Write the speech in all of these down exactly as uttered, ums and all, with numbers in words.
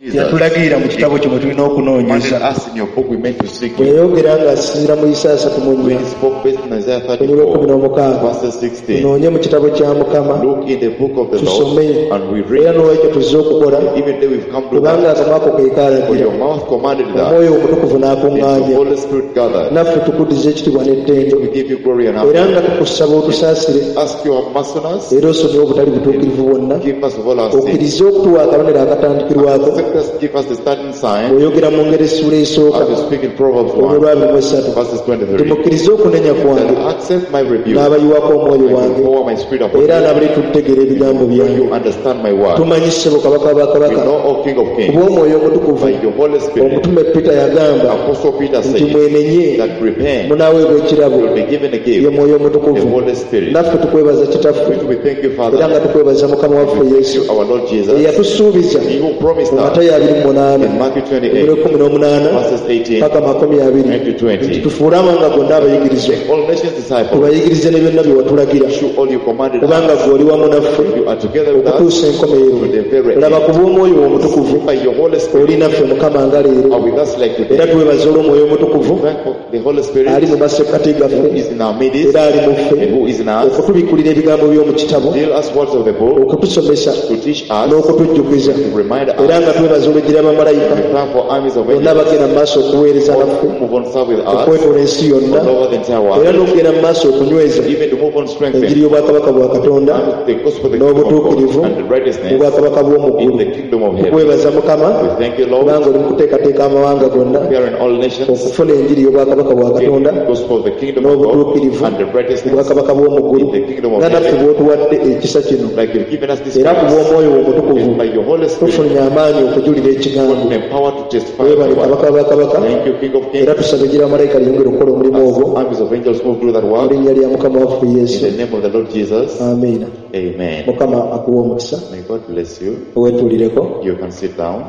Yatulagirira mu kitabo kye mwe tulina Commanded okunoonyeza. us in your book we meant to seek Bwe you. yayogera ng'asinziira mu Isaaya asatu mu When nnya he spoke based on Isaiah olunyiriri lw'ekkumi thirty-four, n'omukaaga, verses sixteen, tunoonye mu kitabo kya Mukama look in the book of the Lord tusome, and we era read. n'olwekyo tuzze okukola, Even though we've come to kubanga that, akamwa ko ke for kaalagira, your mouth commanded that, Omwoyo Omutukuvu and the n'akuŋŋaanya. Holy Spirit gathered. Naffe tukuddiza ekitiibwa n'ettendo, We give you glory and era honor. nga tukusaba otusaasire, Ask you have mercy on us, era osonyiwe obutali butuukirivu bwonna, give us of all our sins. okkirize okutuwa akabonero akatandikirwako. Accept us, give us the starting sign, Bw'oyogera mu ngeri essuula esooka as you speak in Proverbs olunyiriri one, lwa abiri mu esatu, verses twenty-three. timukkirize okunenya kwange, That accept my rebuke, n'abayiwako omwoyo I will wange, pour my spirit upon era you. n'abali tutegeera ebigambo When byange. you understand my word, Tumanyi ssebo Kabaka wa we bakabaka, know, O King of Kings, kuba Omwoyo Omutukuvu by your Holy Spirit, omutume Peter yagamba Apostle Peter nti said mwenenye that repent, munaaweebwa ekirabo you will be given a ye gift, Mwoyo the Omutukuvu. Holy Spirit. Naffe tukwebaza Kitaffe, Which we thank you, era Father, nga tukwebaza Mukama waffe thank Yesu you, our Lord Jesus, eyatusuubiza He who promised mu us Matayo abiri mu munaana in Matthew olunyiriri twenty-eight, lw'ekkumi n'omunaana verses eighteen paka makumi abiri and to nti twenty. tufuule amawanga gonna abayigirizwa, All nations disciples, tubayigirize ne byonna bye watulagira, show all you commanded kubanga us. ggwe oli wamu naffe You are together with us okutuusa enkomerero. to the very Laba end. ku bw'Omwoyo Omutukuvu By your Holy Spirit oli naffe Mukama nga leero, are with us like era today. twebaza olw'Omwoyo Omutukuvu Thank the Holy Spirit ali mu masekkati who gaffe is in our midst era ali mu ffe and who is in us. okutubikkulira ebigambo by'omu kitabo, Deal us words of the book okutusomesa to teach us, n'okutujjukiza, to remind era us. nga twebaza olw'ejjira bamalayika We thank for armies of bonna angels bagenda mu maaso okuweereza naffe who move on serve with us okwetoola ensi yonna, all over the entire era world, n'okugenda mu maaso okunyweza even to move on strengthen enjiri y'obwakabaka bwa Katonda and the gospel of the kingdom of God n'obutuukirivu and the mu righteousness bwakabaka in bw'omu the ggulu. kingdom of heaven. Tukwebaza Mukama We thank you, Lord, kubanga oli mu kuteekateeka amawanga gonna preparing all nations okufuna enjiri y'obwakabaka bwa to get Katonda the gospel of the kingdom of God n'obutuukirivu and the mu righteousness bwakabaka bw'omu ggulu, in the kingdom of nga naffe heaven. bw'otuwadde ekisa kino, Like you've given us this era ku grace, bw'Omwoyo Omutukuvu and by your Holy Spirit, tufunye amaanyi okujulira ekigambo. God empowered to testify Weebale the word. Kabaka wa bakabaka, Thank you, King of Kings. era tusaba ejjira malayika lyongere okukola omulimu ogwo As armies of angels move through that mu work, linnya lya Mukama waffe in Yesu. the name of the Lord Jesus, Amiina. amen. Mukama akuwe omukisa. May God bless you. Weetuulireko, You can sit down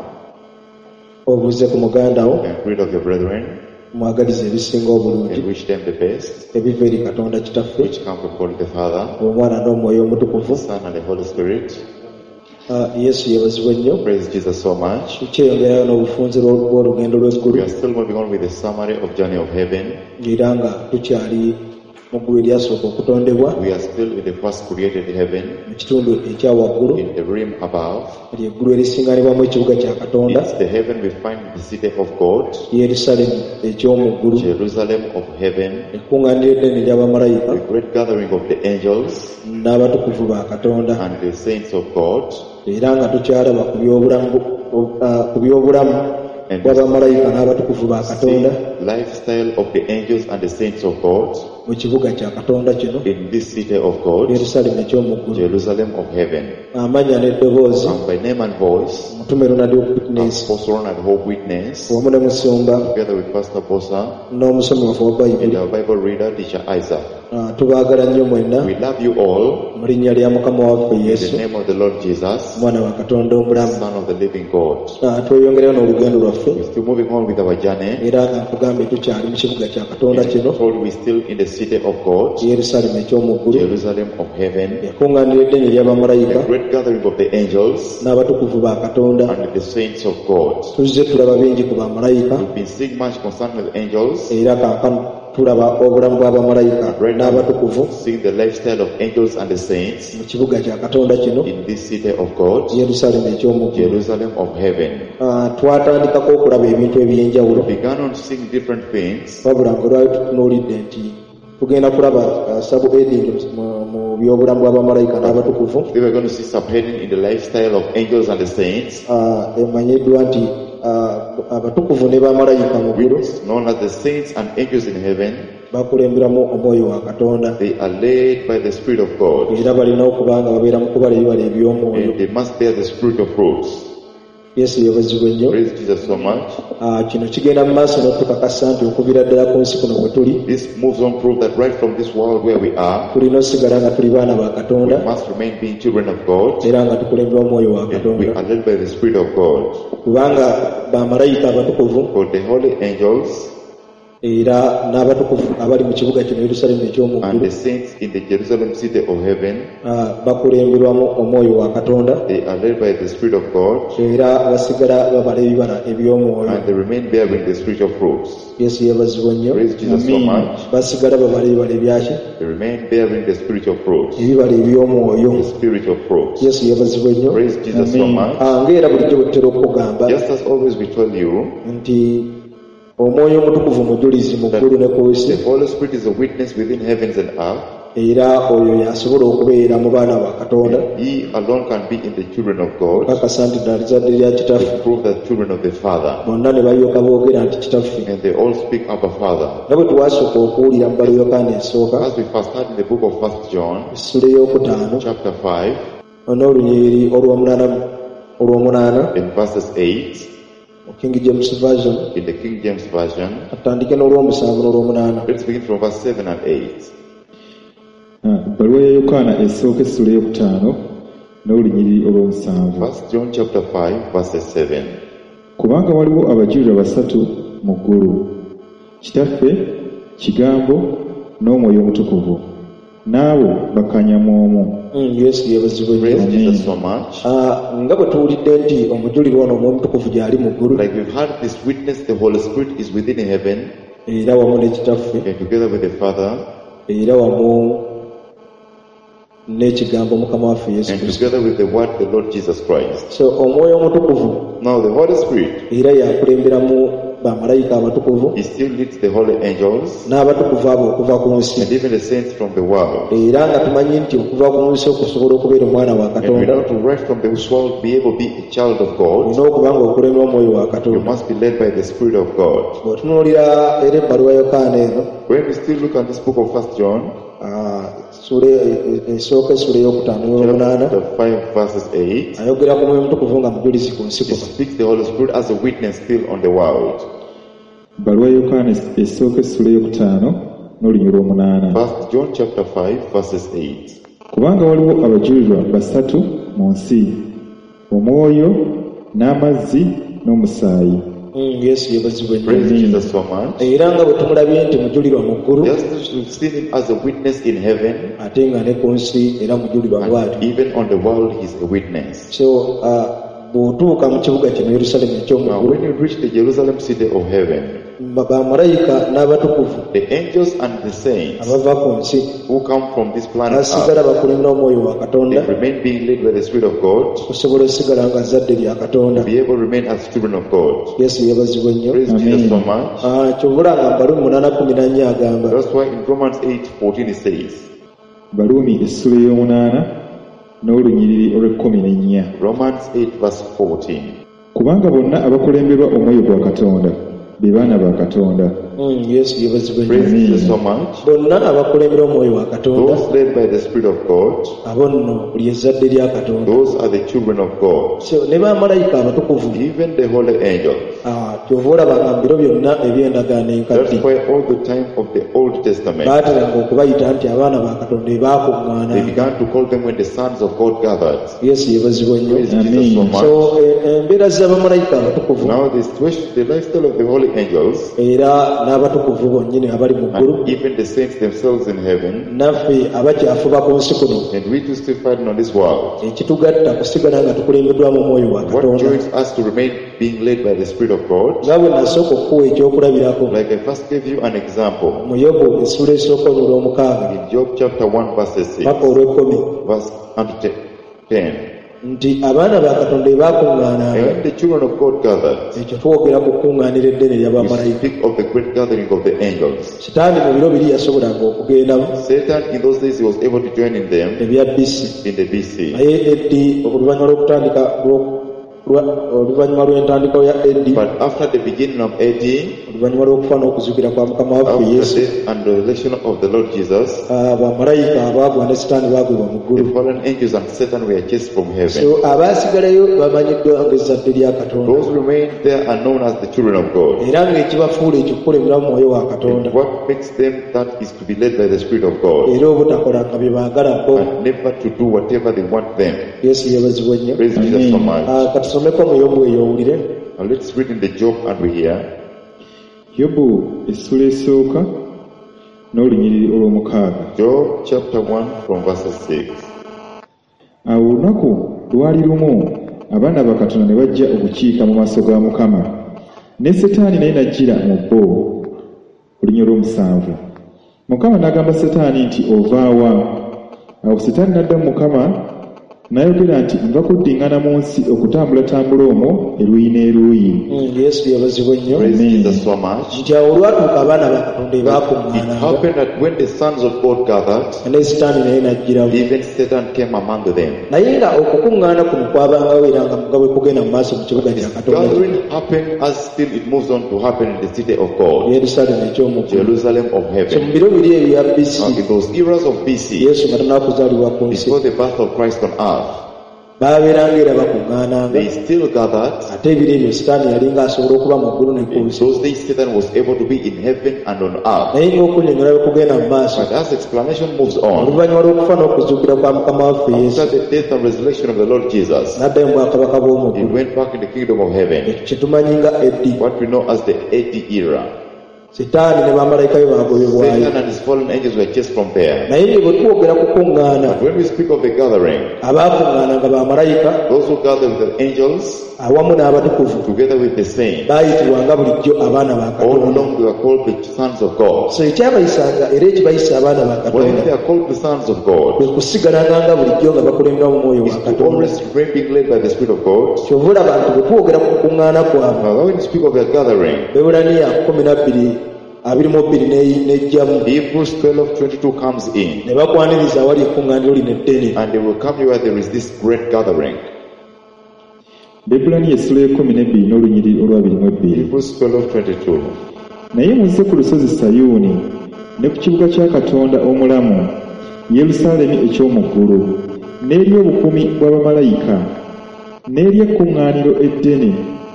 obuuze ku muganda wo, and greet of your brethren mwagalize ebisinga obulungi and wish them the best, ebiva eri Katonda Kitaffe, which come from God the Father, Omwana n'Omwoyo Omutukuvu. the Son, and the Holy Spirit. Ah, Yesu yeebazibwe nnyo. Praise Jesus so much. Tukyeyongerayo n'obufunze bw'olugendo lw'eggulu, We are still moving on with the summary of Journey of Heaven. era nga tukyali mu ggulu eryasooka okutondebwa, We are still in the first created heaven, mu kitundu ekya waggulu, in the realm above. lye ggulu erisinganibwamu ekibuga kya Katonda, It's the heaven we find the city of God, Yerusaalemi eky'omu ggulu, Jerusalem of heaven, ekkuŋŋaaniro eddene ery'abamalayika the great gathering of the angels n'abatukuvu ba Katonda, and the saints of God. era nga tukyalaba ku by'obulamu ah, ku by'obulamu And bw'abamalayika n'abatukuvu ba see Katonda lifestyle of the angels and the saints of God mu kibuga kya Katonda kino, in this city of God, Yerusaalemi eky'omu ggulu. Jerusalem of heaven. Amannya n'eddoboozi, And by name and voice, omutume Ronald Witness Apostle Ronald Hope Witness, wamu ne musumba together with Pastor Bosa n'omusomi waffe wa and Bayibuli, our Bible reader, Teacher Isaac. Ah, tubaagala nnyo mwenna We love you all mu linnya lya Mukama waffe in the Yesu, name of the Lord Jesus, Omwana wa Katonda omulamu. Son of the living God. Ah, tweyongereyo n'olugendo lwaffe, We're still moving on with our journey. era nga nkugambye tukyali mu kibuga kya Katonda kino, Told we're still in the city of God, Yerusaalemi eky'omu ggulu, Jerusalem of heaven, ekkuŋŋaaniro eddene ery'abamalayika the great gathering of the angels n'abatukuvu ba Katonda. and the saints of God. Tuzze tulaba bingi ku bamalayika, We've been seeing much concerning the angels, era kaakano tulaba obulamu bw'abamalayika right now n'abatukuvu seeing the lifestyle of angels and the saints mu kibuga kya Katonda kino, in this city of God, Yerusaalemi eky'omu ggulu. Jerusalem of heaven. Ah, twatandikako okulaba ebintu eby'enjawulo, We began on seeing different things, wabula nga lwali tutunuulidde nti tugenda kulaba ah, subheading mu mu by'obulamu bw'abamalayika n'abatukuvu, we were going to see subheading in the lifestyle of angels and the saints, Ah, emanyiddwa nti ah, abatukuvu ne bamalayika mu ggulu which is known as the saints and angels in heaven. bakulemberamu Omwoyo wa Katonda, They are led by the Spirit of God, era balina okuba nga babeera mu kubala ebibala eby'omwoyo. and they must bear the spirit of fruits. Yesu yeebazibwe nnyo. Praise Jesus so much. Ah, kino kigenda mu maaso n'okutukakasa nti okuviira ddala ku nsi kuno bwe tuli, This moves on proof that right from this world where we are, tulina osigala nga tuli baana ba we Katonda, must remain being children of God, era nga tukulemberwa Omwoyo wa and we Katonda, are led by the Spirit of God. kubanga bamalayika abatukuvu For the holy angels Era n'abatukuvu abali mu kibuga kino Yerusaalemi eky'omu And ggulu the saints in the Jerusalem city of heaven, ah, bakulemberwamu omwoyo wa Katonda. They are led by the Spirit of God, Era basigala babala ebibala eby'omwoyo. And they remain bearing the spiritual fruits. Yesu yeebazibwa nnyo. Praise Jesus so Amen. much. Basigala babala ebibala ebyaki? They remain bearing the spiritual fruits. Ebibala eby'omwoyo. The spiritual fruits. Yesu yeebazibwa nnyo. Praise Jesus so Amen. much. Ah, ng'era bulijjo bwe tutera okukugamba Just as always we tell you nti omwoyo omutukuvu mujulizi mu ggulu ne ku nsi, the Holy Spirit is a witness within heavens and earth. Era oyo y'asobola okubeera mu baana ba Katonda He alone can be in the children of God kakasa nti ddala lizadde lya kitaffe. To prove that children of the Father. Bonna ne balyoka boogera nti kitaffe. And they all speak Abba Father. Nga bwe twasooka okuwulira mu bbaluwa Yokaana esooka, As we first heard in the book of First John, essula ey'okutaano chapter five, n'olunyiriri olw'omunaana olw'omunaana in verses eight, mu King James Version, in the King James Version, atandike n'olw'omusanvu n'olw'omunaana. Let's begin from verse seven and eight. Ah, ebbaluwa ya Yokaana esooka essula ey'okutaano n'olunyiriri olw'omusanvu. First John chapter five, verses seven. Kubanga waliwo abajulirwa basatu mu ggulu, Kitaffe, Kigambo n'Omwoyo Omutukuvu, n'abo bakkanya mu omu. Mm, Yesu yeebazibwe nnyo. Praise Amen. Jesus so much. Ah, nga bwe tuwulidde nti omujulirwa ono Omwoyo Omutukuvu gy'ali mu ggulu, Like we've heard this witness, the Holy Spirit is within heaven, era wamu ne Kitaffe, and together with the Father, era wamu n'ekigambo Mukama waffe Yesu and Kristo. Together with the Word, the Lord Jesus Christ. So Omwoyo Omutukuvu Now the Holy Spirit, era yakulemberamu bamalayika abatukuvu He still leads the holy angels n'abatukuvu abo okuva ku nsi. And even the saints from the world. Era nga tumanyi nti okuva ku nsi okusobola okubeera omwana wa And we Katonda, know to right from the world be able to be a child of God, olina okuba nga okulemera Omwoyo wa you Katonda. Must be led by the Spirit of God. Bw'otunuulira era ebbaluwa Yokaana eno, When we still look at this book of First John, ah, ssuula e- e- esooka essula ey'okutaano n'olwomunaana, chapter five, verses eight, ayogera ku Mwoyo Omutukuvu nga mujulizi ku nsi he kuno. Speaks the Holy Spirit as a witness still on the world. Ebbaluwa ya Yokaana esooka essula ey'okutaano n'olunyiriri olw'omunaana. First John chapter five, verses eight. Kubanga waliwo abajulirwa basatu mu nsi, Omwoyo n'amazzi n'omusaayi. Mm, Yesu yeebazibwe nnyo. Praise Jesus so much. Era nga bwe tumulabye nti mujulirwa mu ggulu, Just as we've seen him as a witness in heaven, ate nga ne ku nsi era mujulirwa bw'atyo. And even on the world he's a witness. So ah, bw'otuuka mu kibuga kino Yerusaalemi eky'omu Now ggulu, when you reach the Jerusalem city of heaven, ba- bamalayika n'abatukuvu the angels and the saints abava ku nsi who come from this planet Earth, basigala bakulembera Omwoyo wa Katonda they remain being led by the Spirit of God, okusobola okusigala nga zzadde lya Katonda. Be able to remain as children of God. Yesu yeebazibwe nnyo. Praise Amen. Jesus so much. Ah, kyova olaba nga Baluumi munaana kumi na nnya agamba, That's why in Romans eight fourteen it says, Baluumi essula ey'omunaana n'olunyiriri olw'ekkumi n'ennya. Romans eight verse fourteen. Kubanga bonna abakulemberwa Omwoyo gwa Katonda be baana ba Katonda. Mm, Yesu yeebazibwe nnyo. Praise Amen. Jesus so much. Bonna abakulembera Omwoyo wa Katonda, Those led by the Spirit of God, abo nno buli ezzadde lya Katonda. Those are the children of God. So ne bamalayika abatukuvu, Even the holy angels. ah, kyova olaba nga mu biro byonna eby'endagaano enkadde, That's why all the time of the Old Testament, baateranga okubayita nti abaana ba Katonda they ebaakuŋŋaana. Began to call them when the sons of God gathered. Yesu yeebazibwe nnyo. Praise Jesus so Amen. much. So e- embeera z'abamalayika abatukuvu Now the situation, the lifestyle of the holy angels era n'abatukuvu bonnyini abali mu ggulu, and even the saints themselves in heaven, naffe abakyafuba ku nsi kuno, and we too still fighting on this world. Ekitugatta kusigala nga tukulembeddwamu Omwoyo wa What Katonda. joins us to remain being led by the Spirit of God? Nga bwe nasooka okukuwa ekyokulabirako Like I first gave you an example mu Yobu essula esooka olw'omukaaga in Job chapter one, verses six, paka olw'ekkumi, verse unto ten. Nti abaana ba Katonda ebaakuŋŋaananga, And when the children of God gathered, ekyo twogera ku kkuŋŋaaniro eddene we ery'abamalayika. Speak of the great gathering of the angels. Sitaani mu biro biri yasobolanga okugendamu Satan, in those days, he was able to join in them ebya B C, in the B C. Naye A D oluvannyuma lw'okutandika lw'o- lwa- oluvannyuma lw'entandikwa ya A D, But after the beginning of A D, oluvannyuma lw'okufa n'okuzuukira kwa Mukama waffe after the Yesu, death and resurrection of the Lord Jesus, ah, bamalayika abaagwa ne Sitaani baagwibwa mu ggulu. The fallen angels and Satan were chased from heaven. So abaasigalayo bamanyiddwa ng'ezzadde lya Katonda. Those who remain there are known as the children of God. Era ng'ekibafuula ekyo kukulembera mu Mwoyo wa Katonda, And what makes them that is to be led by the Spirit of God era obutakolanga bye baagala bo. And never to do whatever they want them. Yesu yeebazibwe nnyo. Praise Jesus so much. Ah, katusomeko mu Yobu eyo owulire. Now let's read in the Job and we hear. Yobu essula esooka n'olunyiriri olw'omukaaga. Job chapter one from verses six. Awo olunaku lwali lumu abaana ba Katonda ne bajja okukiika mu maaso ga Mukama, ne Setaani naye n'ajjira mu bo. Olunyiriri olw'omusanvu. Mukama n'agamba Setaani nti ovaawa? Awo Setaani n'addamu Mukama n'ayogera nti nva kuddiŋŋana mu nsi okutambulatambula omwo eruuyi n'eruuyi. Mm, Yesu yebazibwe nnyo. Praise Amen. Jesus so much. Nti awo olwatuuka abaana ba Katonda It ebaakuŋŋaananga happened that when the sons of God gathered, ne Sitaani naye n'ajjiramu. even Satan came among them. Naye nga okukuŋŋaana kuno kwabangawo era nga nga bwe kugenda mu maaso mu kibuga kya Katonda Gathering happened as still it moves on to happen in the city of God, Yerusaalemi eky'omu ggulu. Jerusalem of So mu heaven. biro biri ebya B C, Now, in those eras of B C, Yesu nga tannakuzaalibwa ku nsi, before the birth of Christ on earth, baabeeranga era bakuŋŋaananga. they still gathered. Ate ebiro ebyo Sitaani yalinga asobola okuba mu ggulu ne ku In nsi. those days, Satan was able to be in heaven and on earth. Naye ng'okunnyonnyola bwe kugenda mu maaso, But as explanation moves on, oluvannyuma lw'okufa n'okuzuukira kwa Mukama waffe Yesu, after the death and resurrection of the Lord Jesus, n'addayo mu bwakabaka bw'omu he ggulu. went back in the kingdom of heaven, Ekyo kye tumanyi nga A D. what we know as the A D era. Sitaani ne bamalayika be baagobebwayo. Satan and his fallen angels were chased from there. Naye nge bwe twogera ku kuŋŋaana, But when we speak of the gathering, abaakuŋŋaananga bamalayika those who gather with the angels awamu n'abatukuvu together with the saints, baayitibwanga bulijjo abaana ba all Katonda. along they were called the sons of God. So ekyabayisanga era ekibayisa abaana ba When Katonda they are called the sons of God, kwe kusigalanga nga bulijjo nga bakulemberwa mu mwoyo is wa to Katonda. always remain being led by the Spirit of God. Kyova olaba nti bwe twogera ku kuŋŋaana kwabwe, Now, when we speak of the gathering, Bebbulaniya kumi na bbiri abiri mu bbiri ne- n'ejjamu Hebrews twelve twenty-two comes in, ne bakwaniriza awali ekkuŋŋaaniro lino eddene. and they will come here where there is this great gathering. Bebbulaniya essula y'ekkumi n'ebbiri n'olunyiriri olw'abiri mu ebbiri. Hebrews twelve twenty-two. Naye muzze ku lusozi Sayuuni ne ku kibuga kya Katonda omulamu, Yerusaalemi eky'omu ggulu, n'eri obukuumi bw'abamalayika, n'eri ekkuŋŋaaniro eddene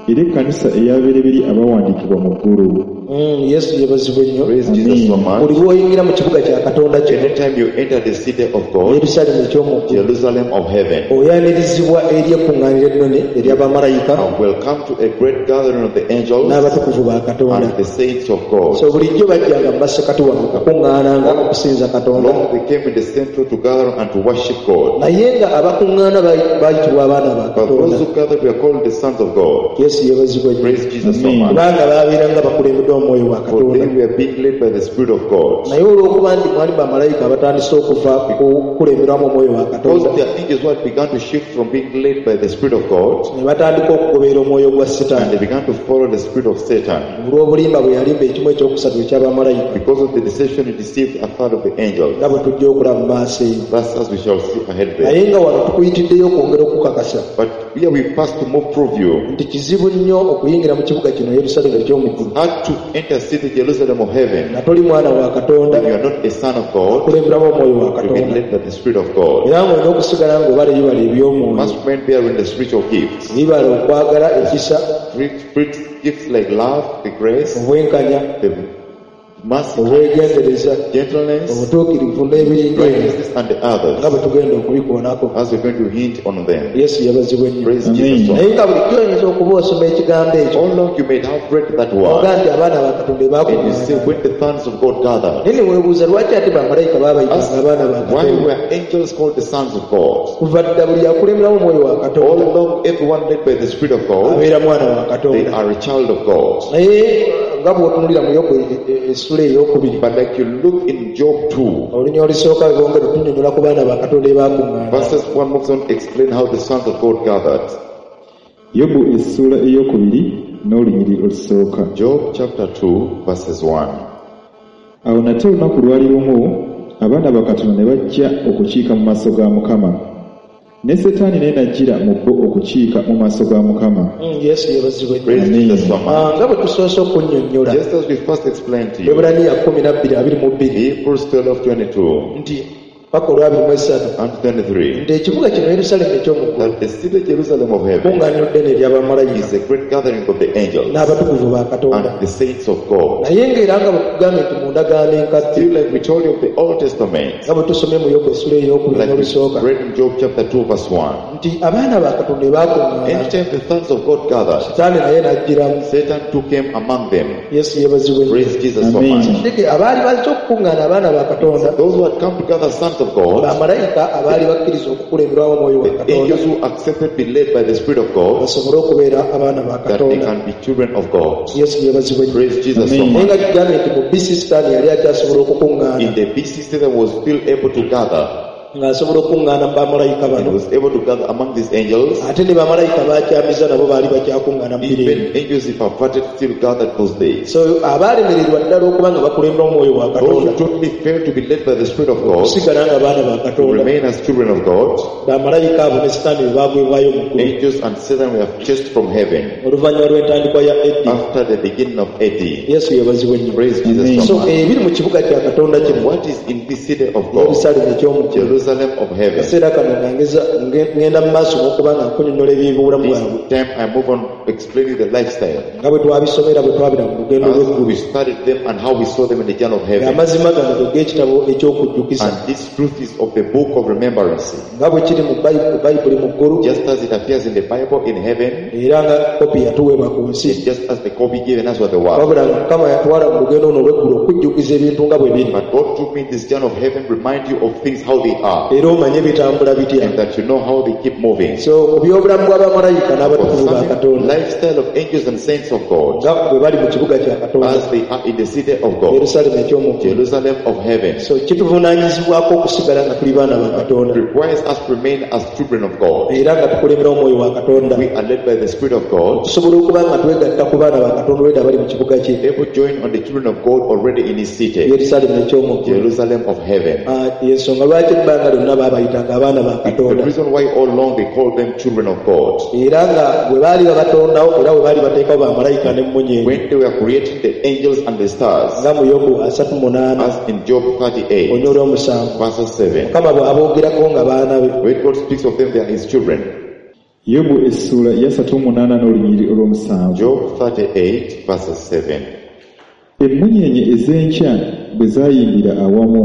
ery'ekkanisa ey'abereberye abawandiikibwa mu ggulu. Mm, Yesu yebazibwe nnyo. Praise Jesus so much. Buli lw'oyingira mu kibuga kya Katonda kino, Anytime you enter the city of God, Yerusaalemi eky'omu ggulu, Jerusalem of heaven, oyanirizibwa eri ekkuŋŋaaniro ennene ery'abamalayika and welcome to a great gathering of the angels n'abatukuvu ba Katonda. and the saints of God. So bulijjo bajjanga mu masekati wano okukuŋŋaananga okusinza Katonda. Long they came in the central to gather and to worship God. Naye nga abakuŋŋaana bayi- bayitibwa abaana ba But Katonda. those who gathered were called the sons of God. Yesu yeebazibwe nnyo. Praise Jesus so Amen. much. Kubanga babeeranga bakulembeddwa omwoyo wa For Katonda. they were being led by the Spirit of God. Naye olw'okuba nti mwali bamalayika abatandise okuva ku kukulemberwamu omwoyo wa Because Katonda, their angels who had begun to shift from being led by the Spirit of God, ne batandika okugoberera omwoyo gwa and Sitaani they began to follow the spirit of Satan. olw'obulimba bwe yalimba ekimu ekyokusatu eky'abamalayika, Because of the deception, he deceived a third of the angels. nga bwe tujja okulaba mu maaso eyo. That's as we shall see ahead there. Naye nga wano tukuyitiddeyo okwongera okukakasa But here we pass to more prove you. Nti kizibu nnyo okuyingira mu kibuga kino Yerusaalemi eky'omu ggulu Hard to enter city Jerusalem of heaven nga toli mwana wa Katonda when you are not a son of God, okulemberamu omwoyo wa you've been Katonda, led by the Spirit of God. Era ng'olina okusigala ng'obala ebibala eby'omwoyo, Must remain bearing the spiritual gifts. ebibala okwagala, ekisa, Spirit gifts like love, the grace, obwenkanya, the mercy, obwegendereza, gentleness, obutuukirivu n'ebiringa ebyo, righteousness, and the nga others. bwe tugenda okubikoonako. As we're going to hint on them. Yesu yabazibwe nnyo. Praise Amen. Jesus. Naye nga bulijjo oyinza okuba osoma ekigambo ekyo All along you may have read that oga word, nti abaana ba Katonda and you say, bakuŋŋaana, when the sons of God gathered, naye ne weebuuza lwaki ate bamalayika baabayitanga ask abaana ba why Katonda. were angels called the sons of God? Kuva dda buli akulemberamu omwoyo wa All Katonda along, everyone led by the Spirit of God, abeera mwana wa they Katonda. are a child of God. Naye nga bw'otunulira mu Yobu essula ey'okubiri, But like you look in Job two, olunya olusooka bongera otunnyonnyola ku baana ba Katonda ebaakuŋŋaana. Verses one moves on to explain how the sons of God gathered. Yobu essuula ey'okubiri n'olunyiriri olusooka. Job chapter two, verses one. Awo nate olunaku lwali lumu abaana ba Katonda ne bajja okukiika mu maaso ga Mukama, ne Setaani naye n'ajjira mu bo okukiika mu maaso ga Mukama. Mm, yesu yeebazibwe nnyo. Praise Amen. Jesus so much. Ah, nga bwe tusoose okunnyonnyola, Just as we first explained to you, Ebulaniya kumi na bbiri abiri mu bbiri Hebrews twelve twenty-two, nti Paka olwabiri mu esatu and twenty-three nti ekibuga kino Yerusaalemi eky'omu ggulu that the city Jerusalem of heaven kkuŋŋaaniro ddene ery'abamalayika is a great gathering of the angels n'abatukuvu ba Katonda. and the saints of God. Naye ng'era nga bwe tugambye nti mu ndagaano enkadde Still, like we told you of the Old Testament, nga bwe tusomye mu Yobu essula ey'okubiri like n'olusooka we read in Job chapter two verse one, nti abaana ba Katonda bwe baakuŋŋaana anytime the sons of God gathered, Sitaani naye n'ajjiramu. Satan took him among them. Yesu yeebazibwe nnyo. Praise Jesus so Amen. much. Ndeke abaali bazze okukuŋŋaana abaana ba Katonda Those who had come together, sons of God, bamalayika abaali bakkiriza okukulemberwamu omwoyo wa the Katonda angels who accepted be led by the Spirit of God, basobole okubeera abaana ba that they Katonda. can be children of God. Yesu yeebazibwe nnyo. Praise Jesus so Amen. Naye much. nga tugambye nti mu B C Sitaani yali akyasobola okukuŋŋaana In the B C, Satan was still able to gather. ng'asobola okukuŋŋaana mu bamalayika He bano was able to gather among these angels. ate ne bamalayika baakyamiza nabo baali bakyakuŋŋaana mu biro ebyo. Even angels, if perverted, still gathered those days. So abaalemererwa ddala okuba nga bakulembera omwoyo wa Those who Katonda totally failed to be led by the Spirit of God, okusigala nga baana ba to Katonda remain as children of God, bamalayika abo ne Sitaani bwe baagwebwayo mu ggulu angels and Satan were chased from heaven oluvannyuma lw'entandikwa ya A D. after the beginning of A D. Yesu yeebazibwe nnyo. Praise Jesus Amen. so So much. ebiri mu kibuga kya Katonda kino What is in this city of God? Yerusaalemi eky'omu ggulu. Jerusalem of heaven. Akaseera kano nga ngeza- nge- ngenda mu maaso n'okuba nga nkunnyonnyola eby'obulamu This bwabwe time I move on explaining the lifestyle. nga bwe twabisomera bwe twabira mu lugendo As lw'eggulu. we studied them and how we saw them in the journey of heaven. Amazima gano ge g'ekitabo eky'okujjukiza And this truth is of the book of remembrance. nga bwe kiri mu Bayi- Bayibuli mu ggulu Just as it appears in the Bible in heaven, era nga kopi yatuweebwa ku nsi. and just as the copy given us was the word. Wabula nga Mukama yatwala mu lugendo luno olw'eggulu okujjukiza ebintu nga bwe biri But God took me this journey of heaven, remind you of things how they are, era omanye bitambula bitya. and that you know how they keep moving. So ku by'obulamu bw'abamalayika n'abatukuvu ba Concerning Katonda lifestyle of angels and saints of God, nga bwe bali mu kibuga kya Katonda as they are in the city of God, Yerusaalemi eky'omu ggulu. Jerusalem of heaven, So kituvunaanyizibwako okusigala nga tuli baana ba Katonda requires us to remain as children of God. era nga tukulembera omwoyo wa Katonda We are led by the Spirit of God, tusobola okuba nga twegatta ku baana ba Katonda olwedda abali mu kibuga kye able to join on the children of God already in His city, Yerusaalemi eky'omu ggulu. Jerusalem of heaven. Ah, yensonga lwaki ebbanga lyonna baabayitanga abaana ba The Katonda reason why all along they called them children of God. era nga bwe baali babatondawo era bwe baali bateekawo bamalayika n'emmunyeenye When they were creating the angels and the stars, nga mu Yobu asatu munaana as in Job thirty-eight, onyola omusanvu verse seven, Mukama bw'aboogerako nga baana be when God speaks of them, they are His children. Yobu essuula ya asatu mu munaana n'olunyiriri olw'omusanvu. Job thirty-eight, verse seven. Emmunyeenye ez'enkya bwe zaayimbira awamu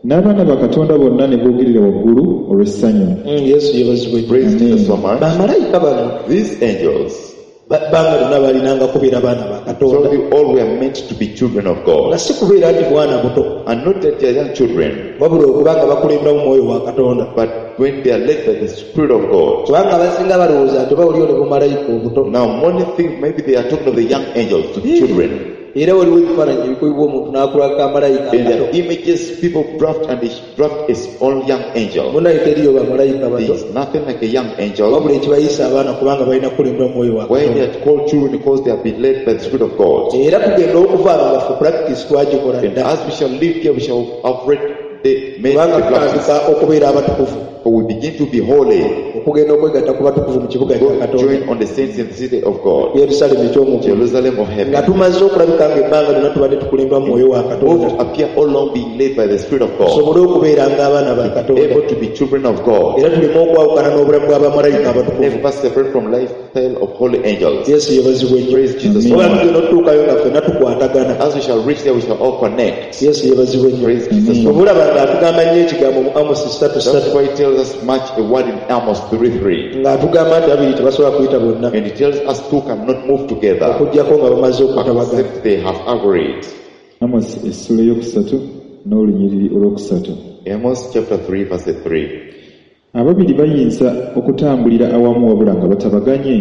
n'abaana ba Katonda bonna ne boogerera waggulu olw'essanyu. Mm, Yesu yeebazibwe. Praise Jesus so much. Bamalayika bano These angels, ba- bbanga lyonna baalinanga kubeera baana ba so Katonda we all were meant to be children of nga God, si kubeera nti bwana buto and not that they are young children, wabula okuba nga bakulemberamu mwoyo wa Katonda but when they are led by the Spirit of God. kubanga abasinga balowooza nti oba oliyo ne bumalayika obuto Now, many think maybe they are talking of the young angels to children. era waliwo ebifaananyi ebikubibwa omuntu n'akulako amalayika In akato their images, people draft and they draft a small young angel. munaye teriyo bamalayika There bato is nothing like a young angel. wabula ekibayisa abaana kubanga balina kukulembera mwoyo wa Why they Katonda are called children? Because they have been led by the Spirit of God. era tugenda okuvaano nga ffe practice twagikola And dda as we shall live here, we shall have read the made kubanga the practice. tutandika okubeera abatukuvu For we begin to be holy. okugenda okwegatta ku batukuvu mu kibuga kya Go Katonda join on the saints in the city of God, Yerusaalemi eky'omu ggulu Jerusalem of nga heaven. tumaze okulabika ng'ebbanga lyonna tubadde tukulembera mwoyo wa Katonda Both appear all along being led by the Spirit of God, tusobole okubeera ng'abaana ba Katonda able to be children of God, era tuleme okwawukana n'obulamu bw'abamalayika abatukuvu. never separate from lifestyle of holy angels. Yesu yeebazibwe nnyo. Praise Jesus so Oba much. tugenda otutuukayo nga ffenna tukwatagana. As we shall reach there, we shall all connect. Yesu yeebazibwe nnyo. Praise Jesus so much. Obulaba ng'atugamba nnyo ekigambo mu Amosi ssatu That's ssatu why he tells us much a word in Amos three three. ng'atugamba nti babiri tebasobola kuyita bonna And he tells us two cannot move together okuggyako nga bamaze okutabagana. except they have agreed. Amos essuula ey'okusatu n'olunyiriri olw'okusatu. Amos chapter three, verse three. Ababiri bayinza okutambulira awamu wabula nga batabaganye.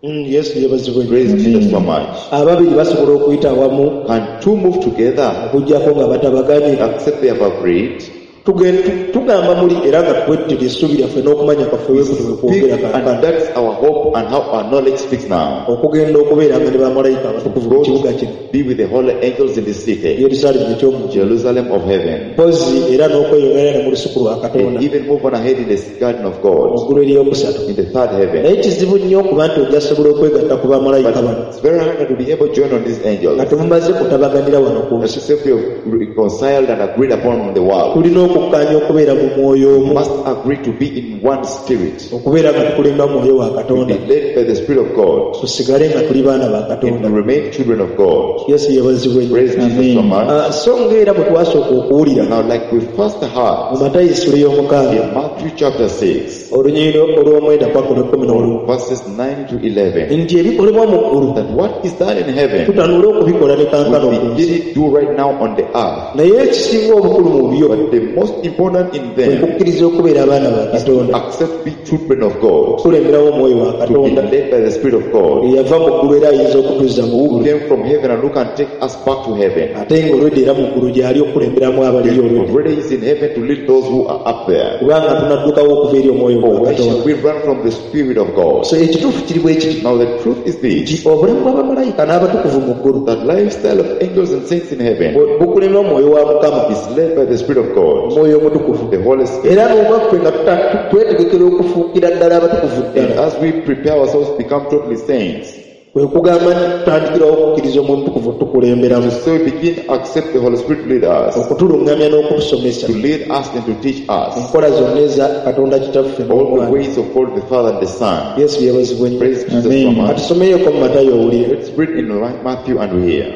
Mm, Yesu yeebazibwe nnyo. Praise Jesus so much. Ababiri basobola okuyita awamu Can two move together okuggyako nga batabaganye. except they have agreed? Tugen- tu- tugamba muli era nga twettira essuubi lyaffe n'okumanya kwaffe We bwe kutyo bwe speak, kwogera kaakano and that's our hope and how our knowledge speaks now. okugenda okubeeranga ne bamalayika abatukuvu mu Go kibuga kino to be with the holy angels in the city, yerusaalemu eky'omu Jerusalem of heaven, mpozi era n'okweyongera ne mu lusuku lwa katonda and even move on ahead in the garden of God, mu ggulu eryokusatu in the third heaven. naye kizibu nnyo okuba nti ojja sobola okwegatta ku bamalayika But bano it's very hard to be able to join on these angels. nga temumaze kutabaganira wano ku nsi Except we have reconciled and agreed upon on the world. tulina okukkaanya okubeera mu mwoyo We omu must agree to be in one spirit, okubeera nga tukulemba mwoyo wa to katonda be led by the Spirit of God, tusigale nga tuli baana ba and katonda to remain children of God. yesu yeebazibwe nnyo Praise Jesus so much. Ah, so ng'era bwe twasooka okuwulira Now, like we first heard mu matayo essula y'omukaaga in Matthew chapter six, olunyiriri olw'omwenda paka olw'ekkumi n'olumu verses nine to eleven, nti ebikolebwa mu ggulu that what is done in heaven, tutanule okubikola ne kankano we ku nsi begin to do right now on the earth. naye ekisinga obukulu mu byo But the most important in kwe them kukkiriza okubeera abaana ba katonda accept be children of God, okukulemberawo omwoyo wa to be katonda led by the Spirit of God, eyava mu ggulu era ayinza okutuzza mu who ggulu came from heaven and who can take us back to heaven. ate ng'olwedda era mu ggulu gy'ali okukulemberamu abaliyo olwedda Already is in heaven to lead those who are up there. kubanga tunaddukawo okuva eri omwoyo For gwa why katonda shall we run from the Spirit of God? so ekituufu kiri bwe kiti Now the truth is nti this, obulamu bw'abamalayika n'abatukuvu mu ggulu that lifestyle of angels and saints in heaven bu- bukulemba omwoyo wa mukama is led by the Spirit of God, omwoyo omutukuvu the Holy Spirit. era n'obwaffe nga tuta- tu- twetegekera okufuukira ddala abatukuvu And ddala as we prepare ourselves to become totally saints, kwe kugamba nti tutandikirawo okukkiriza omwoyo omutukuvu tukulemberamu so we begin to accept the Holy Spirit to lead us, okutuluŋŋamya n'okutusomesa to lead us and to teach us enkola zonna eza katonda kitaffe all the n'omwana ways of God the Father and the Son. yesu yeebazibwe nnyo Praise Jesus Amen. so much. katusomeyeko mu matayo owulire Let's read in Matthew and we hear.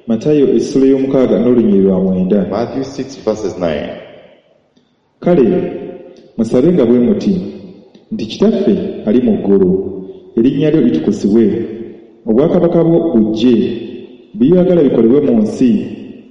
matayo essula y'omukaaga n'olunyiriri lwa mwenda Matthew six verses nine. Kale musabe nga bwe muti nti kitaffe ali mu ggulu erinnya lyo litukuzibwe obwakabaka bwo bujje by'oyagala bikolebwe mu nsi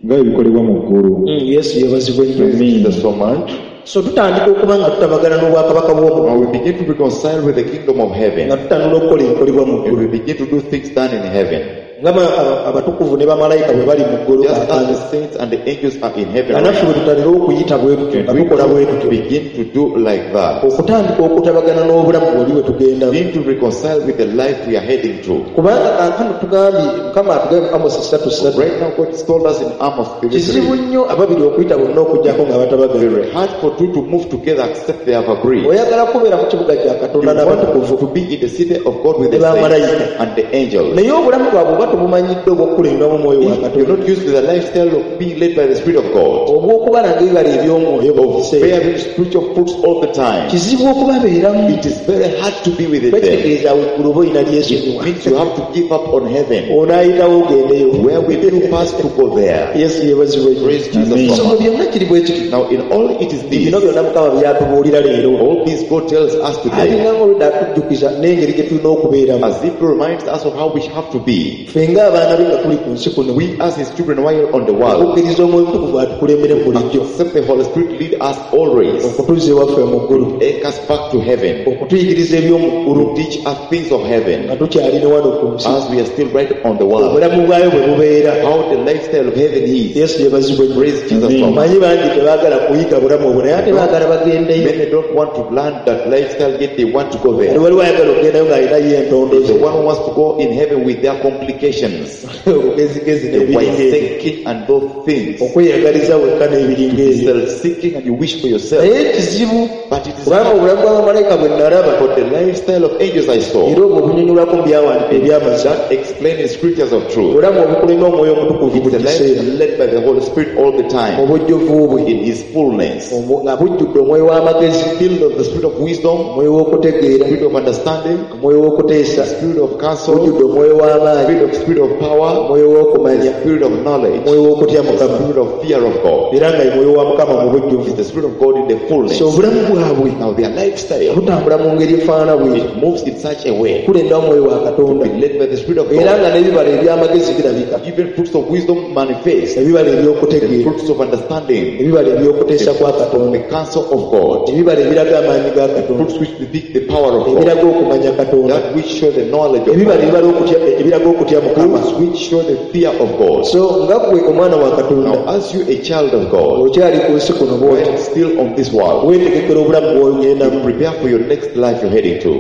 nga bwe bikolebwa mu ggulu Mm, yesu yeebazibwe nnyo Praise Amen. Jesus so much. so tutandika okuba nga tutabagana n'obwakabaka bw'omu Now we begin to reconcile with the kingdom of heaven nga tutanula okukola ebikolebwa mu and ggulu we begin to do things done in heaven. nga ba- aba- abatukuvu ne bamalayika bwe bali mu ggulu Just as kaakano the saints and the angels are in heaven, nga naffe bwe tutanira okuyita bwe tutyo and nga we tukola bwe tutyo begin to do like that. okutandika okutabagana n'obulamu bwoli bwe tugendamu Begin to reconcile with the life we are heading to. kubanga kaakano tugambye mukama atugambye amosi ssatu ssatu Right now, God has told us in Amos kizibu three three, nnyo ababiri okuyita bonna okuggyako nga batabagana very hard for two to move together except they have agreed. oyagala kubeera mu kibuga kya You katonda n'abatukuvu want to be in the city of God with the Ne bamalayika. saints and the angels. naye obulamu bwabwe oba tebumanyidde obw'okukulembamu omwoyo wa If you're katonda not used to the lifestyle of being led by the Spirit of God, obw'okubala ng'ebibala eby'omwoyo buli of kiseera bearing spiritual fruits all the time, kizibu okubabeeramu it is very hard to be with them. bakitegeeza awo eggulu oba olina It lyesonyiwa means you have to give up on heaven. onaayitawo ogendeyo Where will you pass to go there? yesu yeebazibwe nnyo Praise Jesus Amen. so so mu much. byonna kiri bwe kiti Now, in all it is this, bino byonna mukama byatubuulira leero all this God tells us today, alinga ng'oludda atujjukiza n'engeri gye tulina okubeeramu as if he reminds us of how we have to be. ffe ng'abaana be nga tuli ku nsi kuno We as his children while on the world, okukkiriza omwoyo omutukuvu atukulembere bulijjo accept the Holy Spirit lead us always, okutuzza ewaffe mu ggulu take us back to heaven, okutuyigiriza eby'omu ggulu to teach us things of heaven, nga tukyali ne wano ku nsi as we are still right on the world. obulamu bwayo bwe bubeera How the lifestyle of heaven is. yesu yeebazibwe nnyo Praise Jesus so much. manyi bangi tebaagala kuyiga bulamu obwo naye ate baagala bagendeyo Many don't want to learn that lifestyle, yet they want to go there. waliwo ayagala okugendayo ng'alinayo entondo The ze one who wants to go in heaven with their complications, obugezigezi the n'ebiringa ebyo wise-seeking and those things, okweyagaliza wekka n'ebiringa ebyo self-seeking and you wish for yourself. naye kizibu But it is kubanga obulamu bw'abamalayika bwe nalaba for the lifestyle of angels I saw era obwo obunyonyolwako mu byawandiiko ebyamazima that explain in scriptures of truth. obulamu obukulema omwoyo omutukuvu It's buli a life kiseera led by the Holy Spirit all the time obujjuvu bwe in His fullness, Omwo- nga bujjudde omwoyo w'amagezi filled of the spirit of wisdom, omwoyo w'okutegeera spirit of understanding, omwoyo w'okuteesa spirit of counsel, bujjudde omwoyo w'amaanyi spirit of spirit of power, omwoyo w'okumanya spirit of knowledge, omwoyo w'okutya mukama spirit of fear of God. era nga ye mwoyo wa mukama mu bujjuvu It's the spirit of God in the fullness. so obulamu bwabwe Now their lifestyle, butambula mu ngeri efaanana bweti it moves in such a way, kulenda omwoyo wa Katonda be led by the Spirit of era God. nga n'ebibala eby'amagezi birabika Even fruits of wisdom manifest, ebibala the eby'okutegeera fruits of understanding, ebibala eby'okuteesa kwa the Katonda counsel of God, ebibala ebiraga amaanyi ga Katonda fruits which depict the power of God, ebiraga okumanya Katonda that which show the knowledge of ebibala God, ebibala okutya- ebiraga okutya Mukama fruits which show the fear of God. so nga ggwe omwana wa Katonda Now, as you a child of God, okyali ku nsi kuno bw'oti while still on this world, weetegekera obulamu bw'ogendamu prepare for your next life you're heading to.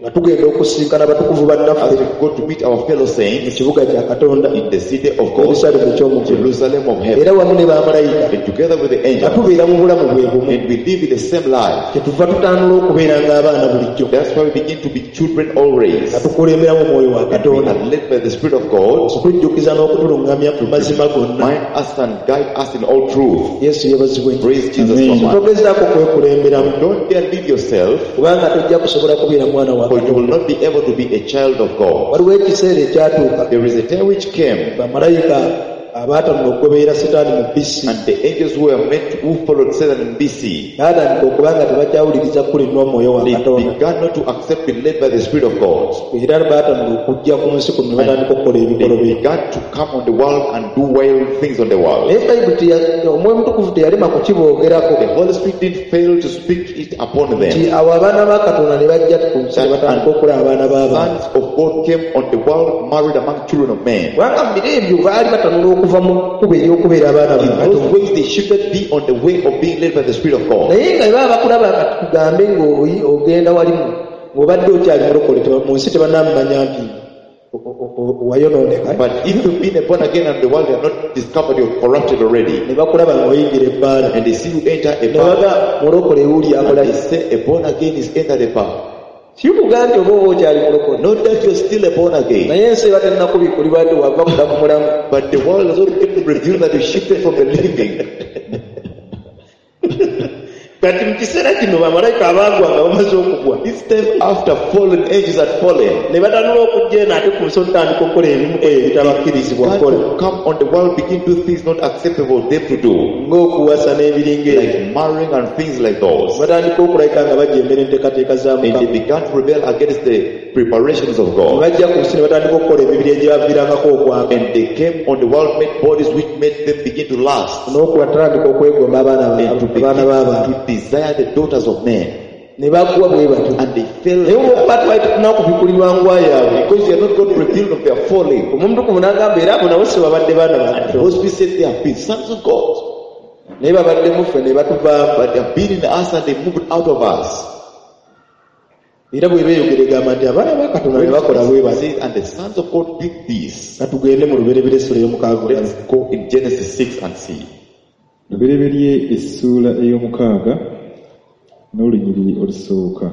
nga tugenda okusinkana abatukuvu As bannaffe we go to meet our fellow mu saints kibuga kya Katonda in the city of God, Yerusaalemu eky'omuggulu Jerusalem of heaven, era wamu ne bamalayika and together with the nga angels, tubeera mu bulamu bwe bumu and we live in the same life. kyetuva tutandula okubeera ng'abaana bulijjo That's why we begin to be children always. nga tukulemberamu omwoyo wa We Katonda are led by the Spirit of God okutujjukiza n'okutuluŋŋamya mu mazima gonna mind us and guide us in all truth. Yesu yeebazibwe nnyo Praise Jesus so Amen. much. togezaako kwekulemberamu Don't dare leave yourself, kubanga tojja kusobola kubeera mwana wa for you will Katonda not be able to be a child of God. waliwo ekiseera ekyatuuka There is a time which came, bamalayika abaatanula okugoberera Setaani mu bisi and the angels who were meant who followed Satan in B C, baatandika okuba nga tebakyawuliriza kulinwa omwoyo wa they Katonda began not to accept being led by the Spirit of God. era baatandika okujja ku nsi kuno ne batandika okukola They ebikolobero began to come on the world and do wild things on the world. naye Bayibuli teya- omwoyo omutukuvu teyalema kukiboogerako The Holy Spirit didn't fail to speak it upon nti them. awo abaana ba Katonda ne bajja ku nsi ne batandika okulaba abaana b'abantu Sons of God came on the world, married among children of men. kubanga mu biro ebyo baali batanula okuva mu kkubo ery'okubeera abaana ba In those Katonda ways, they shifted be on the way of being led by the Spirit of God. naye nga bwe baba bakulaba kati tugambe ng'oyi- ogenda wali mu- ng'obadde okyali mulokole teba- mu nsi tebannamumanya nti o- o- o- wayonooneka But if you've been born again and the world have not discovered you're corrupted already, ne bakulaba ng'oyingira ebbaala and they see you enter a ne bar, baga mulokole wuli and akola they say a born again is entered a bar. kikugaa nti oba oba okyali mulokole Not that you're still a born again, naye ensi eba tennakubikulibwa nti wava kudda ku mulamu but the world has not yet revealed that you shifted from the living. kati mu kiseera kino bamalayika abaagwa nga bamaze okugwa This time after fallen angels had fallen, ne batanula okujja eno ate ku nsi otandika okukola ebimu ku ebyo ebitabakkirizibwa God kukola to come on the world begin to do things not acceptable them to do, ng'okuwasa n'ebiringa ebyo like marrying and things like those. batandika okulayika nga bajemera enteekateeka za And they Mukama began to rebel against the preparations of ne God. bajja ku nsi ne batandika okukola emibiri egyabaviirangako okwaka And they came on the world made bodies which made them begin to lust n'okubatandika okwegomba abaana ba- and to abaana b'abantu begin to desire the daughters of men. ne bagwa bwe batyo And they fell naye olwokuba twali tetunakubikulirwa ngwa yaabwe because they are not God revealed of their falling. omuntu n'agamba era abo nabo si babadde baana ba And Katonda those we said they have been sons of God, naye babadde mu ffe ne batuvaamu but they have been in us and they moved out of us. era bwe beeyogera egamba nti abaana ba Katonda ne bakola bwe batyo Says, and the sons of God did this. katugende mu lubereberye essula ey'omukaaga olabe Let's go in Genesis six and see. Lubereberye essuula ey'omukaaga n'olunyiriri olusooka.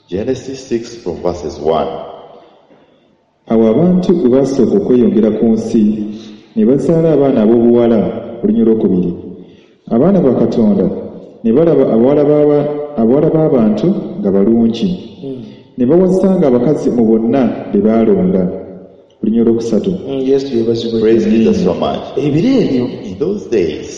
Genesis six from verses one. Awo abantu bwe baasooka okweyongera ku nsi ne bazaala abaana ab'obuwala olunyiriri olwokubiri. Abaana ba Katonda ne balaba abawala b'aba- abawala b'abantu nga balungi. Ne bawasanga abakazi mu bonna be baalonda. Olunyiriri olwokusatu. Mm, Yesu yeebazibwe Praise Jesus so much. ebiro ebyo In those days,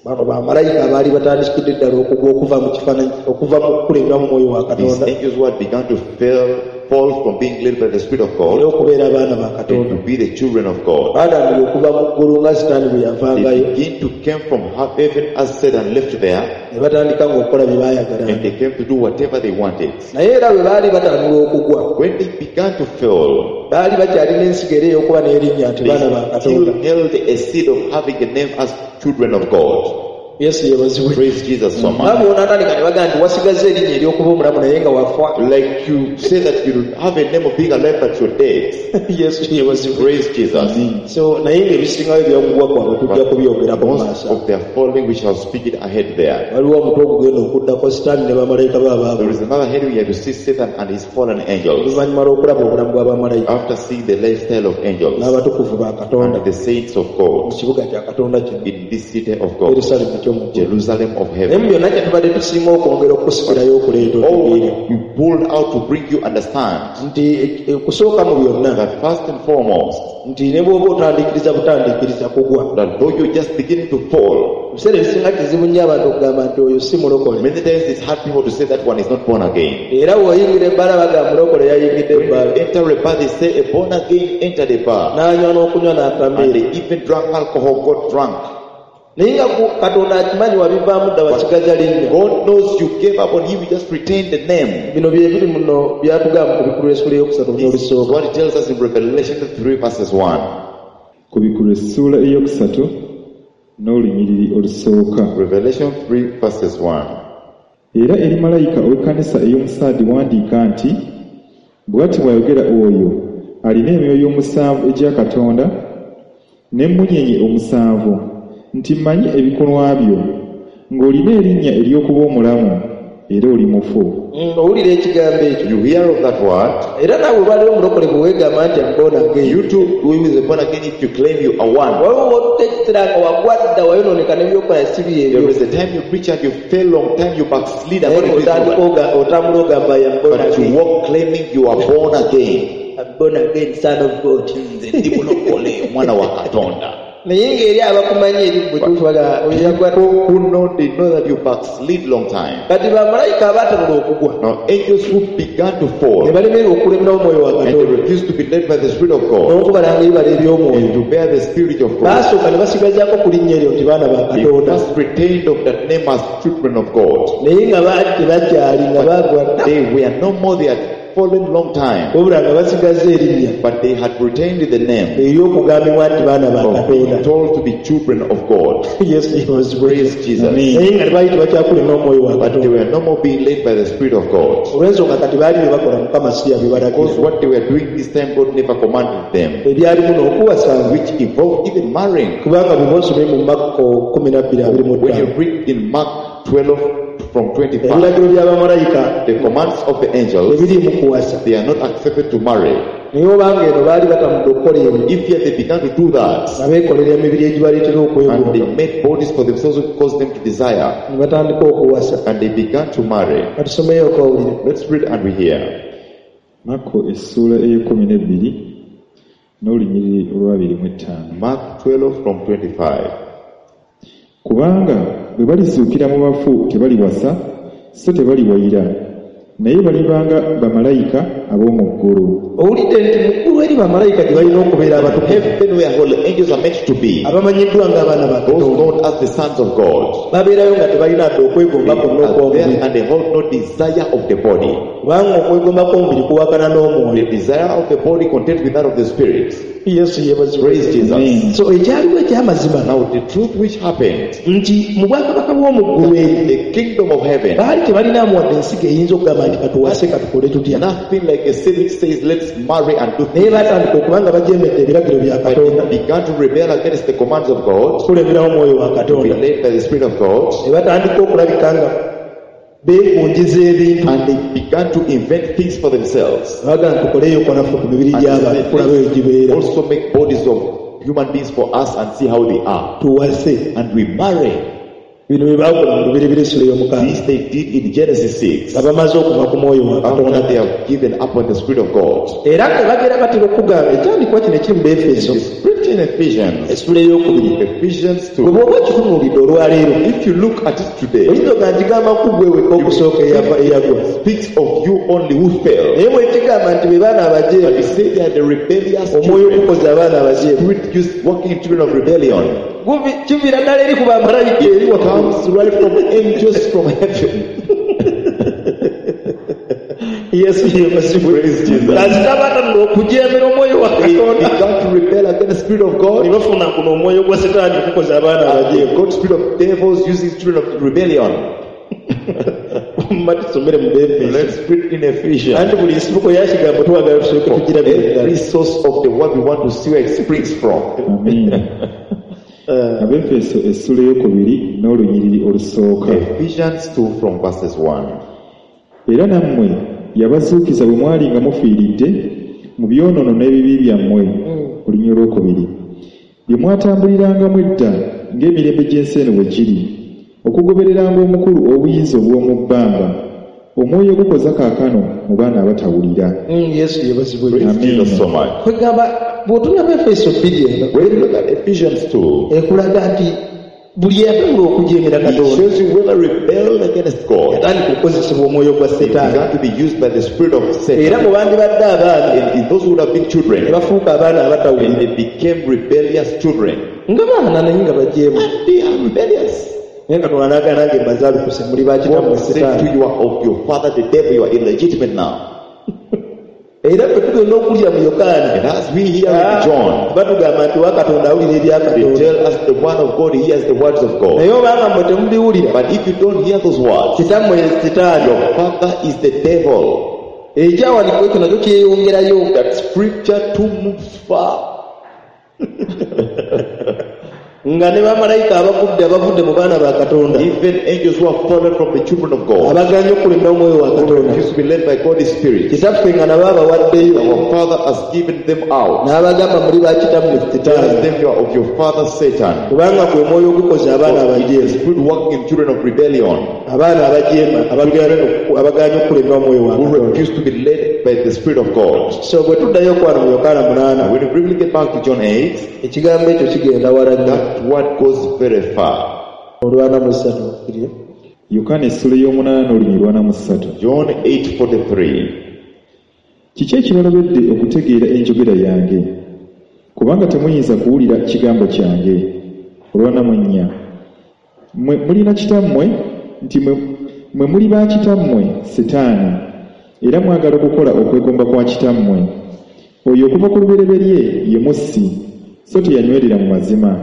bano bamalayika abaali batandikidde ddala okugwa okuva mu kifaananyi okuva mu kukulemberamu omwoyo wa these Katonda angels who had begun to fail, fall from being led by the Spirit of era God okubeera abaana ba and Katonda to be the children of God. baatandika okuva mu ggulu nga Sitaani bwe They yavangayo begin to came from heaven as Satan left there, ne batandika ng'okukola bye baayagalanga and they came to do whatever they wanted. naye era bwe baali batandula okugwa When they began to fail, baali bakyalina ensigo era ey'okuba n'erinnya nti they baana ba still Katonda held a seed of having a name as children of God. Yesu yeebazibwe Praise Jesus so much. nga bw'onaatandika ne bagamba nti wasigazza erinnya ery'okuba omulamu naye nga wafa Like you say that you have a name of being alive but you're dead. Yesu yeebazibwe Praise Jesus. so naye ng'ebisingayo ebyokugwa kwabwe tujja kubyogerako mu Most maaso of their falling, we shall speak it ahead there. waliwo omutwe ogugenda okuddako Sitaani ne bamalayika be abaagwa There is another heading we have to see Satan and his fallen angels. oluvannyuma lw'okulaba obulamu bw'abamalayika After seeing the lifestyle of angels n'abatukuvu ba Katonda and the saints of mu God kibuga kya Katonda kino in this city of God, Yerusaalemu eky'omu ggulu Jerusalem of naye mu heaven. byonna kye tubadde tusinga okwongera okusikirayo okuleeta All otegeere we pulled out to bring you understand nti eh, okusooka mu byonna that first and foremost, Nti ne bw'oba otandikiriza butandikiriza kugwa. That though you're just beginning to fall, Ebiseera ebisinga kizibu nnyo abantu okugamba nti oyo si mulokole. many times it's hard people to say that one is not born again. Era bw'oyingira ebbaala bagamba mulokole yayingidde When ebbaala. you enter a bar, they say a born again entered a bar. N'anywa n'okunywa And n'atamiira. they even drank alcohol, got drunk. Naye nga ku- Katonda akimanyi wabivaamu dda wasigaza linnya. God knows you gave up on him, you just retained the name. Bino bye biri muno byatugamba ku bikulu essula eyokusatu This is n'olusooka. what it tells us in Revelation three verses one. Kubikkulwa essuula eyokusatu n'olunyiriri olusooka. Revelation three verses one. Era eri malayika ow'ekkanisa ey'omusaadi wandiika nti bw'ati bw'ayogera oyo alina emyoyo omusanvu egya Katonda n'emmunyeenye omusanvu nti mmanyi ebikolwa byo ng'olina erinnya ery'okuba omulamu era oli mufu. Mm, owulira ekigambo ekyo. You hear of that word. Era naawe olwaleero omulokole bwe weegamba nti am born again. You too, who is born again, if you claim you are one. Waliwo w'otuta ekiseera nga wagwa dda wayonooneka n'ebyokola si byebyo. There is a time you preach and you fail long time, you backslid and Naye what it is otandika oga- otambula ogamba I am born But you again. walk claiming you are born again. I'm born again, son of God. Nze ndi mulokole, omwana wa Katonda. Naye ng'eri abakumanyi eri mu butuufu baga oyo yagwa. People who know, they know that you backslid long time. Kati bamalayika abaatanula okugwa Now angels who began to fall ne balemererwa okulemerawo omwoyo wa and they Katonda refused to be led by the Spirit of God n'okubalanga ebibala eby'omwoyo. and to bear the Spirit of God. Baasooka ne basigazaako ku linnya eryo nti baana ba They Katonda. first retained of that name as children of God. Naye nga baali tebakyali nga baagwa dda. They were no more, they had fallen long time, Wabula nga basigaza erinnya but they had retained the name ery'okugambibwa nti baana ba of being Katonda. told to be children of God. Yesu yeebazibwe. Praise Jesus. Naye nga tebaali tebakyakulema omwoyo wa But they Katonda. were no more being led by the Spirit of God. Olw'ensonga kati baali bye bakola Mukama si Because yabibalagira. what they were doing this time, God never commanded them, Ebyalimu n'okuwasanga which involved even marrying. kubanga bwe bosomye mu Makko kumi na bbiri abiri mu When you ttaano. read in Mark twelve from twenty-five, Ebiragiro by'abamalayika the commands of the angels, tebiriimu kuwasa. they are not accepted to marry. Naye obanga eno baali batamudde okukola ebyo If yet they began to do that, nga beekolera emibiri egibaleetera and okwegomba they made bodies for themselves which caused them to desire, ne batandika okuwasa. and they began to marry. Katusomeyo okawulire. Let's read and we hear. Makko essuula ey'ekkumi n'ebbiri n'olunyiriri olw'abiri mu ettaano. Mark twelve from twenty-five. Kubanga bwe balizuukira mu bafu tebaliwasa so tebaliwayira naye balibanga bamalayika ab'omu ggulu. Owulidde nti mu ggulu eri bamalayika gye balina okubeera abatukuvu Heaven where holy angels are meant to be, abamanyiddwa ng'abaana ba those Katonda known as the sons of God, babeerayo nga tebalina dde they okwegomba kwonna are there okw'omubiri and they hold no desire of the body. kubanga okwegomba kw'omubiri kuwakana n'omwoyo. The desire of the body contends with that of the spirit. Yesu yeebazibwe. Praise Jesus. Amen. So ekyaliwo ekyamazima Now the truth which happened, nti mu bwakabaka bw'omu ggulu eri the kingdom of heaven, baali tebalinaamu wadde ensigo eyinza okugamba nti katuwase katukole tutya. nothing like a seed which says let's marry and do Naye things. baatandika okuba nga bajeemedde ebiragiro bya But Katonda they began to rebel against the commands of God, okukulemberawo omwoyo wa to be Katonda led by the Spirit of God, ne batandika okulabika nga beekunjiza ebintu and they began to invent things for themselves. bagamba tukoleyo naffe ku mibiri And gy'abantu they said, tulabe eyo gibeera "Let's also make bodies of human beings for us and see how they are." Tuwase. And we marry. Bino bye baakola mu lubereberye essula ey'omukaaga This they did in Genesis six. nga bamaze okuva ku mwoyo wa After Katonda. they have given up on the Spirit of God. Era nga bagera batera okugamba ekyandikwa kino ekiri mu Befeso It's written in Ephesians. essula ey'okubiri. Ephesians Bwe two. bw'oba okitunuulidde olwaleero If you look at it today, oyinza oga ngigamba ku ggwe wekka okusooka eyava eyagwa. it speaks of you only who fell. Naye bwe kigamba nti be baana But abajeemu you say they are the rebellious omwoyo children. ogukoza abaana abajeemu Spirit used working children of rebellion. Guvi- kiviira ddala eri ku bamalayika eri It waggulu. comes right from angels from heaven. Yesu yeebazibwe. Praise Jesus. Kasita batanula okujeemera omwoyo wa They Katonda began to rebel against the Spirit of ne God. bafuna guno omwoyo gwa Setaani okukoza abaana And they abajeemu. got spirit of devils using spirit of rebellion. Mma tusomere mu Befeso. Let's read in Ephesians. Anti buli nsibuko ya kigambo twagala tusooke tugirabire ddala. Every source of the word we want to see where it springs from. Amiina. Abefeso essula ey'okubiri n'olunyiriri olusooka. Ephesians two from verses one. Era nammwe yabazuukiza bwe mwali nga mufiiridde mu byonoono n'ebibi byammwe olunyiriri olwokubiri bye mwatambulirangamu edda ng'emirembe gy'ensi eno bwe giri okugobereranga omukulu obuyinza obw'omu bbanga Omwoyo gukoza kaakano mu baana abatawulira. Mm, Yesu yeebazibwe. Praise Amen. Jesus so much. Kwegamba bw'otunula mu Efeso bbiri eno When you look at Ephesians two, ekulaga nti buli eyatandika okujeemera it Katonda shows you whoever rebelled against God, yatandika okukozesebwa omwoyo gwa he Setaani. began to be used by the spirit of Era Satan. bwe bandibadde abaana And in those who would have been ne children, bafuuka abaana and abatawulira they became rebellious children. nga baana naye nga bajeemu. And they are rebellious. Naye Katonda n'agamba nange mbazaalukuse muli ba kitammwe God said to Setaani. you are of your father the devil, you are illegitimate now. Era bwe tugenda okulya mu Yokaana And as we hear in John, batugamba nti wa Katonda awulira ebya they Katonda. tell us the word of God hears the words of God. Naye obanga mmwe temubiwulira But if you don't hear those words, kitammwe ye Setaani. your father is the devil. Ekyawandiikibwa ekyo nakyo kyeyongerayo. That scripture too moves far. Nga ne bamalayika abagudde abavudde mu baana ba Katonda Even angels who have fallen from the children of God, abaganye okulemera omwoyo wa who Katonda refuse to be led by God's Spirit, kitaffe nga nabo abawaddeyo our Father has given them out. n'abagamba muli ba kitammwe Tells Setaani them you are of your father Satan. kubanga gwe mwoyo ogukoze abaana For it is the abajeemu spirit working in children of rebellion abaana abajeema abagaana- abagaanye okulemera omwoyo wa who Katonda. refuse to be led by the Spirit of God. So bwe tuddayo okwano mu Yokaana munaana And when we briefly get back to John eight, ekigambo ekyo kigenda wala nnyo. that word goes very far. Olwana mu ssatu kiri. Yokaana essula ey'omunaana n'olunyiriri lwana mu ssatu. John eight forty-three. Kiki ekibalobedde okutegeera enjogera yange? Kubanga temuyinza kuwulira kigambo kyange. Olwana mu nnya. Mmwe mulina kitammwe nti mwe, mwe muli ba kitammwe Setaani, era mwagala okukola okwegomba kwa kitammwe. Oyo okuva ku lubereberye ye mussi, so teyanywerera mu mazima.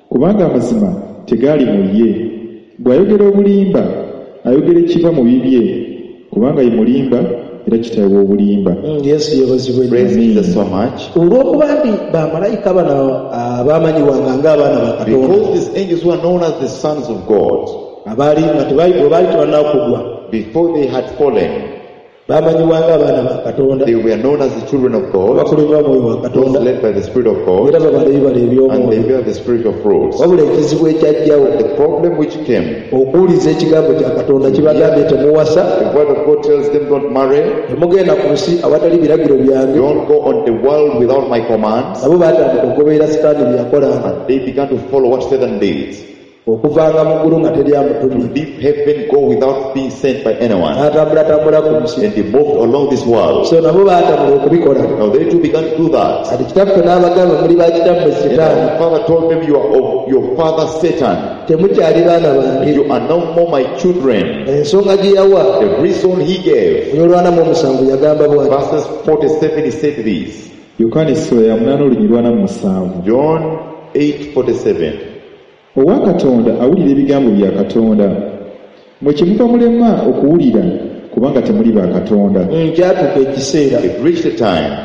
Kubanga amazima tegaali mu ye. Bw'ayogera obulimba, ayogera ekiva mu bibye, kubanga ye mulimba era kitaawe w'obulimba. Mm, Yesu yeebazibwe nnyo. Praise Jesus so much. Olw'okuba nti bamalayika bano abaamanyibwanga ng'abaana ba Katonda Because these angels were known as the sons of God, abaali nga tebaali bwe baali tebannakugwa before they had fallen, baamanyibwanga abaana ba Katonda they were known as the children of God, abakulembera omwoyo wa those Katonda led by the Spirit of God, era babala ebibala and they eby'omwoyo. bear the spiritual fruits. Wabula ekizibu ekyajjawo The problem which came, okuwuliza ekigambo kya Katonda kibagambye temuwasa the word of God tells them don't marry, temugenda ku nsi awatali biragiro byange. don't go on the world without my commands, Nabo baatandika okugoberera Sitaani bye yakolanga and they began to follow what Satan did. okuvanga mu ggulu nga teri amutumye Leave heaven, go without being sent by anyone. n'atambulatambula ku nsi. And they moved along this world. So nabo baatambula okubikola. Now they too began to do that. Kati kitaffe n'abagamba muli ba kitammwe And Setaani our father told them, you are of your father Satan. temukyali baana bange. You are no more my children. Ensonga gye yawa The reason he gave, olwana mu omusanvu yagamba bw'ati. verses forty-seven, he said this. Yokaana essula ya munaana olunyiriri lwana mu musanvu. John eight forty-seven. Owa Katonda awulira ebigambo bya Katonda. Mwe kyemuva mulema okuwulira kubanga temuli ba Katonda. Mm, kyatuuka ekiseera It reached a time,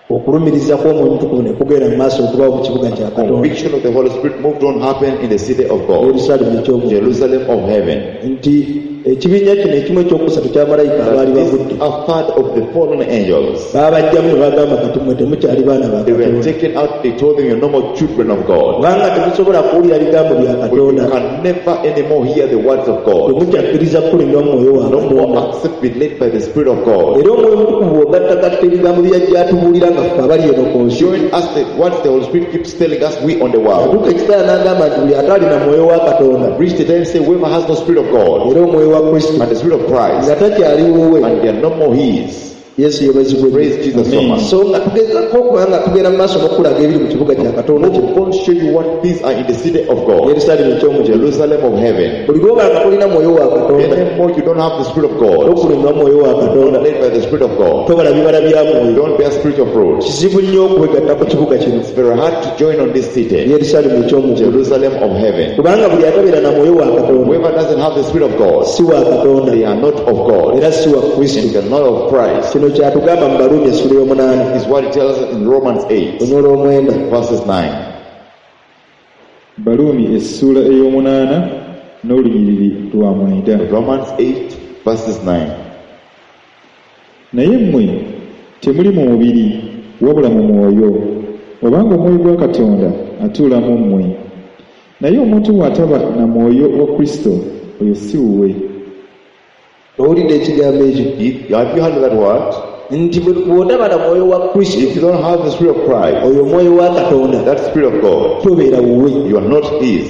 okulumiriza kw'Omwoyo Omutukuvu ne kugenda mu maaso okubaawo mu kibuga kya Katonda conviction of the Holy Spirit moved on happen in the city of God, Yerusaalemi eky'omu Jerusalem of heaven. nti ekibiina kino ekimu ekyokusatu kya malayika abaali That this bavudde a third of the fallen angels. baabajjamu ne bagamba kati mmwe temukyali baana ba They were Katonda taken out, they told them, you're no more children of God. kubanga temusobola kuwulira bigambo bya For you Katonda can never anymore hear the words of God. temukyakkiriza kukulemberwa mu mwoyo wa No more Katonda accept be led by the Spirit of God. era Omwoyo Omutukuvu bw'ogattagatta ebigambo byajja atubuulira nga ffe abali eno ku nsi Join us the what the Holy Spirit keeps telling us we on the world. atuuka ekiseera n'agamba nti buli atalina mwoyo wa Katonda Reach the time say whoever has no Spirit of God era omwoyo wa Kristo and the Spirit of Christ nga takyali wuwe. and they are no more his. Yesu yeebazibwe. Praise Jesus so much. So nga tugezako okuba nga tugenda mu maaso n'okulaga ebiri mu kibuga kya Katonda kino God show you what things are in the city of God, Yerusaalemi eky'omu ggulu. Jerusalem of heaven. Buli lw'oba nga tolina mwoyo wa Katonda Anymore you don't have the Spirit of God, tokulemba mwoyo wa Katonda led by the Spirit of God. tobala bibala bya mwoyo Don't bear spiritual fruits. kizibu nnyo okwegatta ku kibuga kino It's very hard to join on this city, Yerusaalemi eky'omu ggulu Jerusalem of heaven. kubanga buli atabeera na mwoyo wa Katonda Whoever doesn't have the Spirit of God, si wa Katonda they are not of God era si wa Kristo. and they are not of Christ. Kino kyatugamba mu Baruumi essula ey'omunaana Is what it tells us in Romans eight, onyoola omwenda. verses nine. Baruumi essuula ey'omunaana n'olunyiriri lwa mwenda. Romans eight, verses nine. Naye mmwe temuli mu mubiri wabula mu mwoyo, obanga omwoyo gwa Katonda atuula mu mmwe. Naye omuntu bw'ataba na mwoyo wa Kristo oyo si wuwe. Owulidde ekigambo ekyo? If, have you heard that word? Nti bwe- bw'otaba na mwoyo wa Kristo, If you don't have the Spirit of Christ, oyo omwoyo wa Katonda, that Spirit of God, tobeera wuwe. You are not his.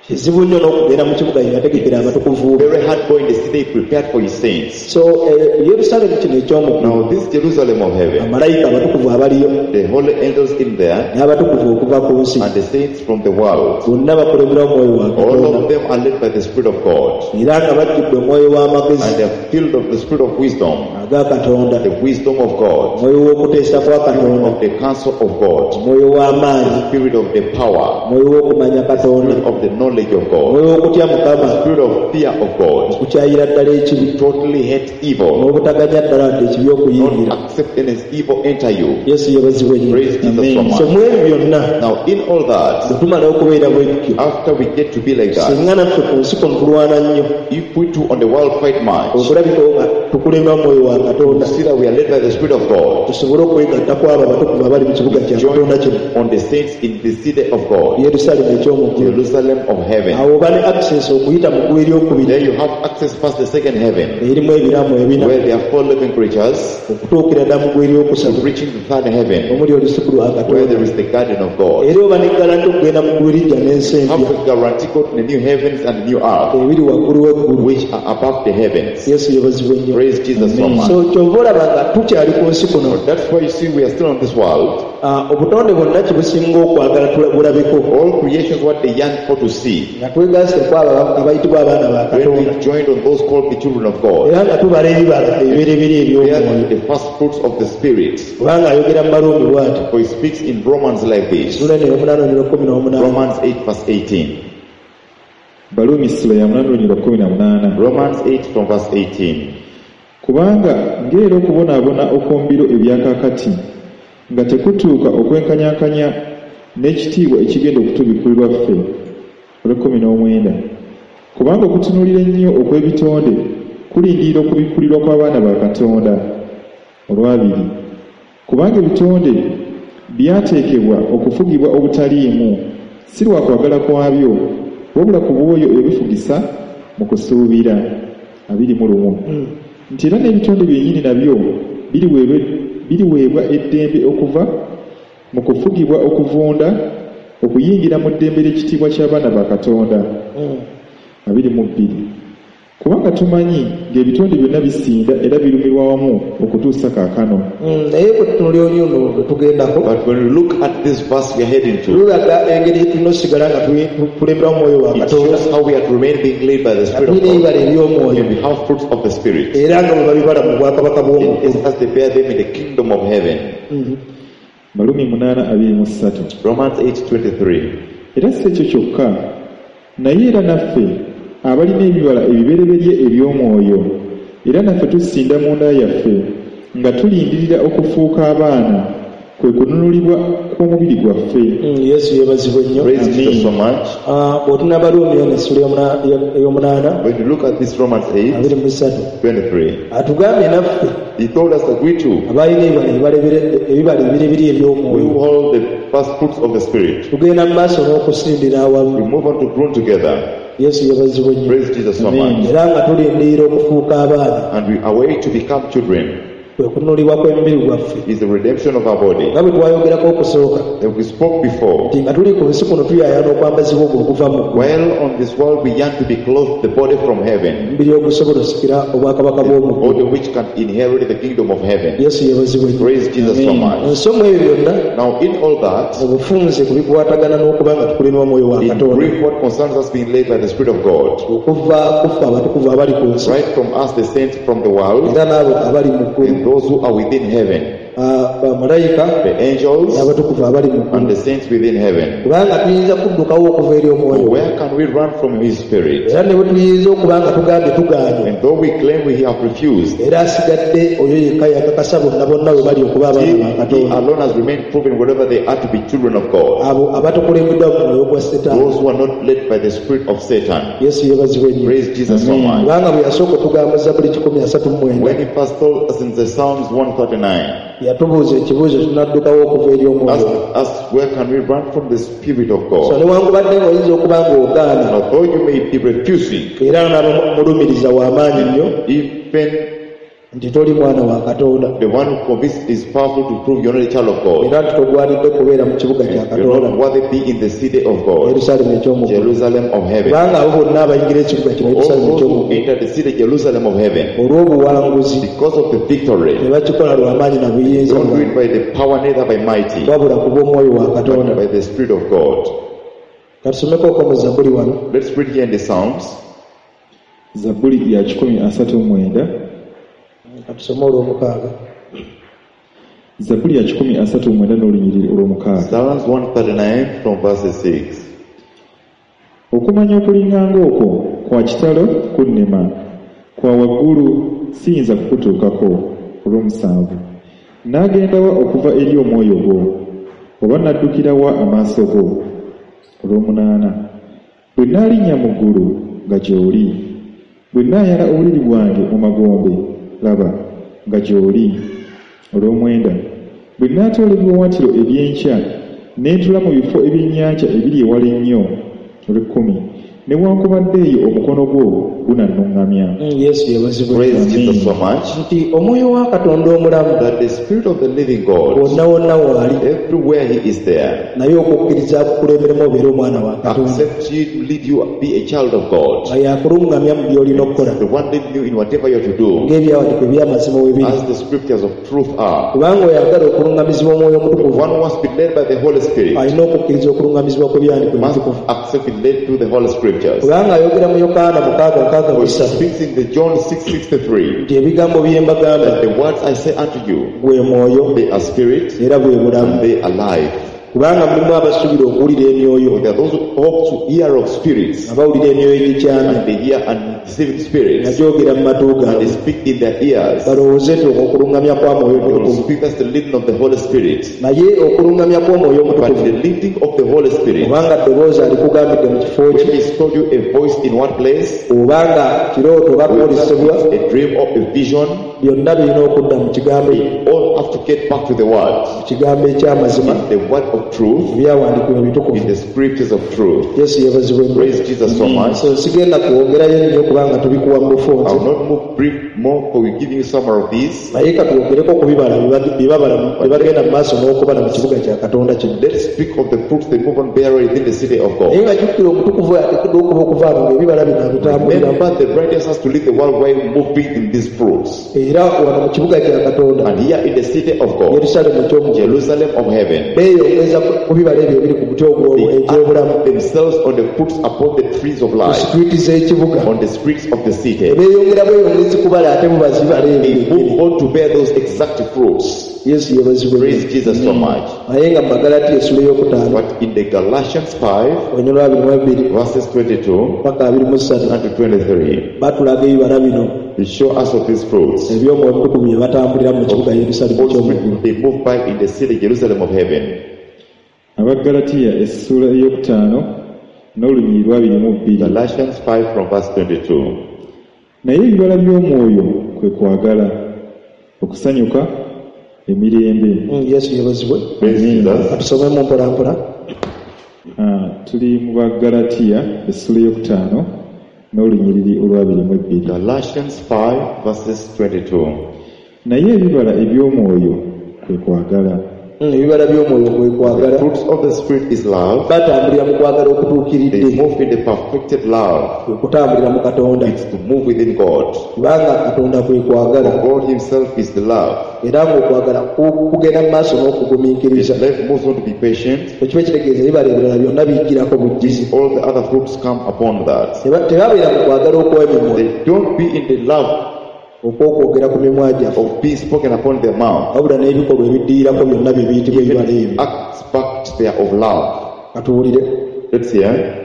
Kizibu nnyo n'okugenda mu kibuga yategekera abatukuvu be. Very hard going the city he prepared for his saints. So eh, Yerusaalemi kino eky'omuggulu, Now this Jerusalem of heaven, bamalayika abatukuvu abaliyo the holy angels in there, n'abatukuvu okuva ku nsi, and the saints from the world, bonna bakulembera omwoyo wa all Katonda, of them are led by the Spirit of God, era nga bajjudde omwoyo w'amagezi and they are filled of the Spirit of wisdom, aga Katonda, the wisdom of God, omwoyo w'okuteesa kwa Katonda, of the counsel of God, omwoyo w'amaanyi, the spirit of the power, omwoyo w'okumanya Katonda, spirit of the knowledge of God, omwoyo w'okutya Mukama, spirit of fear of God, okukyayira ddala ekibi, totally hate evil, n'obutaganya ddala wadde ekibi okuyingira. not accept any evil enter you. Yesu yeebazibwe nnyo. Praise Jesus so So much. mu ebyo byonna, Now in all that, bwe tumala okubeera bwe tutyo, after we get to be like that, singa naffe ku nsi kuno tulwana nnyo if we too on the world fight much, okulabikawo nga tukulembera omwoyo wa Katonda, see that we are led by the Spirit of God, tusobole okwegatta ku abo abatukuvu abali mu kibuga kya Katonda kino, on the saints in the city of God, Yerusaalemi eky'omuggulu. Jerusalem of heaven. Awo oba ne access okuyita mu ggulu eryokubiri, There you have access past the second heaven, erimu ebiramu ebina, where there are four living creatures, okutuukira ddala mu ggulu to eryokusatu, reaching the third heaven, omuli olusuku lwa where Katonda. there is the garden of God. Era oba ne guarantee okugenda mu ggulu erijja n'ensi Have empya a guarantee go to the new heavens and the new earth, ebiri waggulu w'eggulu. which are above the heavens. Yesu yeebazibwe nnyo. Praise Jesus so much. So kyova olaba nga tukyali ku nsi kuno, That's why you see we are still on this world. ah, obutonde bwonna kibusinga okwagala tula- bulabeko, All creations what they yearn for to see. nga twegasse ku abo abayitibwa abaana ba When Katonda, we joined on those called the children of God, era nga tubala ebibala ebibereberye they are eby'omwoyo, the first fruits of the Spirit. kubanga ayogera mu Baruumi bw'ati, For he speaks in Romans like this. ssuula eno ey'omunaana olunyiriri lwa kkumi n'omunaana. Romans eight verse eighteen. Baluumi ssula ya munaana olunyiriri lwa kkumi na munaana. Romans eight from verse eighteen. Kubanga ng'era okubonaabona okw'omu biro ebya kaakati nga tekutuuka okwenkanyankanya n'ekitiibwa ekigenda okutubikkulirwa ffe. Olw'ekkumi n'omwenda. Kubanga okutunuulira ennyo okw'ebitonde kulindirira okubikkulirwa kw'abaana ba Katonda. Olwabiri. Kubanga ebitonde byateekebwa okufugibwa obutaliimu, si lwa kwagala kwabyo, wabula ku bw'oyo ebifugisa mu kusuubira. Abiri mu lumu. Nti era n'ebitonde byennyini nabyo biriweebwa biriweebwa eddembe okuva mu kufugibwa okuvunda okuyingira mu ddembe ly'ekitiibwa ky'abaana ba Katonda. Abiri mu bbiri. Kubanga tumanyi ng'ebitonde byonna bisinda era birumirwa wamu okutuusa kaakano. Mm, naye bwe tutunuulira olunyiriri luno lwe tugendako, But when we look at this verse we are heading to, lulaga engeri gye tulina osigala nga tuli- tukulembera omwoyo wa it Katonda, shows how we are to remain being led by the nga Spirit of tulina God, ebibala eby'omwoyo, and we have fruits of the Spirit. era nga bwe babibala mu bwakabaka bw'omuggulu. It is as they bear them in the kingdom of heaven. Balumi munaana abiri mu ssatu. Romans eight twenty-three. Era si ekyo kyokka, naye era naffe abalina ebibala ebibereberye eby'omwoyo, era naffe tusinda munda yaffe nga tulindirira okufuuka abaana, kwe kununulibwa kw'omubiri gwaffe. Mm, Yesu yeebazibwe nnyo. Praise Jesus so much. Ah, bw'otunula Baruumi eno essula ey'omuna- ey'omunaana When you look at this Romans eight abiri mu ssatu, twenty-three, atugambye naffe he told us that we too, abalina ebibala ebibalebere- ebibala ebibereberye we eby'omwoyo, hold the first fruits of the Spirit. tugenda mu maaso n'okusindira We awamu. move on to grow together. Yesu yeebazibwe nnyo. Praise Jesus so Amen. much. Era nga tulindirira okufuuka abaana, And we await to become children. kwe kununulibwa kw'emibiri gwaffe, Is the redemption of our body. nga bwe twayogerako okusooka, That we spoke before. nti nga tuli ku nsi kuno tuyaayaana okwambazibwa ogwo okuva mu ggulu, While on this world we yearn to be clothed the body from heaven, omubiri ogusobola osikira obwakabaka the bw'omu ggulu. body which can inherit the kingdom of heaven. Yesu yeebazibwe nnyo. Praise Jesus so much. Ensonga ebyo byonna Now in all that, mu bufunze ku bikwatagana n'okuba nga tukulemwa omwoyo wa in Katonda, brief what concerns us being led by the Spirit of God, okuva ku ffe abatukuvu abali ku nsi, right from us the saints from the world, era n'abo abali mu ggulu, and those who are within heaven, Ah, bamalayika the angels n'abatukuvu abali mu and ggulu, the saints within heaven. kubanga tuyinza kuddukawo okuva eri omwoyo. Where can we run from his Spirit? Era ne bwe tuyinza okuba nga tugambye tugaanye, And though we claim we have refused, era asigadde oyo yekka yakakasa bonna bonna bwe bali okuba abaana he, ba he Katonda, alone has remained proven wherever they are to be children of God. abo abatakulembeddwa mu mwoyo gwa Setaani. Those who are not led by the spirit of Satan. Yesu yeebazibwe nnyo. Praise Jesus so much. Kubanga bwe yasooka okugamba Zabbuli kikumi asatu mu mwenda, When he first told us in the Psalms one thirty-nine, Yatubuuza ekibuuzo tunaddukawo okuva eri omwoyo. Ask us, where can we run from the Spirit of So God? newankubadde ng'oyinza okuba ng'ogaana, Although you may be refusing, era n'abamulumiriza w'amaanyi nnyo even nti toli mwana wa Katonda, the one who convinces is powerful to prove you're not a child of God. era nti togwanidde kubeera mu kibuga kya You're Katonda, not worthy be in the city of God, Yerusaalemi eky'omu ggulu. Jerusalem of heaven. Kubanga abo bonna abayingira ekibuga kino All Yerusaalemi those eky'omu who ggulu enter the city Jerusalem of heaven, olw'obuwanguzi because of the victory, tebakikola lwa maanyi na buyinza don't do it bwabwe, by the power neither by mighty, wabula ku bw'omwoyo wa but Katonda. by the Spirit of God. Katusomeko mu Zabbuli wano, Let's read here in the Psalms, Zabbuli ya kikumi asatu mu mwenda katusome olw'omukaaga. Zabbuli ya kikumi asatu mu mwenda n'olunyiriri olw'omukaaga. Psalms one thirty-nine from verse six. Okumanya okulinga ng'okwo kwa kitalo kunnema, kwa waggulu siyinza kukutuukako. Olw'omusanvu, n'agenda wa okuva eri omwoyo gwo, oba n'addukira wa amaaso go? Olw'omunaana, bwe nnaalinnya mu ggulu nga gy'oli, bwe nnaayala obuliri bwange mu magombe, laba nga gy'oli. Olw'omwenda, bwe nnaatoola ebiwaawaatiro eby'enkya, ne ntula mu bifo ebyennyanja ebiri ewala ennyo. Olw'ekkumi, newankubadde eyo omukono gwo gunannuŋŋamya. Mm, Yesu yeebazibwe. Praise Jesus so much Nti omwoyo wa Katonda omulamu that the Spirit of the living God, wonna wonna waali, everywhere He is there, naye okukkiriza akukulemberemu obeere omwana wa Katonda, accept you to lead you, be a child of God, nga yakuluŋŋamya mu by'olina okukola, the one leading you in whatever you have to do, ng'ebyawandiikibwa eby'amazima we biri. as the scriptures of truth are. Kubanga oyagala okuluŋŋamizibwa omwoyo The omutukuvu one who wants to be led by the Holy Spirit alina okukkiriza okuluŋŋamizibwa kw'ebyawandiikibwa must ebitukuvu. accept be led through the Holy Scriptures. Kubanga ayogera mu Yokaana mukaaga nkaaga mu For he ssatu speaks in the John six sixty-three nti ebigambo bye mbagamba that the words I say unto you, gwe mwoyo they are spirit era bwe bulamu. and they are life. Kubanga mulimu abasuubira okuwulira emyoyo, For there are those who hope to hear of spirits, nga bawulira emyoyo egikyamye, and they hear and deceiving spirits, nga gyogera mu matu and they gaabwe, speak in their ears. balowooze nti okuluŋŋamya kwa mwoyo They will omutukuvu. speak as the leading of the Holy Spirit. Naye okuluŋŋamya kw'omwoyo But omutukuvu, the leading of the Holy Spirit, obanga ddoboozi alikugambidde mu kifo when ki, he told you a voice in one place, obanga kirooto oba whether kwolesebwa, it's a dream or a vision, byonna birina okudda mu kigambo, they all have to get back to the word. mu kigambo eky'amazima, In the word of truth, ebyawandiikibwa ebitukuvu. in the scriptures of truth. Yesu yeebazibwe nnyo. Praise Jesus so much. So sigenda kwongerayo nnyo kubanga tubikuwa mu I bufunze, will not move brief more, for we're giving you some of these. naye katwogereko ku bibala bye babala bye bagenda mu maaso n'okubala mu kibuga kya Katonda kino. Let's speak of the fruits they move on bearing within the city of Naye God. nga jjukira omutukuvu ateekeddwa okuba okuvaano ng'ebibala bino abitambuliramu. Remember, the righteous has to leave the world while moving in these fruits. Era wano mu kibuga kya Katonda, And here in the city of God, Yerusaalemi eky'omu ggulu, Jerusalem of heaven, beeyongeza ku bibala ebyo ebiri ku muti ogwo they egy'obulamu, add themselves on the fruits upon the trees of ku life, situiti z'ekibuga. on the streets of the city. Beeyongera bweyongezi kubala ate bubazi bibala ebyo They byennyini. move on to bear those exact fruits. Yesu yeebazibwe. Praise Jesus so much. Naye nga mu Magalatiya essula ey'okutaano, But in the Galatians five, olunyiriri abiri mu ebiri verses twenty-two paka abiri mu ssatu, and to twenty-three, batulaga ebibala bino they show us of these fruits. eby'omwoyo omutukuvu bye batambulira mu kibuga Yerusaalemi Holy eky'omu ggulu. Spirit, they move by in the city Jerusalem of heaven. Abaggalatiya essuula ey'okutaano n'olunyiriri lw'abiri mu bbiri. Galatians five from verse twenty-two. Naye ebibala by'omwoyo kwe kwagala, okusanyuka, emirembe. Mm, Yesu yeebazibwe. Praise Jesus. Katusomemu mpola mpola. Ah, tuli mu Baggalatiya essuula ey'okutaano n'olunyiriri olw'abiri mu ebbiri. Galatians five verses twenty-two. Naye ebibala eby'omwoyo kwe kwagala. Mm, ebibala by'omwoyo kwe kwagala. The fruits of the Spirit is love. Batambulira mu kwagala okutuukiridde. They move in the perfected love. Kwe kutambulira mu Katonda. It's to move within God. Kubanga Katonda kwe kwagala. For God Himself is the love. Era ng'okwagala ku-, kugenda mu maaso n'okugumiikiriza. His life moves on to be patient. Ekiba kitegeeza ebibala ebirala byonna bijjirako bujjizi. All the other fruits come upon that. Teba-, tebabeera mu kwagala okw'emimwa. They don't be in the love okw'okwogera ku mimwa gyaffe. of being spoken upon their mouth. Wabula n'ebikolwa ebiddirirako byonna bye biyitibwa ebibala ebyo. Acts back there of love. Katuwulire. Let's hear.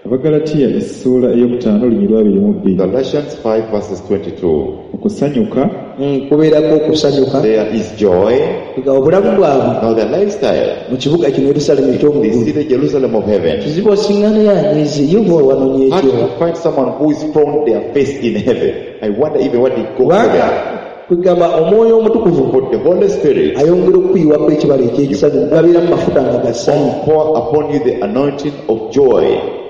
Abagalatiya essuula ey'okutaano olunyiriri lw'abiri mu bbiri. Galatians five verses twenty-two. Okusanyuka. Mm, kubeerako okusanyuka. There is joy. Nga obulamu bwabwe. Now their lifestyle. Mu kibuga kino Yerusaalemi eky'omu They ggulu. see the Jerusalem of heaven. Kizibu osiŋŋana yanyiize, ye oba wanonye How ekyo. to find someone who is found their face in heaven. I wonder even what they go Kubanga there. Kwegamba omwoyo omutukuvu But the Holy Spirit ayongera okukuyiwako ekibala eky'ekisanyu gabeera mu mafuta nga ga ssanyu pour upon you the anointing of joy.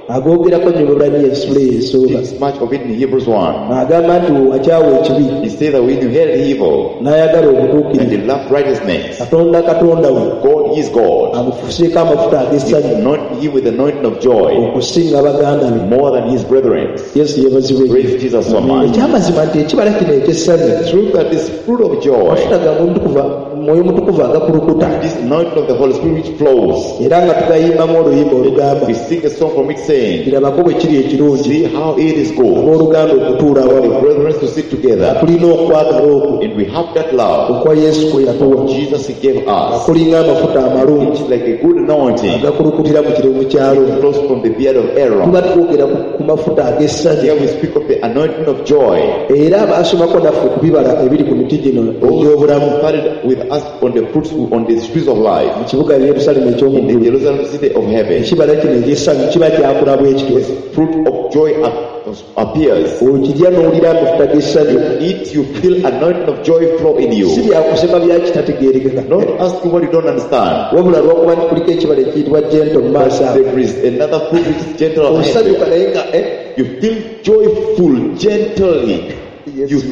Agoogerako nnyo Abaebbulaniya essula eyo esooka Speaks much of it in Hebrews one. Agamba nti wakyawa ekibi He said that when you hated evil n'ayagala and obutuukirivu you loved righteousness, Katonda Katonda we God is God. amufuseeko amafuta He ag'essanyu anointed him with the anointing of joy okusinga baganda be more than his brethren. Yesu yeebazibwe Praise Jesus so much. Ekyamazima nti ekibala kino eky'essanyu Truth that this fruit of joy, amafuta ga Mwoyo Mwoyo Mutukuvu agakulukuta this anointing of the Holy Spirit which flows, era nga tugayimbamu oluyimba olugamba we sing a song from it saying, kirabako bwe kiri ekirungi see how it is good abooluganda okutuula for the awamu brethren to sit together. Tulina okwagala okwo And we have that love okwa Yesu kwe yatuwa Jesus he gave us. Kulinga amafuta amalungi It's like a good anointing agakulukutira mu kirevu kyalo flows from the beard of Aaron. Tuba twogera ku- ku mafuta ag'essanyu Here we speak of the anointing of joy. Era baasomako naffe ku bibala ebiri ku miti gino egy'obulamu Started with us on the fruits on the trees of life mu kibuga Yerusaalemu in the eky'omu ggulu Jerusalem city of heaven. Ekibala kino eky'essanyu kiba kyakula bwe kityo Fruit of joy ap- appears. Okirya n'owulira amafuta g'essanyu Eat, you feel anointing of joy flow in Si you. byakusema byakitategeerekeka Not asking what you don't understand. Wabula lwakuba nti kuliko ekibala ekiyitibwa gentle mu maaso ago There is another fruit which is gentle and osanyuka happy. naye nga eh, You feel joyful gently. Yes. You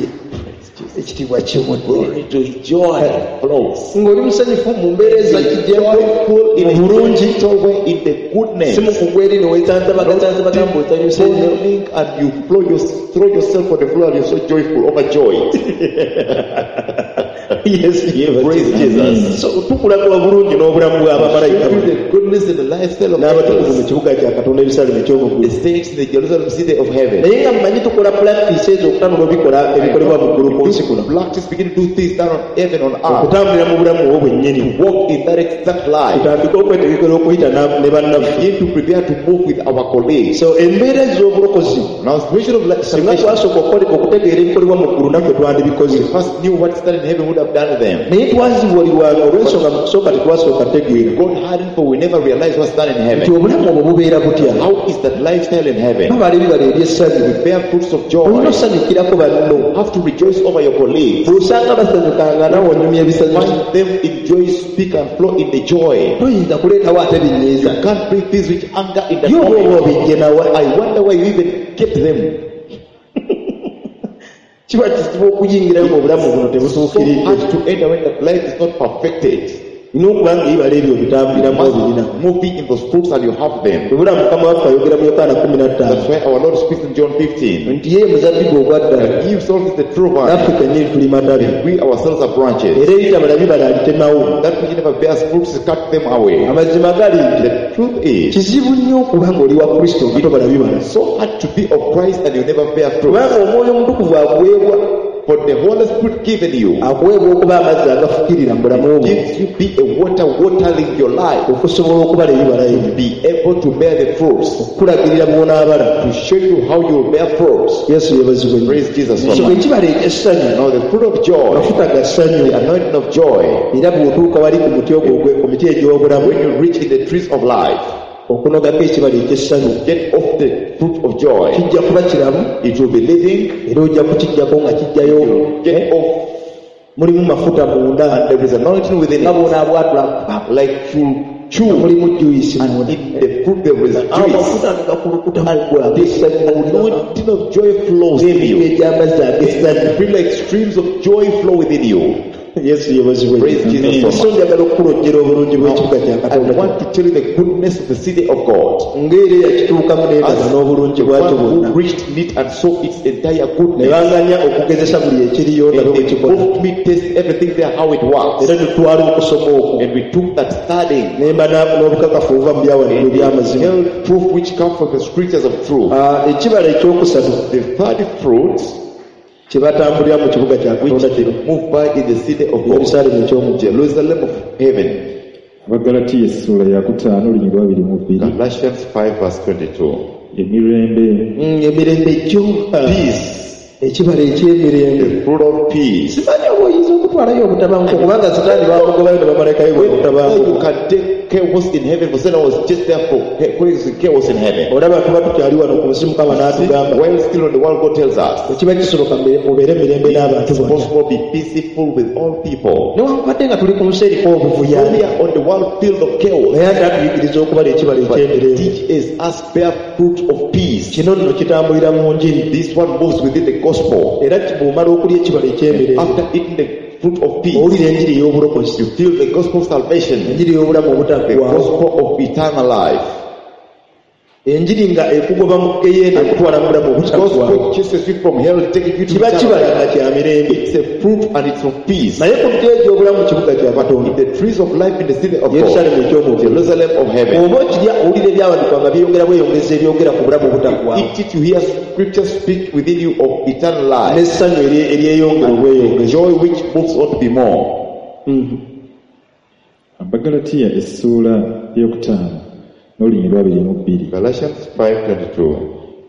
Ekitiibwa kimudde glory to joy flows. Ng'oli musanyufu mu mbeera eza kijembo Joyful in mu a bulungi gentle way in the goodness. Si mukugwa eri newesanzabagasanza bagamba osanyuse nnyo Falling and you throw, your, throw yourself on the floor and you're so joyful, overjoyed. Yesu yeebazibwe. Praise Jesus. So tukulaga obulungi n'obulamu bw'abamalayika Show you the goodness and the lifestyle of n'abatukuvu mu angels, kibuga kya Katonda Yerusaalemu eky'omu the ggulu saints in the Jerusalem city of heaven. Naye nga mmanyi tukola pulakitisi ezo okutanula obikola ebikolebwa mu ggulu ku nsi kuno Practice begin to do things down on heaven on earth. Okutambulira mu bulamu obwo bwennyini Walk in that exact life. Tutandike okwetegekera okuyita na- ne bannaffe Begin to prepare to move with our colleagues. So embeera ez'obulokozi Now, situation of life, singa salvation, twasooka okukola- okutegeera ebikolebwa mu ggulu naffe twandibikoze we first knew what standing in heaven would have done to them. Naye twazibuulirwanga olw'ensonga mu kusooka tetwasooka tegeera God hadn't, for we never realized what's done in nti heaven. obulamu obwo bubeera butya How is that lifestyle in heaven? Babala ebibala eby'essanyu Bear fruits of joy. Olina osanyukirako banno Have to rejoice over your colleagues. Bw'osanga basanyukanga naawe onyumya ebisanyusa Find them in joy, speak and flow in the joy. Toyinza kuleetawo ate binyiiza You can't bring things which anger in the Ye oba oba moment. obijje nawa I wonder where you even get them. Kiba kizibu okuyingirayo ng'obulamu buno So tebutuukiridde hard to enter when that life is not perfected. Olina okuba nga ebibala ebyo obitambuliramu obirina Must moving in those fruits and you have them. Webula Mukama waffe ayogera mu Yokaana kumi na ttaano That's why our Lord speaks in John fifteen. Nti ye muzabbibu ogwa ddala That he himself is the true vine. Naffe kennyini tuli matabi We ourselves are branches. Era ebitabala bibala abitemawo That which never bears fruits, cut them away. Amazima gali nti The truth is, kizibu nnyo okuba ng'oli wa Kristo nga tobala bibala so hard to be of Christ and you never bear fruit. Kubanga omwoyo omutukuvu akuweebwa For the Holy Spirit given you akuweebwa okuba amazzi agafukirira mu bulamu bwo gives you be a water watering your life okusobola okubala ebibala ebyo be able to bear the fruits, okukulagirira bw'onaabala to show you how you will bear fruits. Yesu yeebazibwe nnyo Praise Jesus so So much. ekibala eky'essanyu Now the fruit of joy, mafuta ga ssanyu the anointing of joy, era bw'otuuka wali ku muti ogwo ogwe- ku miti egy'obulamu when you reach in the trees of life, okunogako ekibala eky'essanyu get off the fruit of joy. Kijja kuba kiramu It will be living. era ojja kukijjako nga kijjayo Get off, mulimu mafuta munda and there is anointing within nga it. bw'onaabwatula Like you chew, mulimu juyisi munda in the fruit there is juice. Amafuta nga gakulukuta mu ggwe ag'essanyu Anointing of joy flows in ng'emigga you. egy'amazzi ag'essanyu You feel like streams of joy flow within you. Yesu yeebazibwe Praise Jesus so So much. njagala okukulojjera obulungi bw'ekibuga kya I Katonda want to tell you the goodness of the city of God. Ng'era eyakituukamu n'endaba As n'obulungi the bwakyo one bwonna who reached it and saw its entire ne goodness. banganya okugezesa buli ekiriyo ndabe And bwe they kikola moved me test everything there how it works. era tutwala okusoma okwo And we took that studying ne mba na- n'obukakafu obuva mu byawandiikibwa eby'amazima held proof which come from the scriptures of truth. Ah, ekibala ekyokusatu The third fruit kye batambulira mu kibuga kya which Katonda they kino move by in the city of God, Yerusaalemu eky'omu ggulu Jerusalem of heaven. Abagalatiya essuula yakutaano olunyiriri lwa abiri mu bbiri Galatians five verse twenty-two. Emirembe Mm, emirembe gyo Peace, ekibala eky'emirembe the fruit of peace. Simanyi oba oyinza okutwalayo obutabanguko kubanga Sitaani bamugobayo ne bamalayika be Whether obutabanguko you can take chaos in heaven, for Satan was just there for causing chaos in heaven. Olaba tuba tukyali wano ku nsi Mukama n'atugamba While still on the world, God tells us, bwe kiba kisoboka mbe- mubeere mirembe n'abantu it's bonna possible be peaceful with all people. Newankubadde nga tuli ku nsi eriko obuvuya We are on the world field of chaos, naye ate atuyigiriza okubala ekibala but eky'emirembe teach us us bear fruit of peace. Kino nno kitambulira mu njiri This one moves within the gospel. Era bw'omala okulya ekibala eky'emirembe After eating the fruit of peace, owulira enjiri ey'obulokozi you feel the gospel of salvation, enjiri ey'obulamu the obutaggwaawo gospel of eternal life. Enjiri nga ekugoba mu geyeena ekutwala mu bulamu obutaggwaawo Gospel chases you from hell, taking you to kiba eternal kibala life. nga kya mirembe It's a fruit and it's of peace. Naye ku miti egy'obulamu mu kibuga kya Katonda In the trees of life in the city of God, Yerusalemu eky'omu ggulu Jerusalem of heaven. Oba okirya owulira ebyawandiikibwa nga byeyongera bweyongeza ebyogera ku bulamu obutaggwaawo Eat it, you hear scripture speak within you of eternal life. N'essanyu eri- eryeyongera obweyongeza Joy which moves on to be more. Abagalatiya essuula eyokutaano n'olunyiriri lw'abiri mu bbiri Galatians five twenty-two.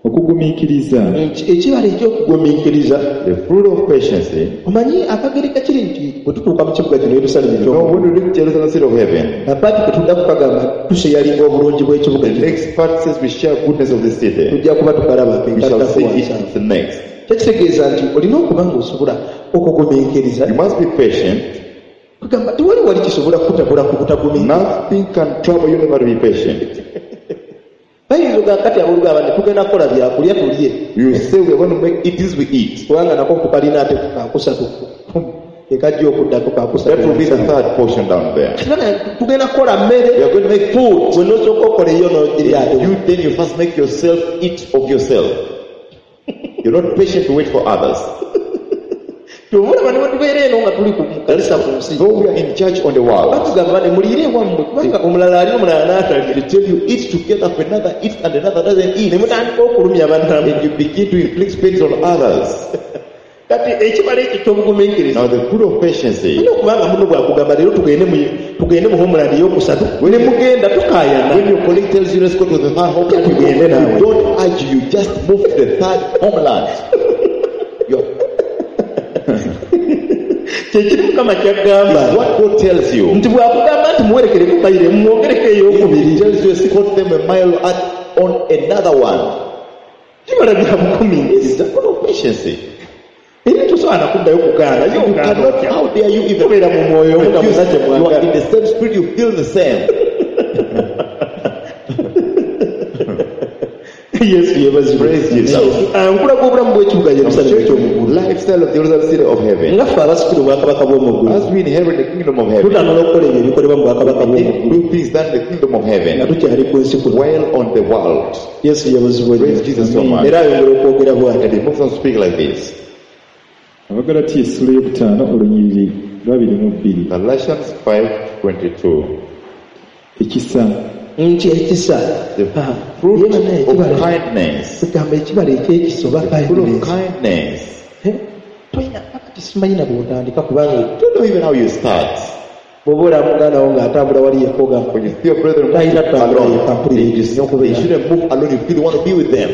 Okugumiikiriza Nti ekibala ekyokugumiikiriza The fruit of patience. Omanyi akagereka kiri nti bwe tutuuka mu kibuga kino Yerusalemu You know, eky'omu when we reach Jerusalem, city of heaven, apaati kwe tudda kukagamba tusheyalinga obulungi bw'ekibuga the kino next part says we share goodness of the city. Tujja kuba tukalaba We shall see enkaddako it the next. Kyekitegeeza nti olina okuba ng'osobola okugumiikiriza You must be patient. Kugamba tewali wali kisobola kukutabula ku butagumiikiriza Nothing can trouble you never to be patient. Bayinza ogamba kati aboolugamba nti tugenda kukola byakulya tulye You say we are going to make it is we eat. Kubanga nako kukalina ate kakusatu ekajja okuddako kakusatu That will be the third portion down there. Kati bana, tugenda kukola mmere We are going to make food. Gwe n'osooka okola eyo n'ogirya ate You then you first make yourself eat of yourself. You're not patient to wait for others. Kyova olaba ne bwe tubeera eno nga tuli ku mu kanisa ku nsi Though we are in church on the world, batugamba ne muliire ewammwe kubanga omulala ali omulala n'atalya they tell you eat together for another eats and another doesn't ne eat. mutandika okulumya bannammwe And you begin to inflict pains on others. Kati ekibala ekyo ky'obugumiikiriza Now the fruit of patience. Olina okubanga muno bwakugamba leero tugende mu tugende mu homeland eyokusatu ne mugenda tukaayana When your colleague tells you let's go to the third homeland, you, Tugende naawe. you don't argue, you just move to the third homeland. You're, Kyekiri Mukama kyagamba it's what God tells you. Nti bwakugamba nti muwerekereko mayiro mumwongereko He eyokubiri tells you escort them a mile at, on another one. Kibala bya It's bugumiikiriza the fruit of patience. Era tosobola nakuddayo kugaana You cannot, how dare you even kubeera mu mwoyo omu nga refuse? muna kye You are in mwagala the same spirit, you feel the same. Yesu yebazibwe Praise Jesus. Ah, nkulaga obulamu bw'ekibuga Yerusalemu eky'omu ggulu Lifestyle of Jerusalem, city of heaven. Nga ffe abasikira obwakabaka bw'omu ggulu As we inherit the kingdom of heaven, tutanula okukola ebyo ebikolebwa mu bwakabaka we bw'omu ggulu do things done in the kingdom of nga heaven tukyali ku nsi kuno while on the world. Yesu yebazibwe Praise Jesus so much. era ayongera okwogera bw'ati And he moves on to speak like this. Abagalatiya essuula eyokutaano olunyiriri lw'abiri mu bbiri Galatians five twenty-two. Ekisa nti ekisa The Ah, fruit ye bannaye of ekibala kindness. kugamba ekibala ekyekisa oba The fruit of kindness kindness. Eh, toyina kakati simanyi na bw'otandika kubanga Don't know even how you start. Bw'oba olaba muganda wo ng'atambula wali yekka ogamba When you see your brethren Talina move kutambula alone, yekka mpulira they, ekyo they shouldn't move alone. You feel you want to be with them.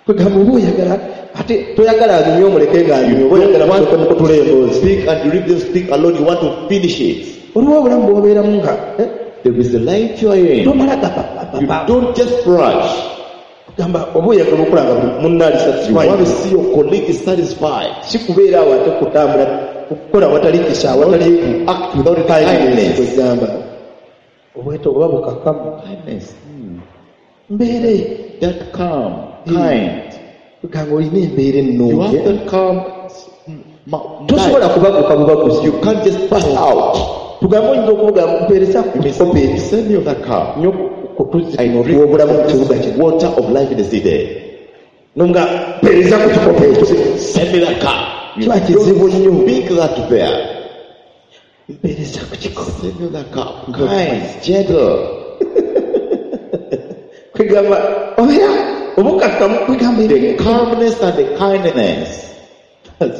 Kwegamba oba oyagala ate toyagala anyumye omuleke ng'anyumye oba oyagala musooke mukutula emboozi Speak and you leave them speak alone. You want to finish it. Oliwo obulamu bw'obeeramu nga eh, There is a life you are in. Tomala You gapapapapa don't just rush. kugamba oba oyagala okulaba buli munno ali You satisfied want to see your colleague is satisfied. Si kubeera awo ate kutambula kukola watali kisa awatali Act without any kindness kindness. Kwegamba obweto oba bukakamu Kindness. Hmm. mbeere That calm, kind. Kwegamba olina embeera You ennungi have that calm. mm, ma- tosobola life. kubaguka bubaguzi You can't just pass out. Tugambe oyinza okuvuga mpeereza ku You may kikopo say, ekyo send me of that cup. nnyo ku tuzzi I tuno drink otw'obulamu mu of kibuga this kino water of life in the city. Nonga mpeereza ku kikopo ekyo Send me that cup. You Kiba kizibu nnyo don't speak that there. Mpeereza ku kikopo Send me that cup. Kind, gentle. Kwegamba obeera obukakkamu kwegamba The calmness and the kindness.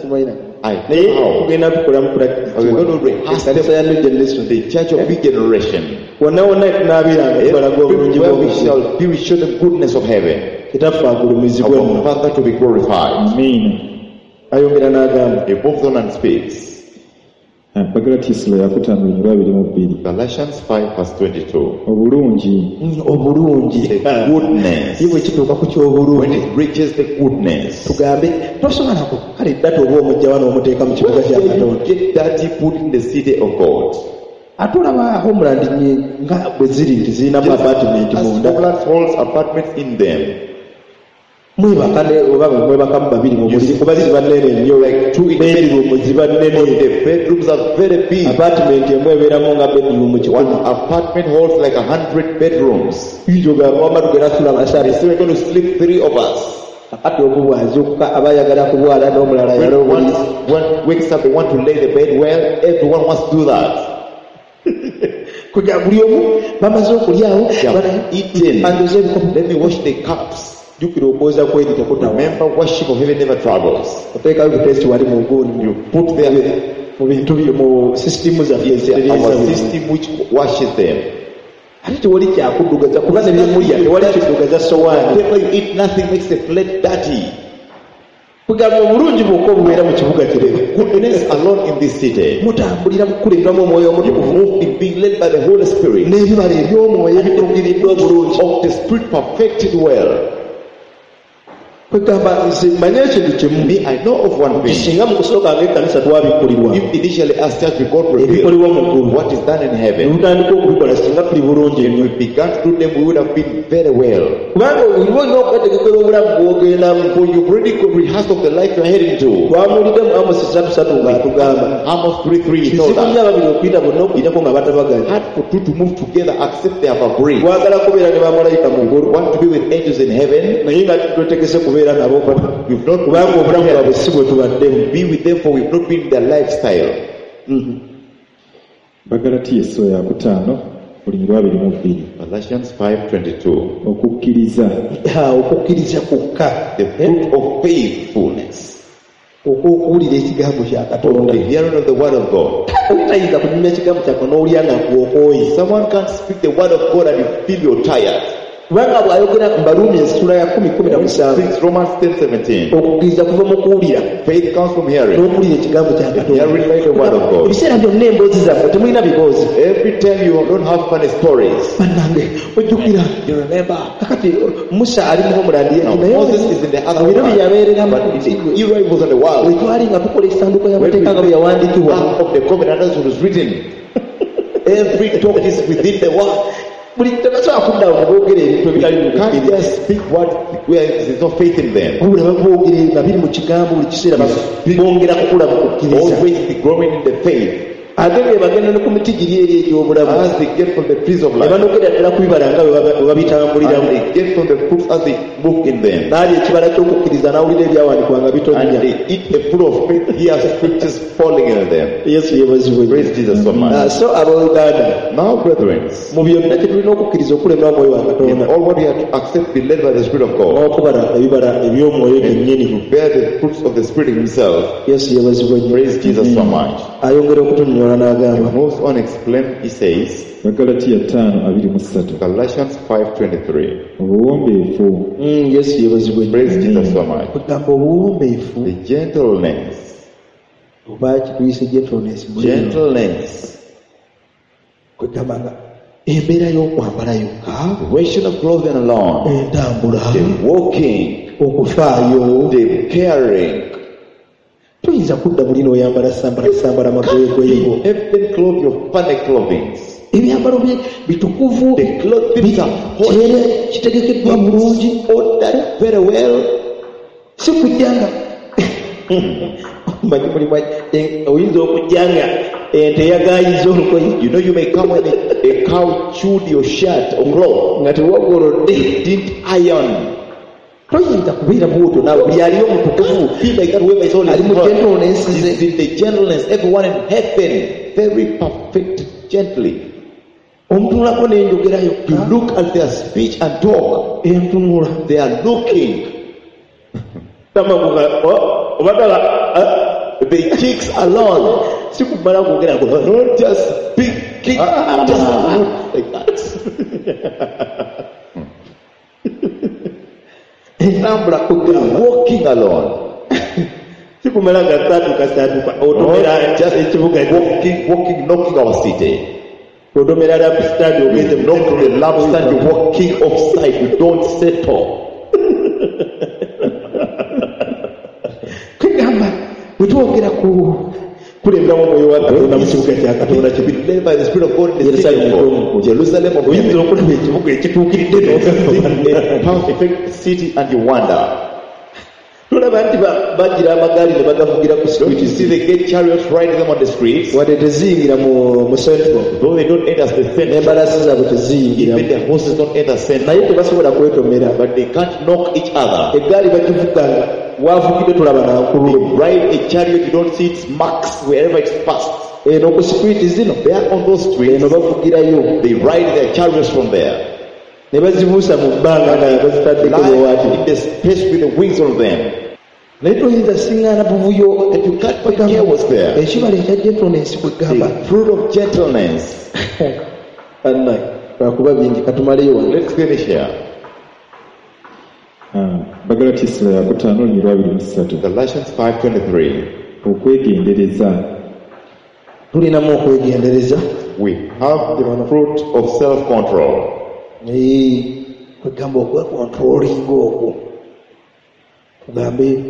Simanyi I naye how. tugenda tukola mu We are going to rehearse practice ya new generation the church of big generation. Wonna wonna tunaabeeranga tubalaga obulungi Where we bw'omuggulu shall be, we show the goodness of heaven. Kitaffe agulumizibwe Our nno Father to be glorified. Amiina ayongera n'agamba He moves on and speaks. Abagalatiya essula yakutaano olunyiriri lwa abiri mu bbiri Galatians five verse twenty-two. Obulungi. Mm, obulungi. The goodness. Ye bwe kituuka ku When ky'obulungi it reaches the goodness, tugambe tosobola ku kale dda oba omujja wano omuteeka mu kibuga kya you Katonda. get dirty put in the city of God. Ate olaba homeland nyi- nga bwe ziri nti zirinamu apartment As munda. homeland holds apartments in them. Mwebaka ne oba mwebakamu babiri mu buliri kuba ziba nnene nnyo Like two in bedroom ziba nnene. The bedrooms are very big. Apartment emu ebeeramu nga bedroom One kikumi. apartment holds like a hundred bedrooms. Ogamba wamma tugenda sula basatu. So we're going to sleep three of us. Kakati omu bw'azuukuka aba ayagala kubwala n'omulala When ayala one, obuliri. one wakes up, they want to lay the bed well. Everyone wants to do that. Kuja buli omu bamaze okulyawo They have bana- eaten. anjoze ebikopo. Let me wash the cups. Jjukira okwoza kweri tekutawa. Remember, worship of heaven never travels. Oteekayo buteesi wali mu gundi You put them mu bintu byo mu sisitimu zaffe in ezitereeza our buli. system which washes them. Ate tewali kyakuddugaza kuba ne bye mulya tewali kiddugaza sowaani. Whatever you eat, nothing makes the plate dirty. Kugamba obulungi bwokka obubeera mu kibuga kirebe. Goodness alone in this city. Mutambulira mu kukulemberwamu omwoyo You omutukuvu move in being led by the Holy Spirit. n'ebibala eby'omwoyo ebituukiriddwa obulungi. Of the Spirit perfected well. Kwegamba nze manye ekintu kimu. Me, I know of one thing. Singa mu kusooka ng'ekkanisa twabikkulirwa If initially as church we got revealed ebikolebwa mu ggulu what is done in ne heaven, tutandika okubikola singa tuli bulungi if nnyo. we began to do them, we would have been very well. Kubanga oliba olina okwetegekera obulamu bw'ogendamu. For you've already got rehearsed of the life you're heading to. Twamuwulidde mu Amosi ssatu ssatu ng'atugamba Amos three three he told kizibu nnyo us. ababiri okuyita bonna okuyitako nga batabaganye. Hard for two to move together except they have agreed. Twagala kubeera ne bamalayika mu ggulu Want to be with angels in heaven? naye nga twetegese kubeera nabo We've not kubanga obulamu bwabwe si bwe tubaddemu. be with them for we've not been their lifestyle. Bagalatiya essula yakutaano olunyiriri lwa abiri mu bbiri Galatians five twenty-two. Okukkiriza. Ha, okukkiriza kwokka The fruit of faithfulness. okw'okuwulira ekigambo kya Katonda. The hearing of the word of God. Oli tayinza kunyumya ekigambo kya Katonda n'owulira nga gw'okooye. Someone can't speak the word of God and you feel you're tired. Kubanga bw'ayogera mu Baruumi essula ya kkumi kkumi na musanvu Six Romans ten seventeen. okukkiriza kuva mu kuwulira Faith comes from hearing. n'okuwulira ekigambo kya Katonda. Hearing by the word of God. Ebiseera byonna emboozi zammwe temulina biboozi. Every time you don't have funny stories. Bannange ojjukira You remember. kakati Musa ali mu homeland Now, naye Moses is in the other mu biro bye world. yabeereramu But in the era he was on the world. bwe twali nga tukola essanduuko When we y'amateeka nga bwe yawandiikibwa Ark of the covenant as it was written. Every talk is within the word. buli tebasobola kudda awo ne boogera ebintu ebitali mu You can't kukkiriza. just speak what where there's no faith in them. Wabula baboogera nga biri mu kigambo buli kiseera bongera kukula mu kukkiriza. Always be growing in the faith. Ate bwe bagenda ne ku miti giri eri egy'obulamu As they get from the trees of ne life. banogera ddala ku bibala nga bwe baba- bwe And babitambuliramu. they get from the fruits as they move in them. N'alya ekibala ky'okukkiriza n'awulira ebyawandiikibwa nga And bitonnya. they eat the fruit of faith, hear scriptures falling in them. Yesu yeebazibwe nnyo. Praise Jesus so Ah, much. so abooluganda Now, brethren, mu byonna kye tulina okukkiriza okulemwa omwoyo wa in Katonda all what we have to accept, be led by the Spirit of God. n'okubala ebibala eby'omwoyo kennyini. To bear the fruits of the Spirit Himself. Yesu yeebazibwe nnyo. Praise Jesus so much. Ayongera okutunnyonnyola n'agamba He moves on, explain, he says, Bagalatiya ttaano abiri mu ssatu Galatians five twenty-three. Obuwombeefu. Mm, Yesu yeebazibwe nnyo. Praise Jesus so much. Kugamba obuwombeefu The gentleness. oba kituyise gentleness mu lulimi. Gentleness. Kwegamba nga embeera y'okwambala yokka The ration of clothing alone. entambula The walking. okufaayo The caring. toyinza kudda muli n'oyambala sambala sambala magoyegoyego. Heaven clothe your funny clothing. Ebyambalo bye bitukuvu The clothing are holy. kyere kitegekeddwa bulungi Ordered very well. si kujja nga manyi mulimu eh, oyinza okujja nga ente yagayiza olugoye You know you may come when a, a cow chewed your shirt or cloth. nga tewagolodde. You didn't iron. Toyinza kubeera bwotyo naawe buli aliyo omutukuvu Feel like that whoever is holy ali mu gentleness is ze in the gentleness. Everyone in heaven, very perfect, gently. omutunulako n'enjogera You yokka look at their speech and talk. entunula They are looking. obadala The cheeks alone. si kumala kwogera Not just speaking, just look like that. entambula They kugamba are walking alone. Sikumala gasaatuka saatuka otomera Not just ekibuga walking, walking, knocking our city. otomera lampstand ogenze You knock the lampstand, you're walking offside, you don't settle. Kwegamba bwe twogera ku kulemberamu omwoyo wa Katonda mu kibuga kya Katonda To be led by the Spirit of God in the city Yerusalemu of God, Jerusalem of oyinza heaven. okulaba ekibuga ekituukiridde A perfect city and you wonder. tolaba nti ba- bagira amagaali ne bagavugira ku Don't you street see the gate chariots riding them on the streets? wadde teziyingira mu mu central Though they don't enter the center, n'embalaasi zaabwe teziyingira even the horses don't enter center, naye tebasobola kwetomera but they can't knock each other. eggaali bagivuga nga wavugidde tolaba They nankululo ride a chariot, you don't see its marks wherever it's passed. eno ku street zino They are on those streets, eno bavugirayo they ride their chariots from there. ne bazibuusa mu bbanga nga bazitaddeko Fly bwewaati in the space with the wings on them. naye toyinza siŋŋaana buvuyo And you can't find chaos there. ekibala ekya gentleness kwegamba The fruit of gentleness. bannaye lwakuba bingi katumaleyo wano Let's finish here. Ah, Bagalati essula ya kutaano olunyiriri lwa abiri mu ssatu Galatians five twenty-three. okwegendereza tulinamu okwegendereza We have the fruit of self-control. Eh, kwegamba okwekontrolinga okwo tugambe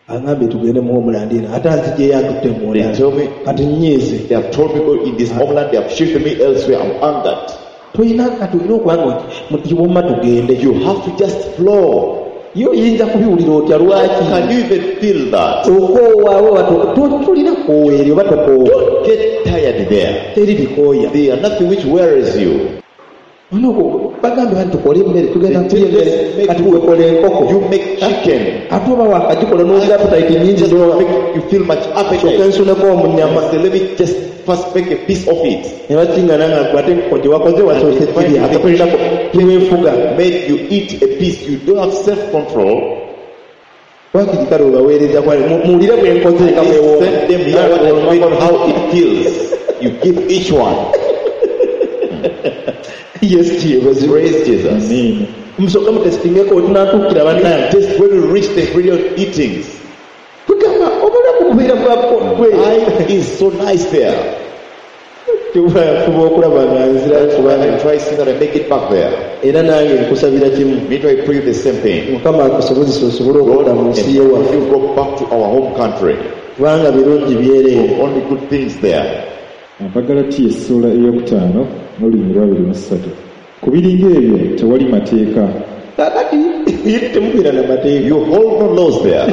aŋambye tugende mu homeland eno ate anziggyeyo antutte mu They tell me kati nnyiize they have told me go in this homeland, they have shifted me elsewhere. I'm angered. tolina kati olina okuba nga womma tugende You have to just flow. ye oyinza kubiwulira otya lwaki Can you even feel that? okoowaawo oba tolina koowa eri oba tokoowa Don't get tired there. teri bikooya There are nothing which wearies you. Olina oku- bagambe banti tukole emmere tugenda kulya emmere Make kati food. wekola enkoko You make chicken. ate oba wakagikola n'ogira appetite nnyingi Just n'oba make you feel much kyokka appetite. nsuneko omunyama Say, let me just first make a piece of it. ne bakiŋŋana nga gwe ate enkoko gye wakoze wasoose kirya ate tolinako teweefuga Made you eat a piece. You don't have self-control. wakiri kale obaweereza kwale mu- muwulire bwe nkoze nga bwe Send them here what I made, how it feels. You give each one. Yesu kyebazibwe Praise Jesus. amiina musooke mutesitingeko wetunaatuukira bannange Just when you reach the period eatings, tugamba obulamu bubeera bwa bwe life is so nice there. tuba okulaba nga nzirayo kubanga I try see that I make it back there. era nange nkusabira kimu Me too, I pray the same thing. mukama akusobozesa osobole God, okudda mu nsi yewaffe you go back to our home country. kubanga birungi byereere Only good things there. Abagalatiya essuula eyokutaano n'olunyiriri lwa abiri mu ssatu ku biringa ebyo tewali mateeka kakati eri temubeera na mateeka You hold no laws there.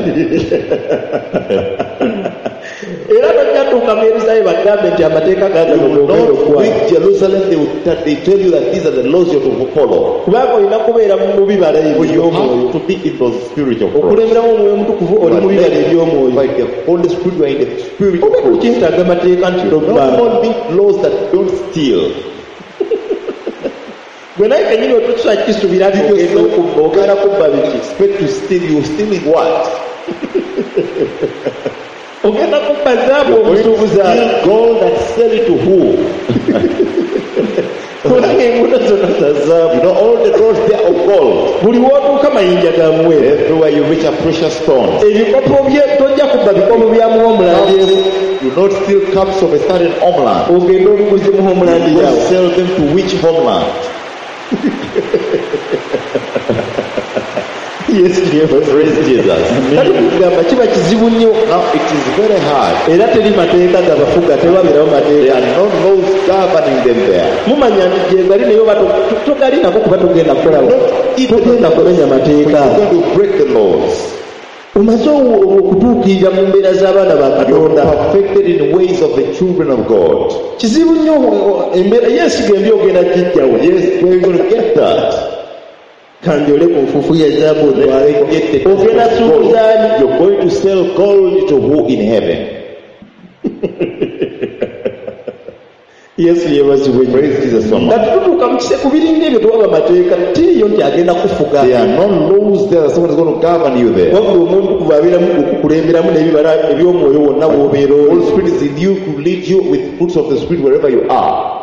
era tojjatuuka mu yerusaalemu bagambe nti amateeka You gaagano will gogenda not okukwata reach Jerusalem. They will that they tell you that these are the laws you have to follow. kubanga olina kubeera mu bibala ebyo But you eby'omwoyo have to be in those spiritual fruits. okulemberamu omwoyo omutukuvu oli mu bibala eby'omwoyo By the Holy Spirit, you are in the spiritual oba fruits. tukyetaaga mateeka nti No tobbanga more need laws that don't steal. gwe naye kenyini otusa kisuubira nti ogenda okubba ogenda kubba biki Expect to steal, you stealing what? ogenda kubba zaabu You're going to omusuubuzi ali steal gold and sell it to who? kubanga enguudo zonna za zaabu You know, all the roads there are of gold. buli w'otuuka mayinja ga muwendo Everywhere you reach a precious stone. ebikopo bye tojja kubba bikopo bya muwomulandi You not steal cups of a certain homeland. ogende obiguze mu homeland You yawe sell them to which homeland? Yesu yeebazibwe. Praise Jesus. Kati kugamba kiba kizibu nnyo Now it is very hard. era teri mateeka gabafuga tebabeerawo There mateeka are no laws governing them there. mumanya nti gyegali naye oba to- to- togalinako kuba togenda kukolawo togenda kumenya mateeka You're going to break the laws. omaze o- okutuukirira mu mbeera z'abaana ba You're katonda perfected in ways of the children of God. kizibu nnyo o- o- embeera yeesiga embi ogenda gijjawo Yes, where are you going to get that? kandyole ku nfuufu ya zaabu otwaleko Get the ogenda suubuzaani gold. You're going to sell gold to who in heaven? yesu yeebazibwe nnyo Praise Jesus so much. kati tutuuka mu kise ku biringa ebyo tewaba mateeka tiriyo nti agenda kufuga There are no laws there that someone is going to govern you there. wabula omuntu kuva abeeramu okukulemberamu n'ebibala eby'omwoyo wonna w'obeera The oli Holy Spirit is in you to lead you with fruits of the Spirit wherever you are.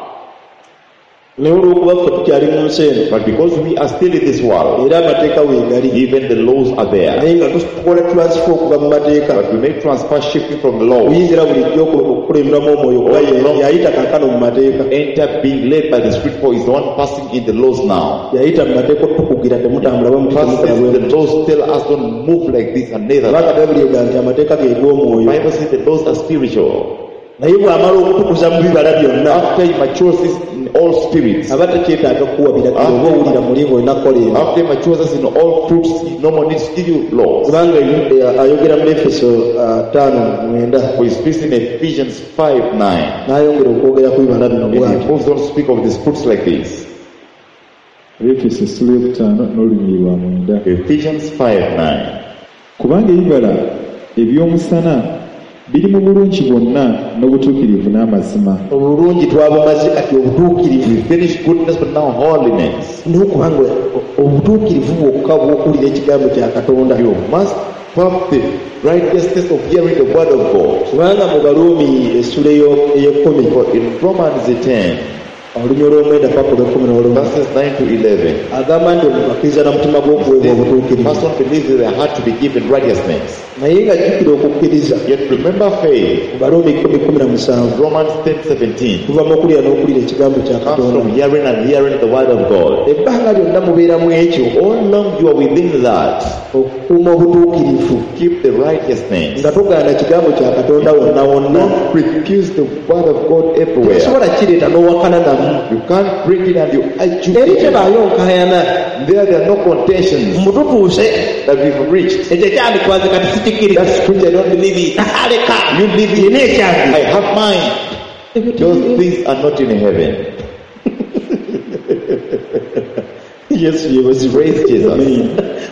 Naye olw'okuba ffe tukyali mu nsi eno But because we are still in this world, era amateeka weegali even the laws are there. Naye nga tukola transfer okuva mu mateeka But we make transfer shifting from the law, kuyingira bulijjo oku- okukulemberamu omwoyo kuba ye- yayita kaakano mu mateeka enter being led by the Spirit, for is the one passing in the laws now. Yayita mu mateeka otukugira temutambula bwe muti First, temukola bwe the muti. laws tell us don't move like this and neither. Kubanga bayibuli egamba nti amateeka ge g'omwoyo Bible says the laws are spiritual. Naye bw'amala okutukuza mu bibala byonna After he matures us in all spirits, aba tekyetaaga kukuwa biragiro oba owulira muli ng'olina kukola ebyo after he matures us in all fruits, he no more needs to give you laws. Kubanga eh, ayogera mu Efeso ah, ttaano mwenda For he speaks in Ephesians five nine. N'ayongera okwogera ku bibala bino And he bw'atyo moves on to speak of these fruits like this. Abeefeso essula eyokutaano n'olunyiriri lwa mwenda Ephesians five nine. Kubanga ebibala eby'omusana biri mu bulungi bwonna n'obutuukirivu n'amazima Obulungi twabumaze kati obutuukirivu We finished goodness, but now holiness. N'okubanga obutuukirivu bwokka bw'okuwulira ekigambo kya Katonda You must have the righteousness of hearing the word of God. Kubanga mu Baluumi essula eyo- ey'ekkumi For in Romans ten, olunyiriri olw'omwenda paka olw'ekkumi n'olumu verses nine to eleven, agamba nti omuntu akkiriza na mutima gw'okuweebwa the obutuukirivu person believes in their heart to be given righteousness. Naye nga jjukira okukkiriza Yet remember faith. Mu Baluumi kkumi kkumi na musanvu Romans ten seventeen kuva mu okulira n'okulira ekigambo kya comes Katonda from hearing and hearing the word of God. Ebbanga lyonna mubeeramu ekyo All along you are within that. Okukuuma obutuukirivu Keep the righteousness. Nga togaana kigambo kya Katonda wonna wonna Don't refuse the word of God everywhere. Tosobola kireeta n'owakana namu You can't bring it and you argue. Eri tebaayo nkayana There, there are no contentions mututuuse that we've reached. Ekyo ekyandikwaze kati sikikkiriza That scripture, I don't believe it. Aleka You leave it. nina ekyange I have mine. Those things are not in heaven. Yesu yebazibwe Praise Jesus.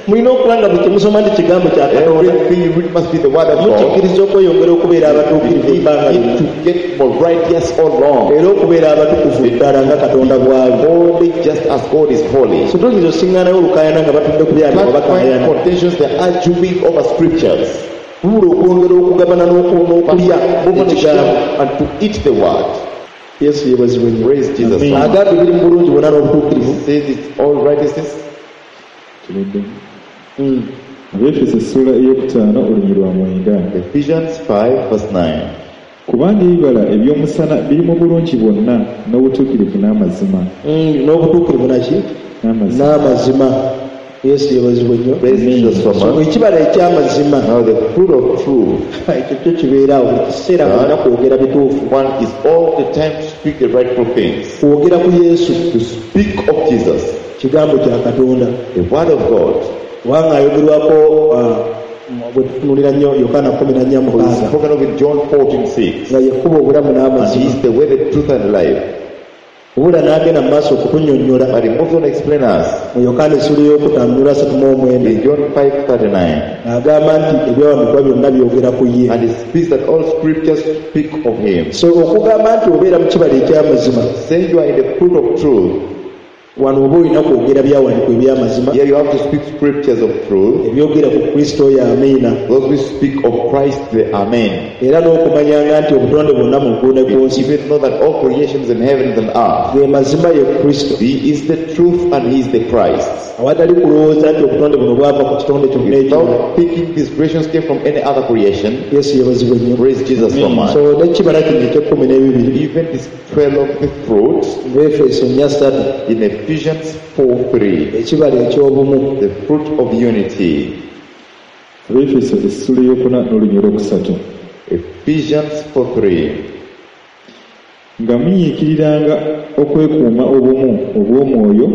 Mulina okuba nga buli kyemusoma nti kigambo kya Katonda Everything you read must be the word of God. Mukikkiriza okweyongera okubeera abatuukirivu You ebbanga need lyonna to get more righteous all along. Era okubeera abatukuvu ddala nga Katonda bw'ali Holy just as God is holy. So toyinza osiŋŋaanayo olukaayana nga batudde ku byandikwa Can't find bakaayana contentions, they're arguing over scriptures. Wabula okwongera okugabana n'oku- n'okulya Move on to ekigambo share and to eat the word. Yesu yebazibwe nnyo Praise Jesus. So much. Agambye biri mu bulungi bwonna n'obutuukirivu He says it's all righteousness. Tuludde Abeefeso essula eyokutaano olunyiriri lwa mwenda Ephesians five verse nine. Kubanga ebibala eby'omusana biri mu bulungi bwonna n'obutuukirivu n'amazima Mm, n'obutuukirivu naki n'amazima n'amazima Yesu yebazibwe nnyo Praise Jesus so So, much. ekibala eky'amazima Now the fruit of truth. Ekyo kyo kibeeraawo buli kiseera bwonna kwogera bituufu One is all the time to speak the rightful things. Kwogera ku Yesu To speak of Jesus, kigambo kya Katonda the word of God. Kubanga ayogerwako ah, bwe tutunulira nnyo Yokaana kumi na nnya For it's mukaaga spoken of in John fourteen six. Nga yekkuba obulamu And he n'amazima is the way, the truth, and life. Obula n'agenda mu maaso okutunnyonnyola But he moves on to explain us mu Yokaana essula ey'okutaano nula asatu mu omwenda in John five thirty-nine. Agamba nti ebyawandiikibwa byonna byogera ku ye And he speaks that all scriptures speak of him. So okugamba nti obeera mu kibala eky'amazima Saying you are in the fruit of truth, wano oba olina kwogera byawandiikibwa eby'amazima here you have to speak scriptures of truth. Ebyogera ku Kristo oyo amiina Those who speak of Christ, the Amen. Era n'okumanyanga nti obutonde bwonna mu ggulu ne ku nsi Even know that all creations in heaven and earth, ge mazima ye Kristo he is the truth and he is the Christ. Awatali kulowooza nti obutonde buno bwava ku kitonde kyonna ekirala Without thinking these creations came from any other creation, Yesu yebazibwe nnyo praise Jesus so much. So n'ekibala kino eky'ekkumi n'ebibiri Even this twelve of the fruit mu Efeso nnya ssatu in Ephesians four three, ekibala eky'obumu the fruit of unity. Abeefeso essula eyokuna n'olunyiriri olwokusatu Ephesians four three. Nga munyiikiriranga okwekuuma obumu obw'omwoyo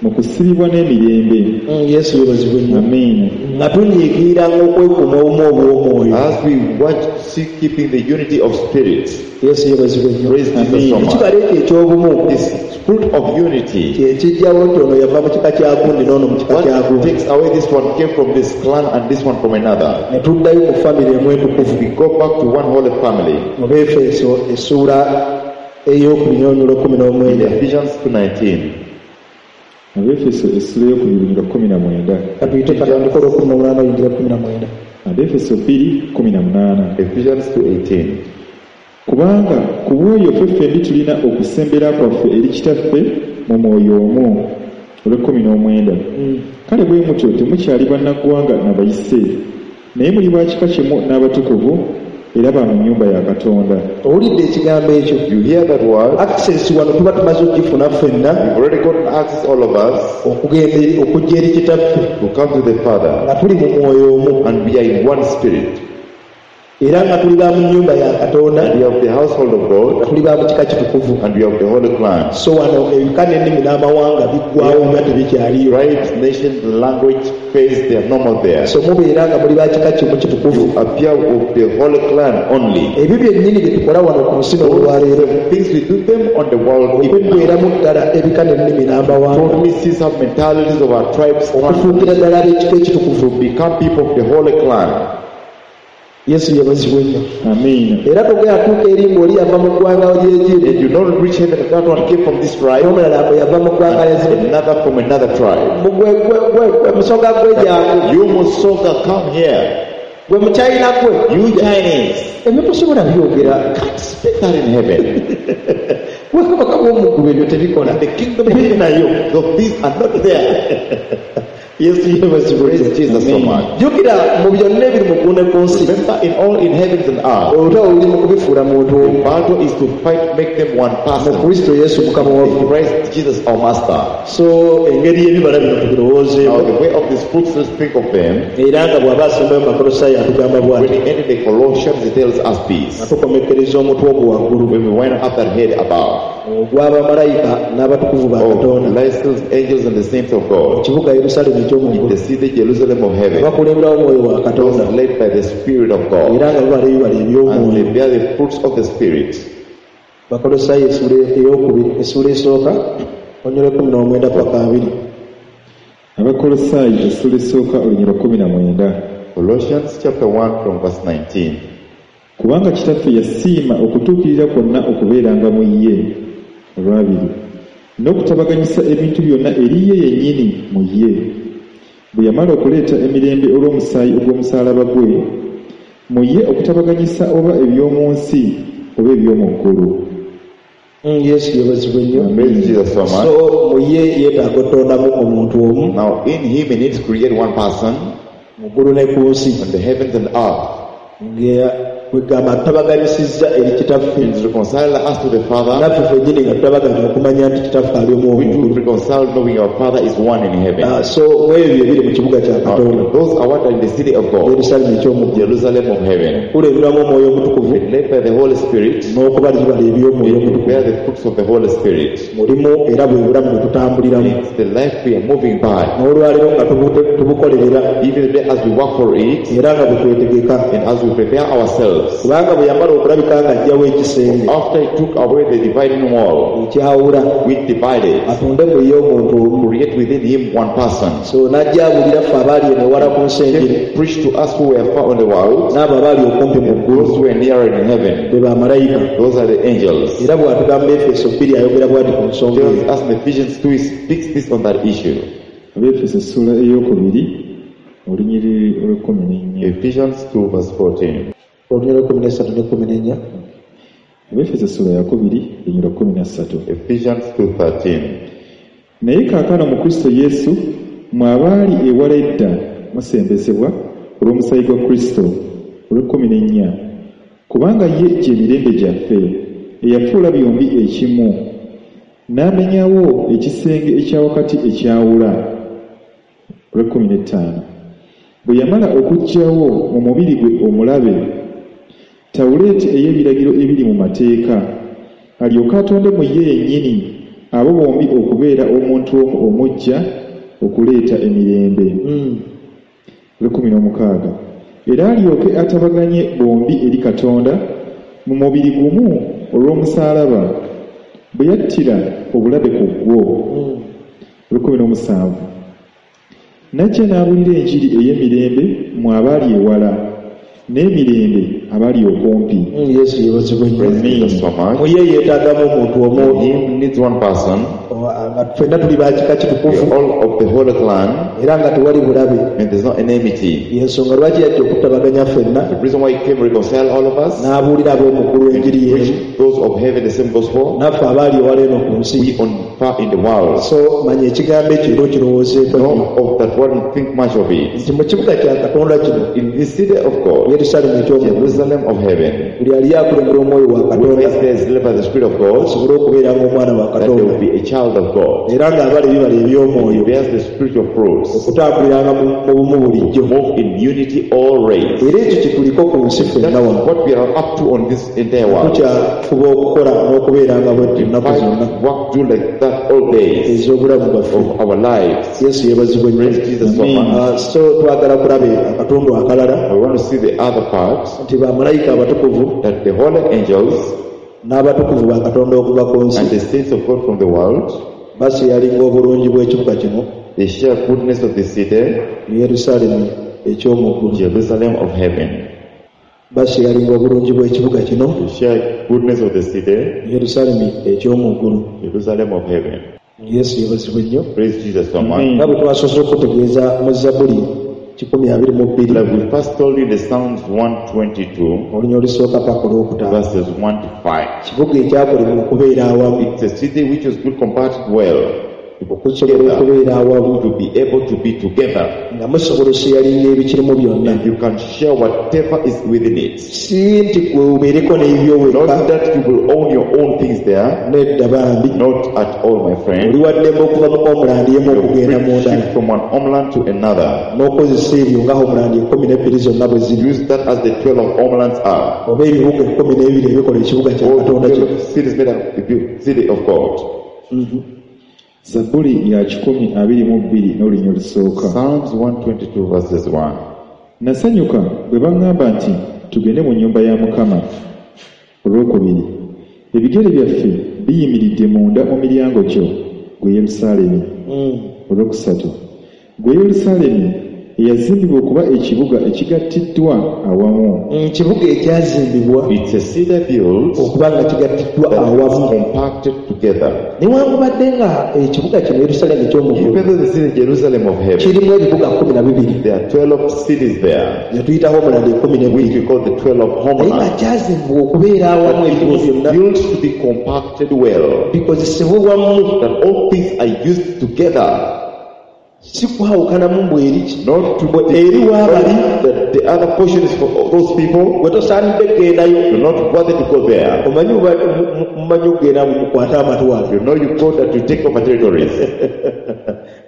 mu kusibibwa n'emirembe Mm, Yesu yebazibwe nnyo Amiina nga tunyiikiriranga okwekuuma obumu obw'omwoyo As we watch, see keeping the unity of spirit. Yesu yebazibwe nnyo Praise Jesus so much. Ekibala ekyo eky'obumu This fruit of unity. kyekijjawo nti ono yava mu kika kya gundi n'ono mu kika kya What gundi takes away this one came from this clan and this one from another. Ne tuddayo mu famire emu entukuvu We go back to one holy family. Mu Beefeso essuula ey'okubiri n'olunyiriri lw'ekkumi In n'omwenda Ephesians two nineteen. Abeefeso essula ey'okubiri nga kkumi na mwenda katuyite katandika olw'ekkumi n'omunaana oyingira kkumi na mwenda Abeefeso bbiri kkumi na munaana Ephesians two eighteen. Kubanga ku bw'oyo ffe ffembi tulina okusembera kwaffe eri Kitaffe mu mwoyo omu. Olw'ekkumi n'omwenda, kale bwe mutyo temukyali bannaggwanga na bayise, naye muli ba kika kimu n'abatukuvu era ba mu nnyumba ya Katonda. Owulidde ekigambo ekyo? You hear that word? Access wano tuba tumaze okugifuna ffenna We've already gotten access, all of us, okugenda eri- okujja eri kitaffe to come to the Father. nga tuli mu mwoyo omu And we are in one spirit. era nga tuli ba mu nnyumba ya Katonda, And we are of the household of God, nga tuli ba mu kika kitukuvu. and we are of the holy clan. So wano ebika n'ennimi n'amawanga biggwawo nga tebikyaliyo. Tribes, nations, language, faith, they are no more there. So mubeera nga muli ba kika kimu kitukuvu. You appear of the holy clan only. Ebyo byennyini bye tukola wano ku nsi n'olwaleero, The things we do them on the world even now. okuggweramu ddala ebika n'ennimi n'amawanga, Totally cease our mentalities of our tribes, clans, okufuukira ddala ab'ekika ekitukuvu. to become people of the holy clan. Yesu yebazibwe nnyo. Amiina. Era togera tuuka eri ng'oli yava mu ggwanga ly'Egyiri, And you don't reach heaven, that one came from this tribe, n'omulala bwe yava mu ggwanga lya Ziri. another from another tribe. Mu gwe- gwe- gwe- gwe musoga gwe jangu, You Musoga, come here. gwe muchayina gwe, You Chinese, ebyo tosobola byogera. can't speak that in heaven. Bwakabaka bw'omuggulu ebyo tebikola. The kingdom of heaven, the these are not there. Yesu yebazibwe. Praise Jesus so much. Jjukira mu byonna ebiri mu ggulu ne ku nsi, Remember, in all in heavens and earth, olutalo luli mu kubifuula muntu the omu, battle is to fight, make them one mu person. Kristo Yesu Mukama waffe. Christ Jesus, our Master. So engeri y'ebibala bino tubirowoozeeko. Now, the way of these fruits, let's think of them. Era nga bw'aba asembayo mu Bakolosaayi atugamba When bw'ati, he ended the Colossians, he tells us nga this. tukomekkereza omutwe ogwo waggulu When we wind up that head above, ogw'abamalayika n'abatukuvu ba of Katonda licensed angels and the saints of mu God, kibuga Yerusaalemi in eky'omu the ggulu, city Jerusalem of heaven, abakulemberawo omwoyo wa those Katonda led by the Spirit of God, era nga babala ebibala and eby'omwoyo. they bear the fruits of the Spirit. Bakolosaayi essuula ey'okubiri, essuula esooka, olunyiriri lw'ekkumi n'omwenda paka abiri. Abakolosaayi essuula esooka olunyiriri lwa kkumi na mwenda. Colossians chapter one from verse nineteen. Kubanga kitaffe yasiima okutuukirira kwonna okubeeranga mu ye, olwabiri, n'okutabaganyisa ebintu byonna eri ye yennyini mu ye, bwe yamala okuleeta emirembe olw'omusaayi ogw'omusaalaba gwe, mu ye okutabaganyisa oba eby'omu nsi oba eby'omu ggulu. Mm, Yesu yebazibwe nnyo. Praise Jesus so much. So mu ye yeetaaga otondamu omuntu omu Now, in him, he needs to create one person mu ggulu ne ku nsi, on the heavens and earth. nga kwegamba atabaganyisizza eri kitaffe, He reconciled us to the Father. naffe ffennyini nga tutabaganya okumanya nti kitaffe ali omu We omu do ggulu. reconcile knowing our Father is one in heaven. Ah, so mu ebyo ebiri mu kibuga kya Katonda, Now, those are what are in the city of God, Yerusaalemi eky'omu ggulu, Jerusalem of heaven. kulemberwamu omwoyo omutukuvu Led by the Holy Spirit, n'okubala ebibala eby'omwoyo we omutukuvu bear the fruits of the Holy Spirit. mulimu, era bwe bulamu bwe tutambuliramu It's the life we are moving by. n'olwaleero nga tubu- tubukolerera, Even today, as we work for it era nga bwe twetegeka, and as we prepare ourselves, kubanga bwe yamala okulabika ng'aggyawo ekisenge after he took away the dividing wall, ekyawula, which divided, atonde mu ye omuntu omu, create within him one person. So n'ajja abuulira ffe abaali eno ewala ku nsi enjiri He preached to us who were far on the world, n'abo abaali okumpi mu ggulu, those who were nearer in heaven. be bamalayika. Those are the angels. Era bw'atugamba Efeso bbiri ayogera bw'ati ku nsonga Tells eyo. us in Ephesians two, he speaks this on that issue. Abeefeso essuula ey'okubiri olunyiriri olw'ekkumi n'ennya. Ephesians two verse fourteen. Olunyiriri lw'ekkumi n'essatu n'ekkumi n'ennya. Abeefeso essuula yakubiri olunyiriri lwa kkumi na ssatu. Ephesians two thirteen. Naye kaakano mu Kristo Yesu mwe abaali ewala edda musembezebwa olw'omusaayi gwa Kristo. Olw'ekkumi n'ennya, kubanga ye gye mirembe gyaffe eyafuula byombi ekimu, n'amenyawo ekisenge ekya wakati ekyawula. Olw'ekkumi n'ettaano, bwe yamala okuggyawo mu mubiri gwe omulabe tawuleeti ey'ebiragiro ebiri mu mateeka, alyoke atonde mu ye yennyini abo bombi okubeera omuntu omu omuggya okuleeta emirembe. Olw'ekkumi n'omukaaga, era alyoke atabaganye bombi eri Katonda mu mubiri gumu olw'omusaalaba, bwe yattira obulabe ku gwo. Olw'ekkumi n'omusanvu, n'ajja n'abuulira enjiri ey'emirembe mu abaali ewala n'emirembe abali okumpi. Mm, Yesu yeebazibwe nnyo. Praise Jesus so much. Mu ye yeetaagamu omuntu omu Him needs one person. o- nga ffenna tuli ba kika We kitukuvu are all of the holy clan, era nga tewali bulabe and there's no enmity. yensonga lwaki yajja okutabaganya ffenna The reason why he came to reconcile all of us, n'abuulira ab'omu ggulu enjiri y'emu preach those of heaven the same gospel, naffe abaali ewala eno ku nsi we on far in the world. so manya ekigambo ekyo era okirowoozeeko nnyo Know of that world and think much of it. nti mu kibuga kya Katonda kino In the city of God, Yerusaalemu eky'omu ggulu Jerusalem of heaven, buli ali akulembera omwoyo wa whoever Katonda is there is led by the Spirit of God, asobole okubeera ng'omwana wa that there Katonda will be a child of God. era ng'abala ebibala He eby'omwoyo bears the spiritual fruits. okutambuliranga mu mu bumu bulijjo Move in unity always. era ekyo kye tuliko ku nsi ffenna That's wano what we are up to on this entire world. tukyafuba okukola n'okubeeranga bwe ennaku zonna Fight, work, do like that all days ez'obulamu bwaffe of our lives. Yesu yeebazibwe nnyo Praise Jesus so much. Ah, so twagala kulaba akatundu akalala We want to see the other part, nti bamalayika abatukuvu that the holy angels n'abatukuvu ba Katonda okuva ku and nsi the saints of God from the world, baseyalinga obulungi bw'ekibuga kino they share goodness of the city, mu Yerusaalemi eky'omu ggulu Jerusalem of heaven. baseyalinga obulungi bw'ekibuga kino They share goodness of the city, mu Yerusaalemi eky'omu ggulu Jerusalem of heaven. Yesu yeebazibwe nnyo Praise Jesus so much. nga bwe twasoose okutegeeza mu Zabbuli kikumi abiri mu bbiri Like we first told you the Psalms one twenty-two, olunya olusooka paka olwokutaano verses one to five. kibuga ekyakolebwa okubeera awamu It's a city which was good compacted well, okusobola okubeera awamu to be able to be together. nga musobola oseyalinga ebikirimu byonna And you can share whatever is within it. si nti gwe obeereko n'ebibyo wekka Not that you will own your own things there. nedda bambi Not at all, my friend. oli waddembe okuva mu homeland emu You okugenda mu free ndala shift from one homeland to another. n'okozesa ebyo nga homeland ekkumi n'ebbiri zonna bwe ziri Use that as the twelve of homelands are. oba ebibuga ekkumi n'ebiri ebikola ekibuga kya All Katonda the kino twelve cities made up the city of God. Zabbuli ya kikumi abiri mu bbiri n'olunya olusooka. Psalms one twenty-two verses one. Nasanyuka bwe baŋŋamba nti tugende mu nnyumba ya Mukama. Olwokubiri, ebigere byaffe biyimiridde munda mu miryango gyo, gwe Yerusaalemi. Olwokusatu, gwe Yerusaalemi eyazimbibwa okuba ekibuga ekigattiddwa awamu. Ekibuga ekyazimbibwa It's a city built okuba nga kigattiddwa that is awamu compacted together. newankubadde nga ekibuga kino Yerusaalemi eky'omu ggulu Even though the city Jerusalem of heaven, kirimu ebibuga kkumi na bibiri there are twelve cities there, ze tuyita homeland ekkumi which n'ebbiri we call the twelve naye nga homelands. kyazimbibwa okubeera awamu But it ebibuga was byonna built to be compacted well, bikozesebwe wamu that all things are used together, si kwawukanamu mbu eri ki not to eri waabali that the other portion is for those people. gwe tosaanidde kugendayo You're not worthy to go there. omanyi oba- mu- mu- mumanyi okugenda mukwate amatwale You know you go that you take over territories.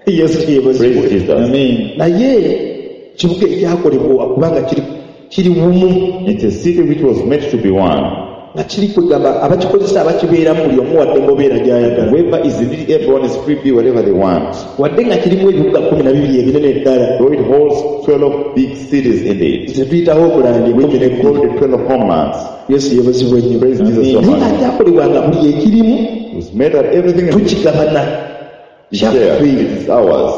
Yesu yeebazibwe Praise Jesus. Amen. naye kibuga ekyakolebwa kubanga kiri kiri bumu It's a city which was meant to be one. nga kiri kwegamba abakikozesa abakibeeramu buli omu wadde ngobeera gy'ayagala Whoever is in it, everyone is free to be whatever they want. wadde nga kirimu ebibuga kkumi na bibiri ebinene ddala Though it holds twelve big cities in it, ze tuyitaho okulandi which ekkumi we call n'ebbiri the twelve homelands. Yesu yeebazibwe nnyo Praise Jesus so naye nga much. kyakolebwa nga buli ekirimu It was made that everything is tukigabana shared. kyaffe It is ours.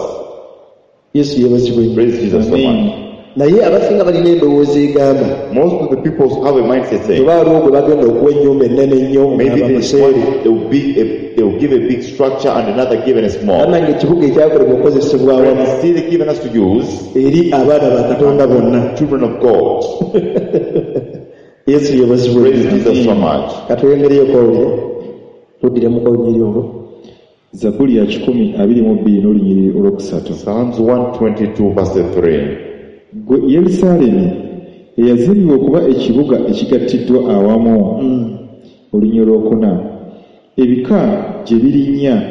Yesu yeebazibwe nnyo Praise Jesus so much. naye abasinga balina endowooza egamba Most of the people have a mindset saying, oba waliwo gwe bagenda okuwa ennyumba ennene ennyo maybe ng'aba this museere one they will be a, they will give a big structure and another given a small. bannange ekibuga ekyakolebwa okukozesebwa awamu The city given us to use, eri abaana ba Katonda bonna children of God. Yesu yeebazibwe Praise Jesus so much. katweyongereyo owulire tuddiremu olunyiriri olwo Zabbuli ya kikumi abiri mu bbiri n'olunyiriri olwokusatu. Psalms one twenty-two verse three. Gwe Yerusaalemi eyazimbibwa okuba ekibuga ekigattiddwa awamu. Olunya olwokuna, ebika gye birinnya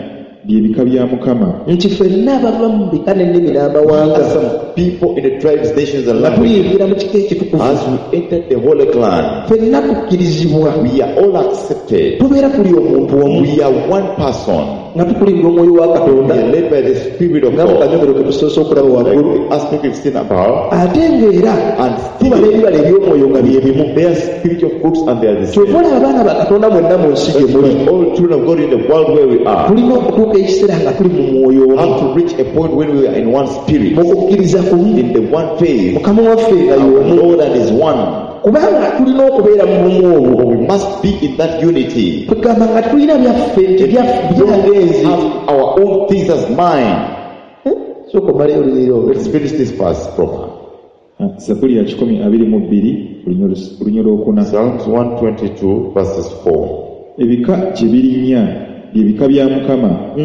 bye bika bya Mukama. Nti ffenna abava mu bika n'ennimi n'amawanga Some people in the tribes, nations, and nga languages, tuliyingira mu kika ekitukuvu as we enter the holy clan, ffenna tukkirizibwa we are all accepted. tubeera tuli omuntu omu We are one person. nga tukulirwa omwoyo wa We Katonda are led by the Spirit of nga mu God. kanyomero ke tusoose okulaba Like waggulu the aspect we've seen above. ate ng'era And tubala still, ebibala eby'omwoyo nga bye bimu their spiritual fruits and they are the same. kyova olaba abaana ba Katonda mwenna mu nsi gye muli All children of God in the world where we are tulina okutuuka ekiseera nga tuli mu mwoyo omu have to reach a point when we are in one spirit, mu kukkiriza kumu in the one faith. Mukama waffe nga Our y'omu Lord and is one. Kubanga tulina okubeera mu bumu obwo. We must be in that unity. Tugamba nga tulina byaffe nti byangenzi. Have our own things as mine. Sooka omaleyo olunyiriri olwo. Let's finish this verse proper. Zabbuli ya kikumi abiri mu bbiri olunyiriri olwokuna. Psalms one twenty-two verses four. Ebika gye birinnya bye bika bya Mukama,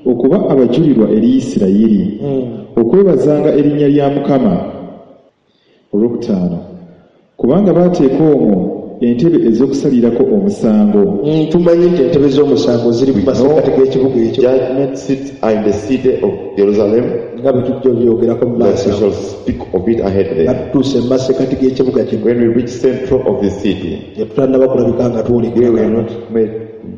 okuba abajulirwa eri Isirayiri, okwebazanga erinnya lya Mukama. Olwokutaano, kubanga baateeka omwo entebe ez'okusalirako omusango. Tumanyi nti entebe z'omusango ziri mu masekkati g'ekibuga ekyo. Judgment seats are in the city of Jerusalem. Nga bwe tujja obyogerako mu maaso. We shall speak of it ahead there. Nga tutuuse mu masekkati g'ekibuga kino. When we reach central of the city, tetutannaba kulabika nga twolekera. We were not made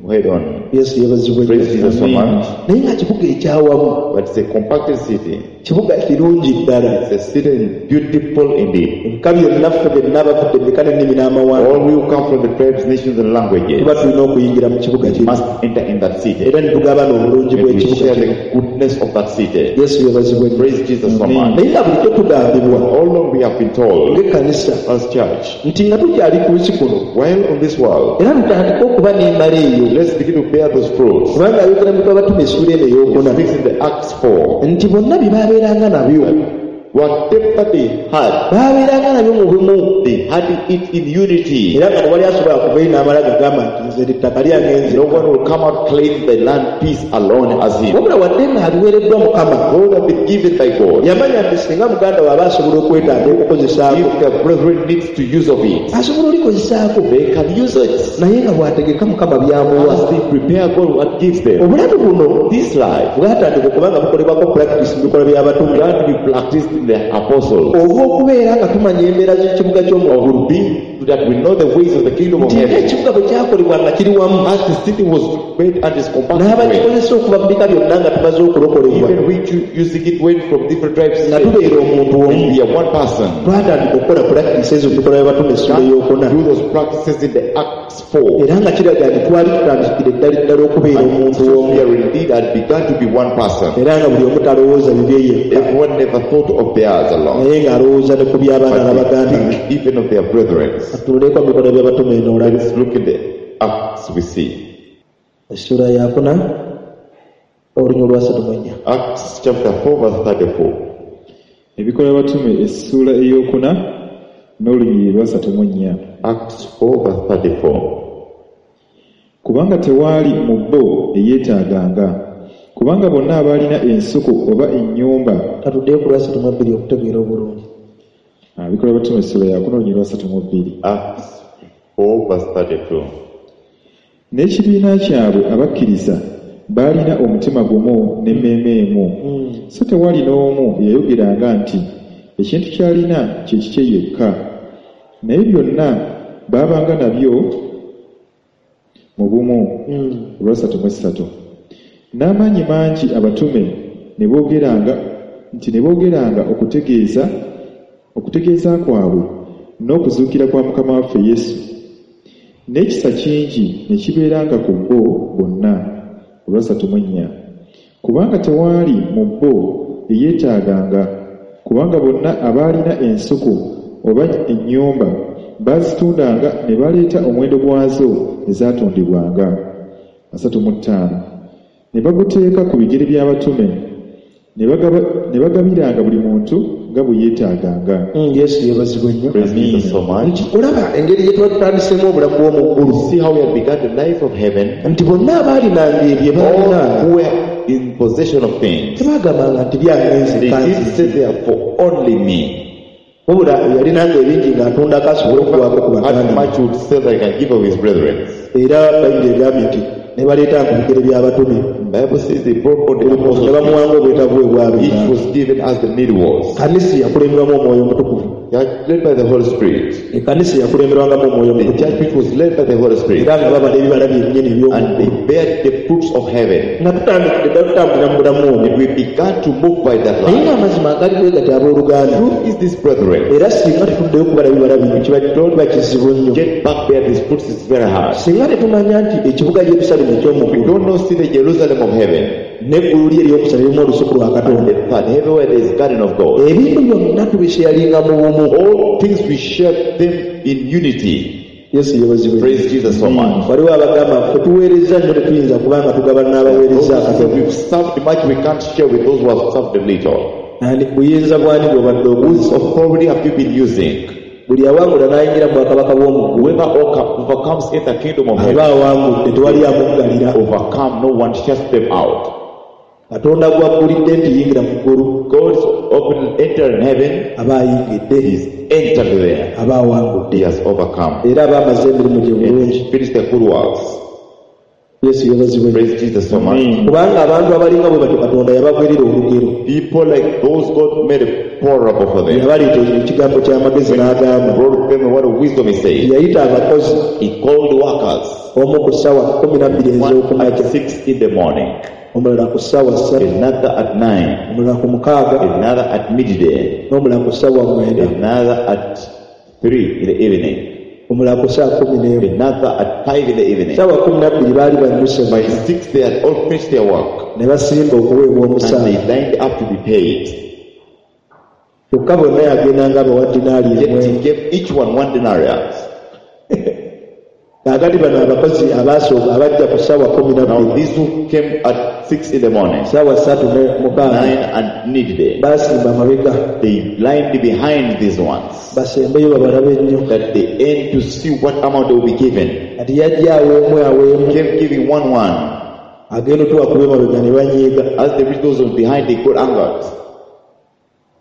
head on. Yesu yeebazibwe. Praise Jesus so much. Naye nga kibuga ekyawamu. But it's a compacted city. Kibuga kirungi ddala. It's a city beautiful indeed. Ebika byonna ffe byonna abavudde mu bika n'ennimi n'amawanga. All who come from the tribes, nations and languages. Tuba tulina okuyingira mu kibuga kino. Must enter in that city. Era ne tugabana obulungi bw'ekibuga kino. Share the goodness of that city. Yesu yeebazibwe. Praise Jesus so much. Naye nga bulijjo tugambibwa. All along we have been told. Ng'ekkanisa. As church. Nti nga tukyali ku nsi kuno. While on this world. Era tutandike okuba n'emmere eyo. Let's begin to bear those fruits. Kubanga ayogera mu Abatume essuula eno ey'okuna. He speaks in the Acts four. Nti bonna bye baabeeranga nabyo. Whatever they had, baabeeranga nabyo mu bumu. They had it in unity. Era nga tewali asobola kuvayo n'amala gagamba nti nze ettaka lyange nze. No one will come out claim the land peace alone as him. Wabula wadde ng'aliweereddwa Mukama. God have been given by God. Yamanya nti singa muganda we aba asobola okwetaaga okukozesaako. If the brethren needs to use of it, asobola olikozesaako. They can use it. Naye nga bw'ategeka Mukama by'amuwa. As they prepare God what gives them. Obulamu buno, this life, bwatandika okuba nga bukolebwako practice mu bikolwa by'abatume. Began to be practiced in the apostles. Olw'okubeera nga tumanya embeera z'ekibuga ky'omu ggulu. That we know the ways of the kingdom of heaven. Ekibuga bwe kyakolebwa nga kiri wamu. As the city was made and is compacted. N'abakikozesa okuva mu bika byonna nga tumaze okulokolebwa. Even we using it went from different tribes. Nga tubeera omuntu omu. We are one person. Twatandika okukola practices ezo mu bikolwa by'abatume essuula ey'okuna. Do those practices in the Acts four. Era nga kiraga nti twali tutandikire ddala ddala okubeera omuntu omu. We are indeed had begun to be one person. Era nga buli omu talowooza bibye yekka. Everyone never thought of theirs alone. Naye ng'alowooza ne ku by'abaana n'abaganda. Even of their brethren. Tuleko bikolwa by'abatume eno olabe. Let's look in the Acts we see. Essuula yakuna olunyiriri lwa asatu mu nnya. Acts chapter four verse thirty-four. Ebikolwa by'abatume essuula ey'okuna n'olunyiriri lwa asatu mu nnya. Acts four verse thirty-four. Kubanga tewaali mu bo eyeetaaganga, kubanga bonna abaalina ensuku oba ennyumba. Katuddeyo ku lwa asatu mu bbiri okutegeera obulungi. Ebikolwa by'abatume essuula yakuna olunyiriri lwa asatu mu bbiri. Acts four verse thirty-two. N'ekibiina kyabwe abakkiriza baalina omutima gumu n'emmeeme emu. So tewali n'omu eyayogeranga nti ekintu ky'alina kye kikye yekka, naye byonna baabanga nabyo mu bumu. Olwasatu mu essatu. N'amaanyi mangi abatume ne boogeranga nti ne boogeranga okutegeeza okutegeeza kwabwe n'okuzuukira kwa Mukama waffe Yesu, n'ekisa kingi ne kibeeranga ku bo bonna. Olwasatu mu nnya. Kubanga tewaali mu bo eyeetaaganga, kubanga bonna abaalina ensuku oba ennyumba baazitundanga ne baleeta omuwendo gwazo ezaatundibwanga. Asatu mu ttaano. Ne baguteeka ku bigere by'abatume, ne bagabiranga buli muntu nga bwe yeetaaganga. Yesu yeebazibwe nnyo. Praise Jesus so much. Olaba engeri gye twatandisemu obulamu bw'omu ggulu. See how we have begun the life of heaven. Nti bonna abaalinanga ebyo baalinanga. All who were in possession of things. Tebagambanga nti byange nze. They didn't say they are for only me. Wabula yalinanga ebingi ng'atundako asobole okuwaako ku baganda. How much would say that he can give of his brethren. Era Bayibuli egambye nti ne baleetanga ku bigere by'abatume. Bible says they brought on the apostles. Ne bamuwanga obwetaavu bwe bwabwe. Each was given as the need was. Kanisa yakulemberwamu Omwoyo Omutukuvu. Led by the Holy Spirit. Ekkanisa yakulemberwangamu Omwoyo Omutukuvu. The church which was led by the Holy Spirit. Era nga babala ebibala byennyini eby'omu. And they bear the fruits of heaven. Nga tutandikidde ddala tutambulira mu bulamu obwo. And we began to move by that life. Naye ng'amazima agali bwe gati abooluganda. Truth is this, brethren. Era singa tetuddeyo kubala bibala bino kiba kiba kizibu nnyo. Get back there, these fruits is very hard. Singa tetumanya nti ekibuga Yerusalemu eky'omu ggulu. We don't know see the Jerusalem of heaven. N'eggulu lye eryokusatu lirimu olusuku lwa And Katonda. the third, everywhere there is garden of God. Ebintu byonna tubisharinga mu bumu. All things we share them in unity. Yesu yeebazibwe. Praise Jesus so much. Waliwo abagamba ffe tuweereza nnyo tetuyinza kubanga tugabana n'abaweereza Those who say akatono. we've served much, we can't share with those who have served little. Ani buyinza bwani bw'obadde Whose okozesa? authority have you been using? Buli awangula n'ayingira mu bwakabaka bw'omu ggulu Whoever overcomes in the kingdom of aba heaven, awangudde, tewali amuggalira. overcome, no one shuts them out. Katonda gw'aggulidde nti yingira mu ggulu God's open enter in heaven, aba ayingidde, he's entered there. aba awangudde, He has overcome. era aba amaze emirimu gye And bulungi. he's finished the good works. Yesu yeebazibwe. Praise Jesus so much. Kubanga abantu abalinga bwe batyo Katonda yabagwerera olugero. People like those, God made a parable for them. Yabaleeta ekigambo ky'amagezi n'agamba, Brought them a word of wisdom, he said. yayita abakozi He called workers. omu ku ssaawa kkumi na bbiri One ez'okumakya, at six in the morning, omulala ku ssaawa ssatu, another at nine, omulala ku mukaaga, another at midday, n'omulala ku ssaawa mwenda, another at three in the evening, omulala ku ssaawa kkumi n'emu. another at five in the evening. Ssaawa kkumi na bbiri baali bannyuse By six they had all finished their work ne basimba okuweebwa and omusaala. they lined up to be paid. Kyokka bonna yagenda ng'abawa dinaali Yet emu. he gave each one one denarius. Kaakati bano abakozi abaasooka abajja ku ssaawa kkumi na Now bbiri, these who came at six in the morning, ssaawa ssatu ne mukaaga, nine and midday, baasimba amabega they lined behind these ones basembeyo babalabe ennyo. that they aim to see what amount they will be given. Kati yajja aweemu aweemu, Kept giving one one. agenda otubakuba emabega ne banyiiga As they reached those ones behind, they got angered.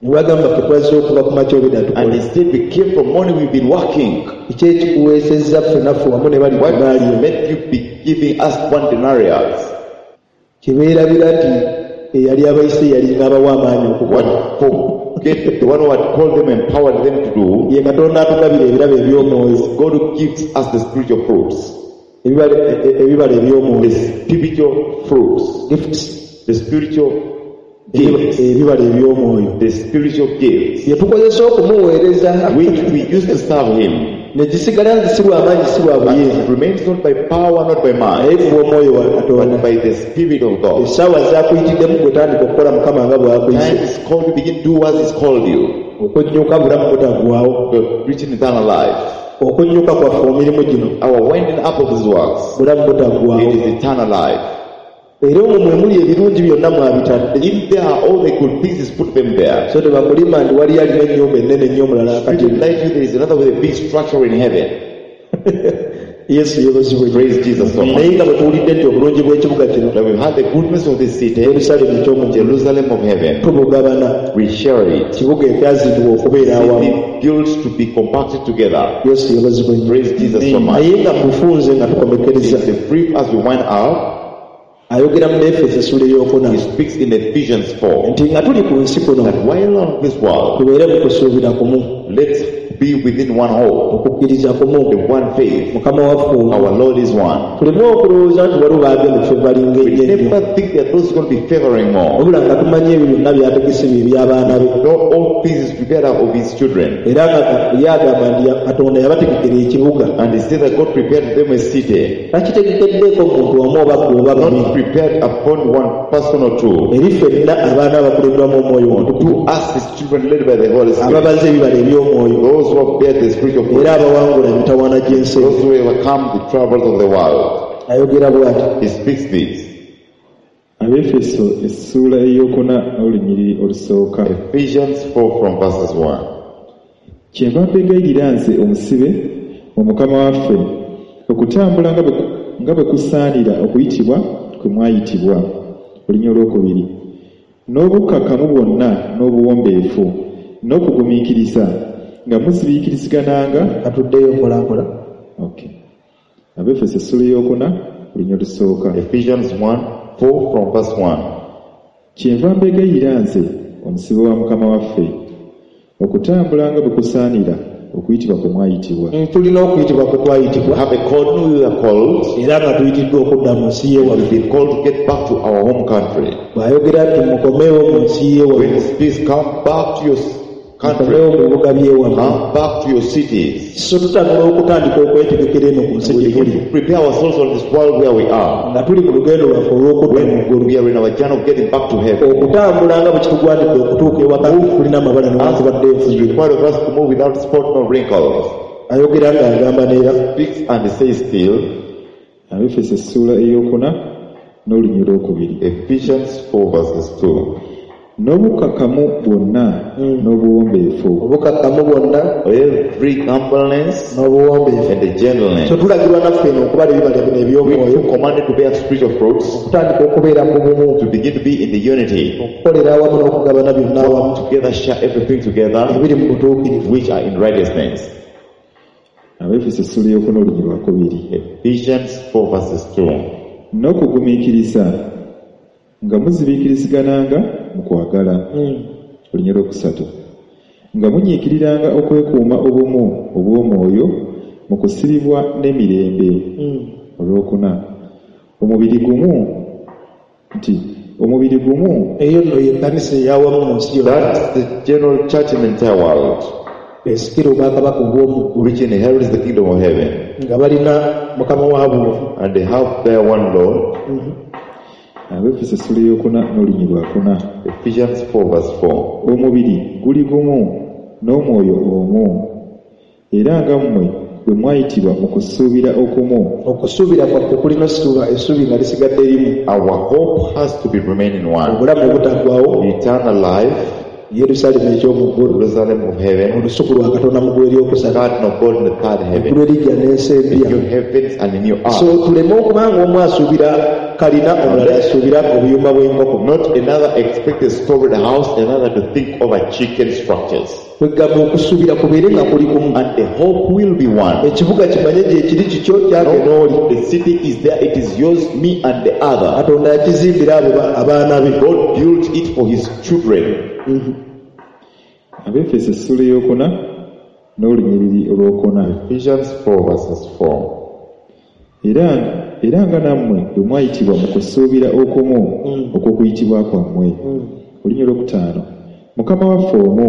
ne bagamba ffe twazze okuva ku makya obedda And tukole. they said, we came from morning, we've been working. Kiki ekikuweesezza ffe naffe wamu ne bali What dinaali emu? made you be giving us one denarius? Kyebeerabira nti eyali abayise yalinga abawa amaanyi okukola. What forget the one who had called them, empowered them to do, Ye Katonda atugabira ebirabo eby'omwoyo, God who gives us the spiritual fruits. ebibala e- e- ebibala The eby'omwoyo, spiritual fruits. gifts, The spiritual gifts. ebibala eby'omwoyo The spiritual gifts. bye tukozesa okumuweereza Which we used to serve him. ne gisigala nti si lwa maanyi si lwa But buyinza, it remains not by power, not by naye might, ku bw'omwoyo wa Katonda. but by the Spirit of God. Essaawa zaakuyitiddemu gwe tandika okukola Mukama nga bw'akuyise. Time is called to begin do as he's called you. Okunnyuka bulamu butaggwaawo. To reach an eternal life. Okunnyuka kwaffe mu mirimu gino Our winding up of his works, bulamu butaggwaawo. it is eternal life. Era omwo mwe muli ebirungi byonna mwabitadde. If there are all the good things, put them there. So tebakulima nti waliyo alina ennyumba ennene ennyo omulala Spirit akati. light you, there is another with a big structure in heaven. Yesu yeebazibwe. Praise Jesus so much. Naye nga bwe tuwulidde nti obulungi bw'ekibuga kino That we've had the goodness of this city, Yerusaalemi eky'omu ggulu, Jerusalem of heaven. tubugabana, We share it. kibuga ekyazimbibwa okubeera awamu. City built to be compacted together. Yesu yeebazibwe nnyo. Praise Jesus so much. Naye nga mufunze nga tukomekereza, It's a brief as we wind up. ayogera mu Efeso essula ey'okuna He speaks in Ephesians four nti nga tuli ku nsi kuno that while on this world, tubeere mu kusuubira kumu, let's be within one hope, okukkiriza kumu, the one faith. Mukama waffe omu. Our Lord is one. Tuleme okulowooza nti waliwo baagenda ffe balinga We ennyo ennyo, never think that those are going to be favoring more. wabula nga tumanyi ebyo byonna by'ategese bye eby'abaana be. Not all things is prepared of his children. Era nga ye agamba nti ya- Katonda yabategekera ekibuga, And he said that God prepared them a city, takitegekeddeeko muntu omu oba gwe oba babiri, not prepared upon one person or two. eri ffenna abaana abakulemberwamu Omwoyo Omutukuvu, To us, his children led by the Holy Spirit, ababaza ebibala eby'omwoyo, those who have bear the spiritual fruit, era abawangula emitawaana gy'ensi. those who overcome the troubles of the world. Ayogera bw'ati. He speaks this. Abeefeso essuula ey'okuna n'olunyiriri olusooka. Ephesians four from verses one. Kyenva mbegayirira nze omusibe mu Mukama waffe okutambula nga bwe nga bwe kusaanira okuyitibwa kwe mwayitibwa. Olunya olwokubiri. N'obukkakkamu bwonna n'obuwombeefu n'okugumiikiriza nga muzibiikirizigananga. Katuddeyo mpola mpola. Okay. Abeefeso essuula ey'okuna olunya olusooka. Ephesians one, four from verse one. Kyenva mbegayirira nze omusibe wa Mukama waffe okutambula nga bwe kusaanira okuyitibwa kwe mwayitibwa. Mm, tulina okuyitibwa kwe We twayitibwa, have a call, we are called. era nga tuyitiddwa okudda mu nsi We've y'ewaffe. been called to get back to our home country. Bw'ayogera nti mukomeewo mu nsi When y'ewaffe, he speaks, come back to your country. Mukomewo mu bibuga by'ewammwe. Come back to your cities. So tutandika okutandika okwetegekera eno ku nsi We gye begin tuli to prepare ourselves on this world where we are. nga tuli mu lugendo lwaffe olw'okudda mu When ggulu we are in our journey of getting back to heaven. okutambula nga bwe kitugwanidde okutuuka ewaka tulina amabala newankubadde It's enfunyiro required of us to move without spot nor wrinkles. Ayogera ng'agamba neera Speaks and says still. Abefeso essuula eyokuna n'olunyiriri olwokubiri. Ephesians four verses two. N'obukakkamu bwonna n'obuwombeefu. Obukakkamu bwonna Every humbleness n'obuwombeefu. and the gentleness. So tulagirwa naffe eno okubala ebibala bino We eby'omwoyo are commanded to bear spiritual fruits, okutandika okubeera mu bumu to begin to be in the unity, okukolera awamu n'okugabana byonna awamu together share everything together, ebiri mu butuukirivu. which are in righteousness. Abefeso essuula eyokuna olunyiriri lwakubiri. Ephesians four verses two. N'okugumiikiriza nga muzibiikirizigananga mu kwagala. Olunyiriri olwokusatu. Nga munyiikiriranga okwekuuma obumu obw'omwoyo mu kusibibwa n'emirembe. Olwokuna. Omubiri gumu nti omubiri gumu Eyo nno y'ekkanisa ey'awamu mu nsi yonna. That's the general church in the entire world, Esikira obwakabaka obw'omu ggulu which inherits the kingdom of heaven, nga balina mukama waabwe. and they have their one Lord. Abefeso essuula eyokuna n'olunyiriri lwakuna. Ephesians four verse four. Omubiri guli gumu n'omwoyo omu era nga mmwe bwe mwayitibwa mu kusuubira okumu. Okusuubira kwaffe kulina ossuuba essuubi nga lisigadde limu. Our hope has to be remaining one. Obulamu obutaggwaawo Eternal life, Yerusaalemi eky'omu ggulu Jerusalem of heaven, olusuku lwa Katonda mu ggulu eryokusatu garden of God in the third heaven, eggulu eriggya n'ensi empya. new heavens and a new So earth. tuleme okuba nga omu asuubira kalina omulala asuubira obuyumba bw'enkoko. Not another expect a storied house, another to think over chicken structures. Kwegamba okusuubira kubeere nga kuli kumu. And the hope will be one. Ekibuga kimanye gye kiri kikyo kyange n'oli. No, the city is there, it is yours, me and the other. Katonda yakizimbira abo ba- abaana be. God built it for his children. Abefeso essuula eyokuna n'olunyiriri olwokuna. Ephesians four verses four. Era era nga nammwe bwe mwayitibwa mu kusuubira okumu okw'okuyitibwa kwammwe. Olunyiriri olwokutaano. Mukama waffe omu,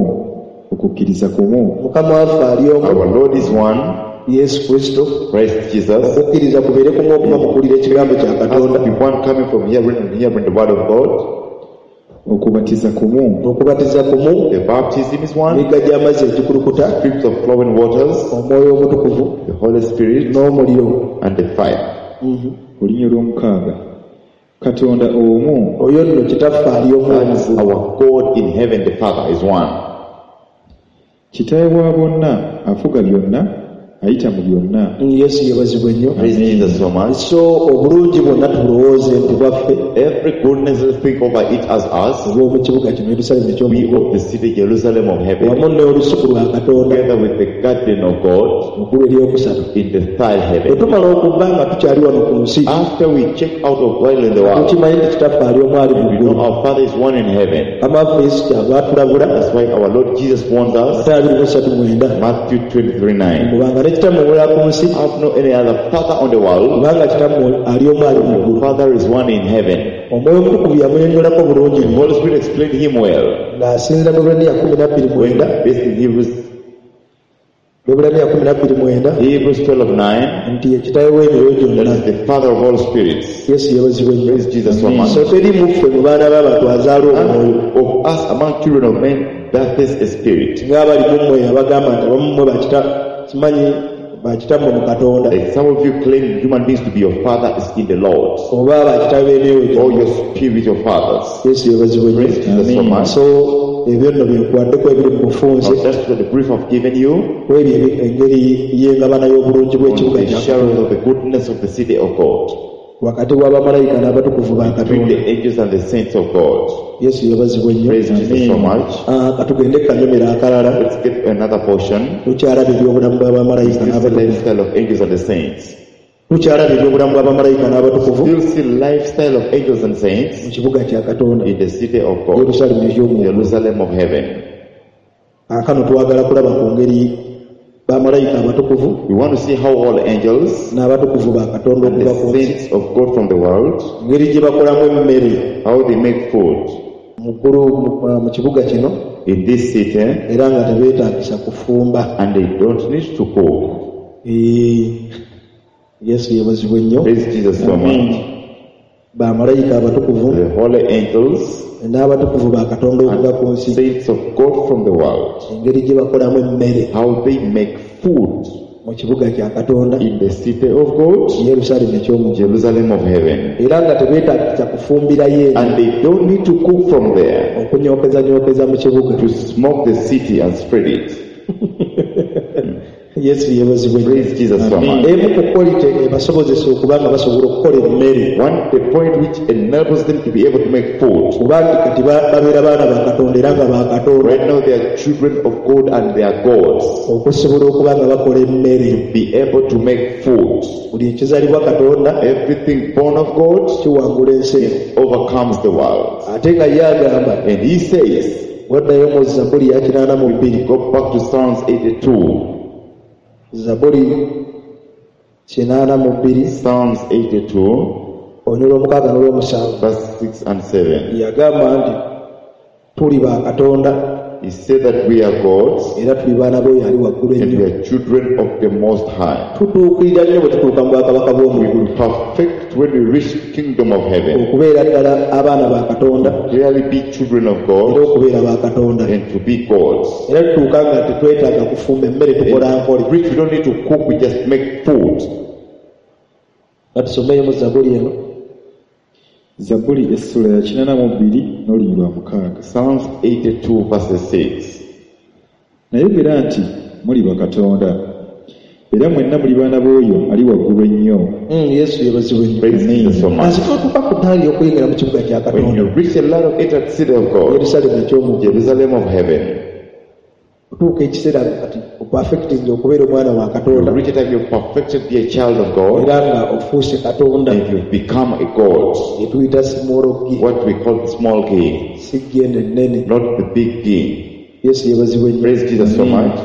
okukkiriza kumu. Mukama waffe ali omu. Our Lord is one, Yesu Kristo. Christ Jesus. Okukkiriza kubeere kumu okuva mu kuwulira ekigambo kya Has to Katonda. be one coming from hearing and hearing the word of God. Okubatiza kumu. Okubatiza kumu. The baptism is one. Emigga gy'amazzi egikulukuta. Streams of flowing waters. Omwoyo Omutukuvu. The Holy Spirit. N'omuliro. And the fire. Olunyiriri olwomukaaga. Katonda omu. Oyo nno Kitaffe ali omu. That's our God in heaven, the Father is one. Kitaawe wa bonna afuga byonna ayita mu byonna. Yesu yeebazibwe nnyo. Praise Jesus so much. So obulungi bwonna tulowooze nti bwaffe. Every goodness, let's think over it as us. Obw'omu kibuga kino Yerusaalemi We eky'omu of the city Jerusalem of heaven, wamu n'olusuku lwa Katonda together with the garden of God mu ggulu eryokusatu. in the third Bwe heaven. tumala okuba nga tukyali wano ku nsi, After we check out of while in the world, tukimanyi nti Kitaffe ali omu ali mu we ggulu. know our Father is one in heaven. Mukama waffe Yesu kyava atulabula. That's why our Lord Jesus warns us. Matayo abiri mu ssatu mwenda. Matthew twenty-three nine. Kubanga ne kitammwe omulala ku nsi, Have no any other father on the world. kubanga kitammwe ali omu ali mu ggulu. Father is one in heaven. Omwoyo Omutukuvu yamunnyonnyolako bulungi The Holy Spirit explained him well. ng'asinziira mu Lwebbulaniya kumi na bbiri mwenda. Based in Hebrews, Lwebbulaniya kumi na bbiri mwenda. Hebrews twelve nine. Nti ye kitaawe w'emyoyo gyonna. That is the Father of all spirits. Yesu yeebazibwe nnyo. Praise Jesus so much. So teri mu ffe mu baana b'abantu azaala omwoyo. Of us among children of men, that is a spirit. Ng'abali mu mmwe abagamba nti abamu mmwe bakita simanyi bakitammwe mu Katonda. Like some of you claim human beings to be your father is in the Lord. Oba bakitabe b'emyoyo Or gyonna. your spiritual fathers. Yesu yeebazibwe nnyo. Praise Jesus so much. So ebyo nno bye nkuwaddeko ebiri mu bufunze. Now, that's what the brief I've given you Ku ebyo ebi- engeri y'engabana y'obulungi on bw'ekibuga the kya sharing Katonda. of the goodness of the city of God. Wakati w'abamalayika n'abatukuvu ba Between Katonda. the angels and the saints of God. Yesu yeebazibwe nnyo. Praise Jesus so much. Ah, katugende kanyomero akalala. Let's get another portion. Tukyalaba ebyobulamu bw'abamalayika This is the n'abatukuvu. lifestyle of angels and the saints. Tukyalaba ebyobulamu bw'abamalayika n'abatukuvu Still see lifestyle of angels and saints mu kibuga kya Katonda. in the city of God, Yerusaalemi eky'omu ggulu. Jerusalem of heaven. Kaakano twagala kulaba ku ngeri bamalayika abatukuvu We want to see how all angels n'abatukuvu ba Katonda and okuva the ku nsi saints of God from the world, engeri gye bakolamu emmere how they make food mu Mu ggulu mu- mu kibuga kino in this city, era nga tebeetaagisa kufumba. and they don't need to cook. Eh, Yesu yeebazibwe nnyo. Praise Jesus so much. Bamalayika abatukuvu The holy angels n'abatukuvu ba Katonda okuva ku nsi saints of God from the world, engeri gye bakolamu emmere how they make food mu kibuga kya Katonda in the city of God, Yerusaalemi eky'omu ggulu. Jerusalem of heaven. Era nga tebeetaagisa kufumbirayo eno And they don't need to cook from there okunyokezanyookeza mu kibuga. to smoke the city and spread it. Yesu yeebazibwe nnyo. Praise Jesus so much. Emu ku quality ebasobozesa okuba nga basobola okukola emmere One, the point which enables them to be able to make food. kubanga kati ba- babeera baana ba Katonda era nga ba Katonda Right now they are children of God and they are gods. okusobola okuba nga bakola emmere. Be able to make food. Buli ekizaalibwa Katonda Everything born of God kiwangula ensi eno. overcomes the world. Ate nga ye agamba And he says, waddayo mu Zabbuli ya kinaana mu bbiri go back to Psalms eighty-two. Zabbuli kinaana mu bbiri Psalms eighty-two, onyula omukaaga n'olw'omusanvu verse six and seven. yagamba nti tuli ba Katonda He said that we are gods era tuli baana b'oyo ali waggulu and ennyo. we are children of the Most High. Tutuukirira nnyo bwe tutuuka mu bwakabaka We bw'omu ggulu will perfect when we reach the kingdom of heaven. okubeera ddala abaana ba Katonda Clearly be children of era God okubeera ba Katonda. and to be gods. Era tutuuka nga tetwetaaga kufumba emmere tukola nkole. Which we don't need to cook, we just make food. Nga tusomeyo mu Zabbuli eno Zabbuli essula ya kinaana mu bbiri n'olunyiriri lwa mukaaga. Psalms eighty-two verses six. Nayogera nti muli bakatonda era mwenna muli baana b'oyo ali waggulu ennyo. Mm, Yesu yeebazibwe nnyo. Praise Jesus so much. Kansi tutuuka ku ddaala ery'okuyingira mu kibuga kya When Katonda you reach the light of entered city of God, Yerusaalemi eky'omu ggulu Jerusalem of heaven, otuuka ekiseera kati opafectinze okubeera omwana wa you Katonda reach a time you've perfected be a child of God era nga ofuuse Katonda and you've become a God. etuyita small g What we call small g, si g eno ennene. not the big G. Yesu yeebazibwe nnyo. Praise Jesus so much.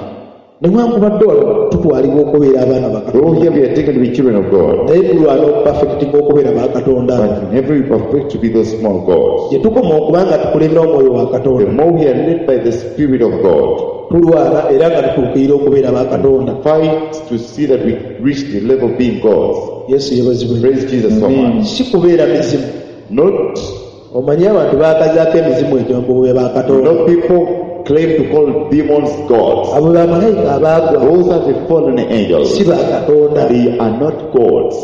Newankubadde wano tutwalibwa okubeera abaana ba Though Katonda here we are taken to be children of God, naye tulwana okupafectinga okubeera ba Katonda. but in heaven we perfect to be those small gods. Gye tukoma okuba nga tukulembera omwoyo wa The Katonda more we are led by the Spirit of God, tulwana era nga tutuukirira okubeera ba Katonda. fight to see that we reach the level of being gods. Yesu yeebazibwe nnyo. Praise Jesus so much. Si kubeera mizimu. Not, Omanyi abantu baakazaako emizimu egyo mbu be ba Katonda. not people claim to call demons gods. Abo bamalayika abaagwa Those are the fallen angels. si ba Katonda. They are not gods.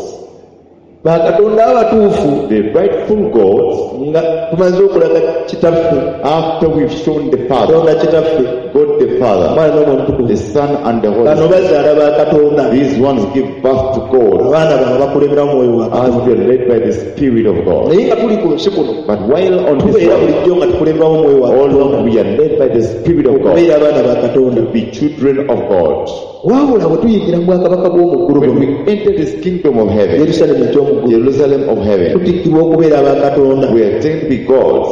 Ba Katonda abatuufu The rightful gods, nga tumaze okulaga Kitaffe, after we've shown the Father, Katonda Kitaffe, God the Father, Omwana n'Omwoyo Omutukuvu, the Son and the Holy bano Spirit, bazaala ba Katonda. these ones give birth to God Abaana baabwe bakulembera Omwoyo wa as Katonda. they are led by the Spirit of God. Naye nga tuli ku nsi kuno But while on this tubeera earth, bulijjo nga tukulemberamu Omwoyo wa all Katonda along we are led by the Spirit of God okubeera abaana ba Katonda. to be children of God. Wabula bwe tuyingira mu bwakabaka bw'omu ggulu When buno we enter this kingdom of heaven, Yerusaalemi eky'omu ggulu, Jerusalem of heaven, tutikkirwa okubeera aba Katonda we are taken to be gods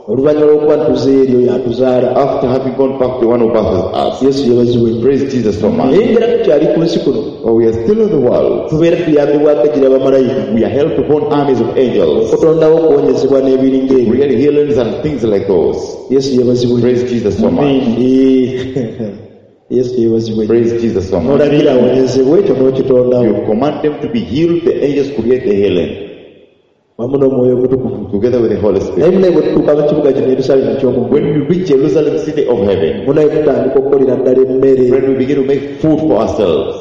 oluvannyuma lw'okuba ntuzeeyo eri oyo atuzaala. after having gone back to the one who birthed us. Yesu yeebazibwe nnyo. Praise Jesus so much. Naye ngera tukyali ku nsi kuno But we are still in the world. tubeera tuyambibwako egira bamalayika We are helped upon armies of angels, okutondawo okuwonyezebwa n'ebiringa ebyo. real healings and things like those. Yesu yeebazibwe nnyo. Praise Jesus so much. Eh, Yesu yeebazibwe nnyo. Praise Jesus so much. N'olagira awonyezebwe ekyo n'okitondawo You command them to be healed, the angels create the healing wamu n'Omwoyo Omutukuvu. together with the Holy Naye Spirit. munaye bwe tutuuka mu kibuga kino Yerusaalemi eky'omu ggulu, When we reach Jerusalem, city of heaven, munaye tutandika okukolera ddala emmere. when we begin to make food for ourselves,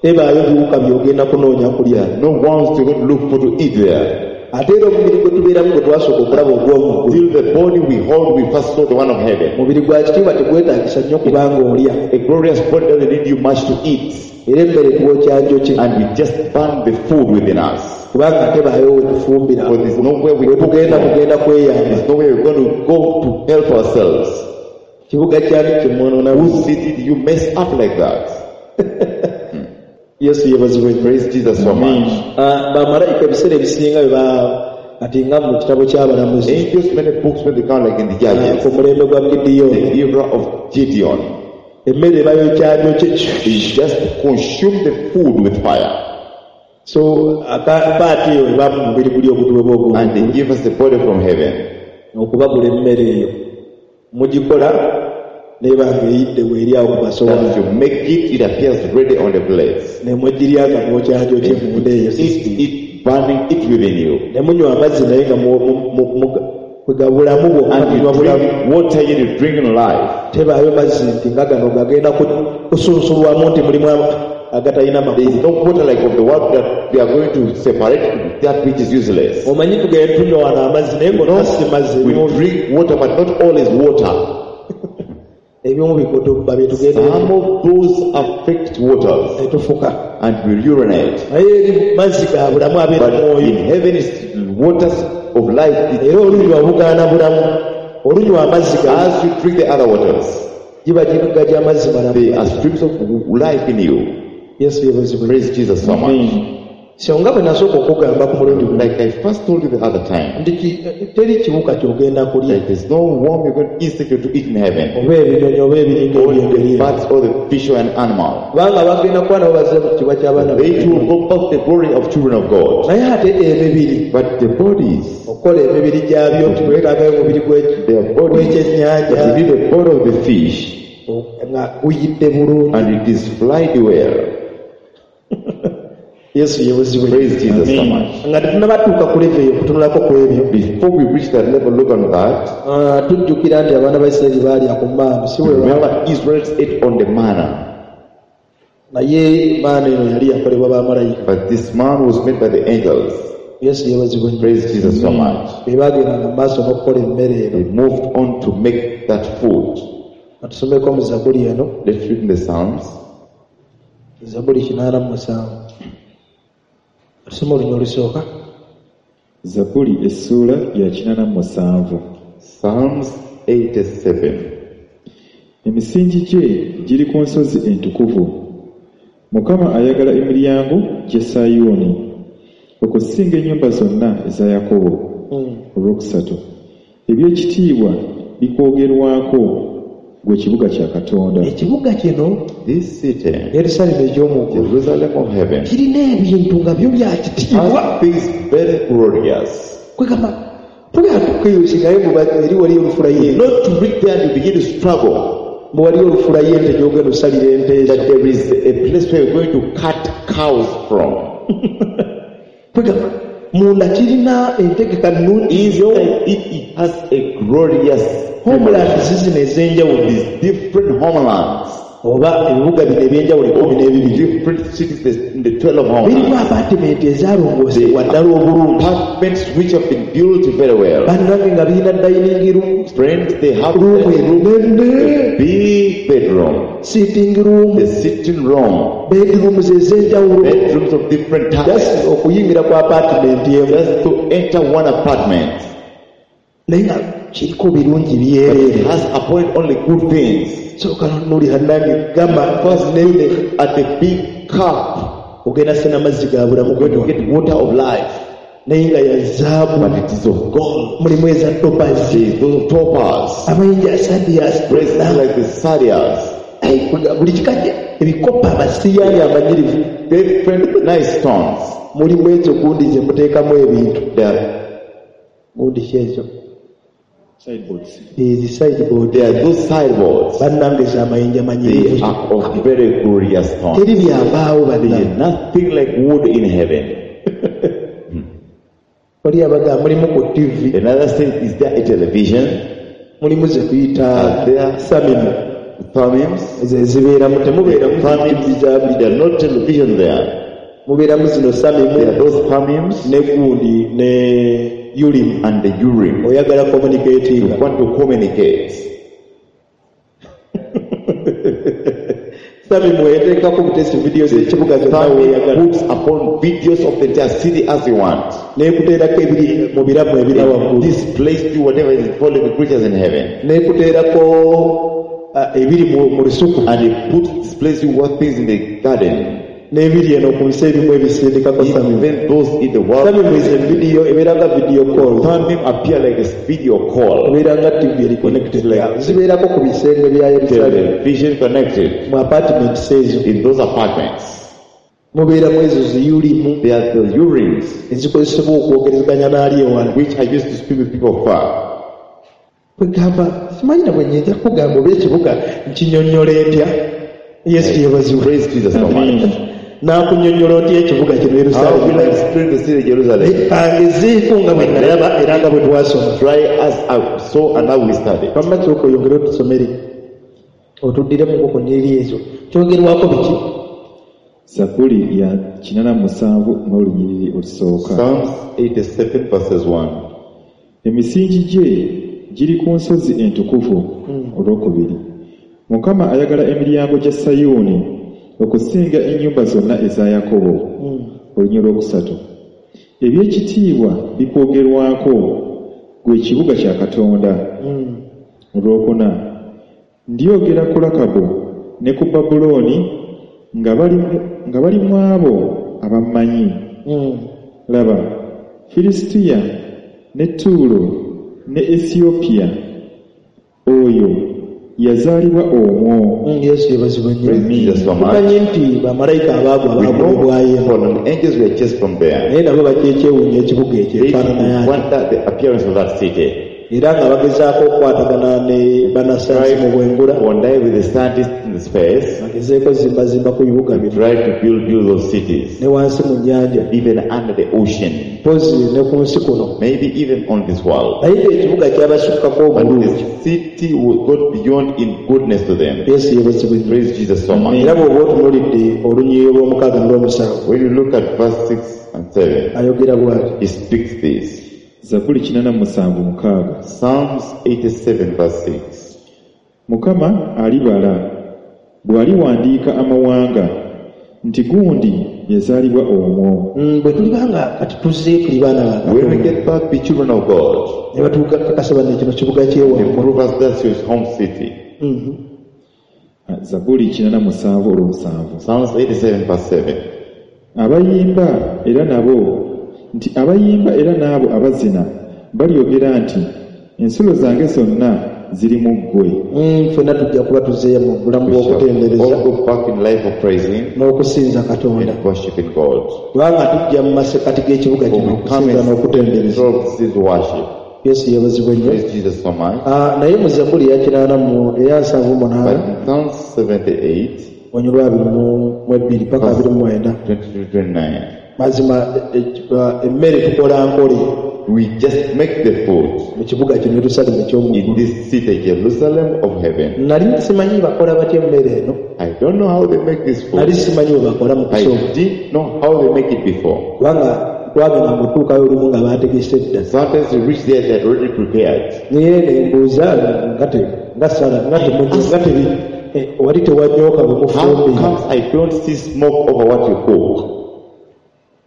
Tebaayo biwuka by'ogenda kunoonya kulya. no ones to go to look for to eat there. Ate era omubiri gwe tubeeramu gwe twasooka okulaba ogw'omu ggulu, Till the body we hold, we first saw the one of heaven. mubiri gwa kitiibwa tegwetaagisa nnyo kubanga olya. A glorious body doesn't need you much to eat. Era emmere twokya njoki And we just burn the food within us. kubanga tebaayo we tufumbira. But there's nowhere we We cook tugenda from. kugenda kweyamba. There's nowhere we're going to go to help ourselves. Kibuga kyani kyemwonoona? Whose city do you mess up like that? Yesu yeebazibwe nnyo. Praise Jesus so much. Ah, bamalayika ebiseera ebisinga bwe ba kati nga mu kitabo ky'abalamuzi Angels, many books when they come like in the ah, Judges, ku mulembe gwa Gidiyoni the era of Gideon, emmere bayokya njoki they just consume the food with fire so aka- paati eyo eba mu mubiri guli ogutuwebwa ogwo and they give us the body from heaven. Okubagula emmere eyo mugikola neba ng'eyidde weeri awo ku That masowaani you make it, it appears ready on the plates. Ne mugirya nga mwokyagyokye munda eyo Eat it, burning it within you. Ne munywa amazzi naye nga mu- mu- mu- mu- kwega bulamu bwokka And you munywa bulamu drink water, yet you drink in life. Tebaayo mazzi nti nga gano gagenda ku- kusunsulwamu nti mulimu ama- agatalina There is makulu no water like of the world that they are going to separate that which is useless. Omanyi tugenda tunywa wano amazzi naye gonna si mazzi We ebimu drink water, but not all is water. Ebimu bikutubba bye tugenda Some of those affect waters ne tufuka and we urinate. Naye eri mazzi ga bulamu abeera But mwoyo in heaven is waters of life. It- era olunywa bugaana bulamu olunywa amazzi ga As you drink the other waters, giba giga gy'amazzi malamu there are streams of life in you. Yesu yeebazibwe Praise Jesus so much. So nga bwe nasooka okugamba ku mulundi guno Like I first told you the other time, nti ki- teri kiwuka ky'ogenda kulya that there's no worm you're going to insect to eat in heaven, oba ebinyonyi oba ebiringa or ebyengeri the ebyo birds or the fish or an animal. Kubanga bagenda kuba nabo bazze mu kitiibwa ky'abaana They too will go back to the glory of children of God. Naye ate emibiri But the bodies, okukola emibiri gyabyo nti twetaagayo omubiri gw'eki- their bodies, gw'ekyennyanja but it is the body of the fish, nga guyidde bulungi and it is flied well. Yesu yeebazibwe Praise Jesus so much. Nga tetunnabatuuka ku level eyo okutunulako ku ebyo Before we reach that level, look on that. ah, tujjukira nti abaana ba Isirayiri baalya ku maanu si bwe ba- Remember, Israel ate on the manna, naye maana eno yali yakolebwa bamalayika but this man was made by the angels. Yesu yeebazibwe nnyo Praise Jesus so much. be baagendanga mu maaso n'okukola emmere eno They moved on to make that food. katusomeko mu Zabuli eno Let's read in the Psalms, Zabuli kinaana mu musanvu tusome olunya olusooka Zabbuli essuula ya kinaana mu musanvu Psalms eighty-seven. Emisingi gye giri ku nsozi entukuvu Mukama ayagala emiryango gy'e Sayuuni okusinga ennyumba zonna eza Yakobo olwokusatu eby'ekitiibwa bikwogerwako gwe kibuga kya Katonda Ekibuga kino This city, Yerusaalemi eky'omuggulu Jerusalem of heaven, kirina ebintu nga byo bya kitiibwa has things very glorious. Kwegamba tugenda tukeyusingayo eri waliyo olufula y'ente Not to reach there and you begin to struggle. mbu waliyo olufula y'ente gy'ogenda osalira ente ezo That there is a place where you're going to cut cows from. Kwegamba munda kirina entegeka nnungi nnyo Inside it, it has a glorious homeland zizino ez'enjawulo these different homelands, oba ebibuga bino ebyenjawulo ekkumi n'ebibiri different cities in the twelve birimu homelands. apaatimenti ezaalongoosebwa ddala obulungi Apartments which have been built very well. Bannange nga birina dining room Friends, they have room the ennene big bedroom, sitting room the sitting room, bedrooms ez'enjawulo bedrooms of different types. Just okuyingira ku apaatimenti emu Just to enter one apartment. Naye nga kiriko birungi But byereere it has upon it only good things. Sooka nolira nange gamba nene At the big cup, ogenda sena amazzi ga bulamu going to kunywa get water of life, naye nga ya zaabu but it is of gold. Mulimu eza topazi There is those of topaz, amayinja asadiyasi bracelets like the sardius, buli kika kye- ebikopo abasiyaani amanyirivu different nice stones. Mulimu ekyo gundi gye muteekamu ebintu There are, gundi ki ekyo Sideboards. Ezi sideboard there are those sideboards. Bannange z'amayinja They manyirivu are of very glorious stones. Teri byambaawo There is bannange nothing like wood in heaven. Wali abaga mulimu ku T V Another thing, is there a television? Mulimu ze tuyita Are there samimu Thumims? Ezo ezibeeramu temubeeramu Thumims, T V za buli there are no television there. Mubeeramu zino There samimu are those Thumims ne gundi ne Urim and the Urim. Oyagala communicating You want to communicate. Samimu eteekako butesi vidiyo z'ekibuga zonna Thummim weeyagala puts upon videos of the entire city as you want. N'ekuteerako ebiri mu biramu ebira waggulu Displays you whatever is following the creatures in heaven. N'ekuteerako ah, ebiri mu mu lusuku And it puts displays you what things in the garden. N'ebiri eno ku nsi ebimu ebisindikako samimu Even those in the world. Samimu is a video ebeera nga video call Thummim appear like a video call. Ebeera nga T V eri connected zibeerako ku bisenge bya Yerusaalemi Television connected mu apartments ezo in those apartments. Mubeeramu ezo ziyulimu There are the Urims ezikozesebwa okwogerezeganya n'ali ewala which are used to speak with people far. Kwegamba simanyi na bwe nnyinza kugamba oba ekibuga nkinyonnyola entya. Yesu yeebazibwe. Praise Jesus so much. Naakunnyonnyola otya ekibuga kino How Yerusaalemi? will I explain the city of Jerusalem? Kangezeeko nga bwe nalaba era nga bwe twasoma. Try as I saw and how we studied. Wamma sooka oyongere otusomere otuddiremu ku nnyiriri ezo kyogerwako biki? Zabbuli ya kinana mu musanvu n'olunyiriri olusooka. Psalms eighty-seven verses one. Emisingi gye giri ku nsozi entukuvu. Olwokubiri, Mukama ayagala emiryango gya Sayuuni okusinga ennyumba zonna eza Yakobo. Olunyiriri olwokusatu, ebyekitiibwa bikwogerwako gwe kibuga kya Katonda. Olwokuna, ndyogera ku Lakabu ne ku Babulooni nga bali mu- nga bali mu abo abammanyi. Laba, Filisitiya ne Tuulo ne Esiyopya, oyo yazaalibwa omwo. Mm, Yesu yeebazibwe nnyo. Praise Jesus so much. Tumanyi nti bamalayika abaagwa We know baagobebwayo eno, fallen angels were chased from there. Naye nabo bakyekyewuunya ekibuga ekyo They enfaanana yakyo, wonder the appearance of that city. Era nga bagezaako okukwatagana ne bannasayansi mu bwengula, One with the scientists in the space, bagezeeko zimbazimba ku bibuga bino, try to build, build those cities, ne wansi mu nnyanja, even under the ocean, mpozi ne ku nsi kuno, maybe even on this world. Naye ng'ekibuga kyabasukkako But obulungi. the city will go beyond in goodness to them. Yesu yeebazibwe nnyo. Praise Jesus so much. Era bw'oba otunuulidde olunyiriri olw'omukaaga n'olw'omusanvu, When you look at verse six and seven, ayogera bw'ati. He speaks this. Zabbuli kinana mu musanvu mukaaga. Psalms eighty-seven verse six. Mukama alibala bw'aliwandiika amawanga nti gundi yazaalibwa omwo. Mm, bwe tuliba nga kati tuzzeeyo tuli baana ba When we Katonda, get back, be children of God. Ne batukakasa banne kino kibuga They kyewammwe. prove us that's his home city. Mhm. Zabbuli kinana mu musanvu olw'omusanvu. Psalms eighty-seven verse seven. Abayimba era nabo nti abayimba era n'abo abazina balyogera nti ensulo zange zonna ziri mu ggwe. Mm, ffenna tujja kuba tuzzeeyo mu bulamu We shall bw'okutendereza all go back in life of praising n'okusinza Katonda, and worshiping God. Kubanga tujja mu masekkati g'ekibuga For kino we come okusinza and n'okutendereza. through this worship. Yesu yeebazibwe nnyo. Praise Jesus so much. Ah, naye mu Zabbuli eya kinaana mu eya nsanvu munaana, But in Psalms seventy-eight, olunyiriri lwa abiri mu mu ebbiri paka abiri mu mwenda, twenty-two twenty-nine, mazima e- e- emmere tukola nkole we just make the food mu kibuga kino Yerusaalemi eky'omu in ggulu. This city, Jerusalem of heaven. Nali simanyi bakola batya emmere eno. I don't know how they make this food. Nali simanyi bwe bakola mu I kusooka, didn't know how they make it before. Kubanga twagenda mu kutuukayo olumu nga baategese dda. Sometimes you reach there, they're already prepared. Naye ne mbuuza nga te- nga sala nga temunyo nga tebi eh, wali tewanyooka bwe How mufumbira. comes I don't see smoke over what you cook?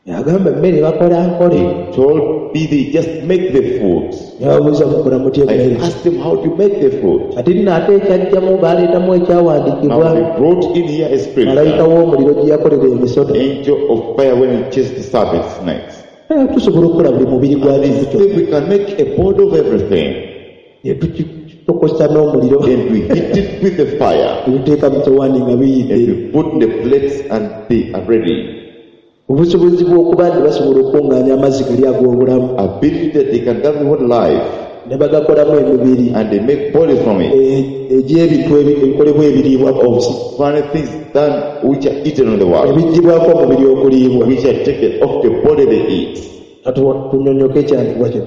Yagamba emmere bakola nkole. They told me they just make the food. Ne babuuza mukola mutya I emmere? Asked them how to make the food. Kati nno ate ekyajjamu baaleetamu ekyawandiikibwa, Now they brought in here a scripture. Malayika w'omuliro gye yakolera emisota. Angel of fire when he chased the serpent snakes. Eh, tusobola okukola buli mubiri gwa bintu kyonna, Say we can make a body of everything. Ne tukitokosa n'omuliro, And we heat it with the fire. Ne tuteeka mu sowaani nga biyidde. And we put in the plates and they are ready. Obusobozi bw'okuba nti basobola okuŋŋaanya amazzi gali ag'obulamu, Ability that they can gather what life ne bagakolamu emibiri and they make bodies from it. e- egy'ebintu ebi- ebikolebwa ebiriibwa ku nsi, Funny things done which are eaten on the world, ebiggyibwako omubiri okuliibwa. Which are taken off the body they eat. Katu- tunyonnyoke ekyandikibwa kino.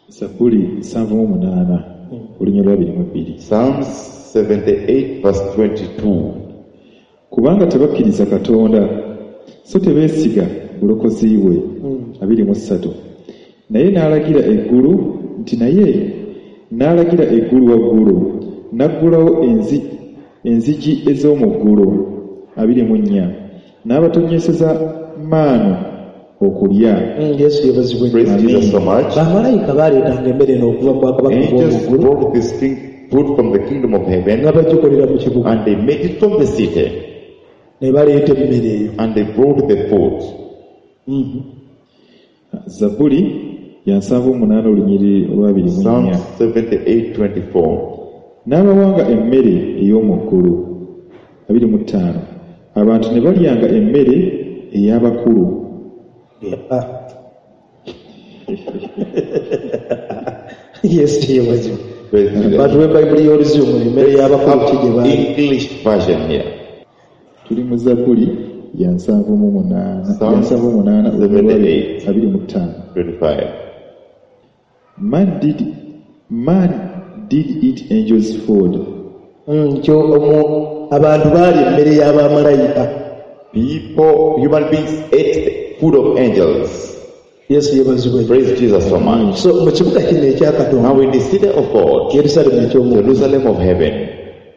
Zabbuli nsanvu mu munaana olunyiriri lwa abiri mu bbiri. Psalms seventy-eight verse twenty-two. Kubanga tebakkiriza Katonda so tebeesiga bulokozi bwe. Abiri mu ssatu, naye n'alagira eggulu nti naye n'alagira eggulu waggulu n'aggulawo enzi, enzigi ez'omu ggulu. Abiri mu nnya, n'abatonnyeseza maanu okulya. Mm, yesu yeebazibwe. Praise Amen. Jesus so much. Bamalayika baleetanga emmere eno okuva mu bwakabaka Angels bw'omu ggulu, brought this thing, food from the kingdom of heaven, nga bagikolera mu kibuga, and they made it from the city, ne baleeta emmere eyo. And they brought the food. Mhm. Zabbuli ya nsanvu mu munaana olunyiriri olwabiri mu nnya. Psalms seventy-eight twenty-four. N'abawanga emmere ey'omu ggulu. Abiri mu ttaano, abantu ne balyanga emmere ey'abakulu. Ah. Yesu yebazibwe. Praise Jesus. Batuwe bayibuli y'oluzungu emmere y'abakulu ki gye baali. English version here. Tuli mu Zabbuli ya nsanvu mu munaana ya Psalms nsanvu mu munaana seventy-eight. abiri mu ttaano. twenty-five. Man did, man did eat angels' food. Mm, kyo omu abantu baali emmere y'abamalayika. People, human beings ate the food of angels. Yesu yebazibwe. Praise Jesus so much. So mu kibuga kino ekya Katonda, Now in the city of God, Yerusalemu eky'omu, Jerusalem of heaven,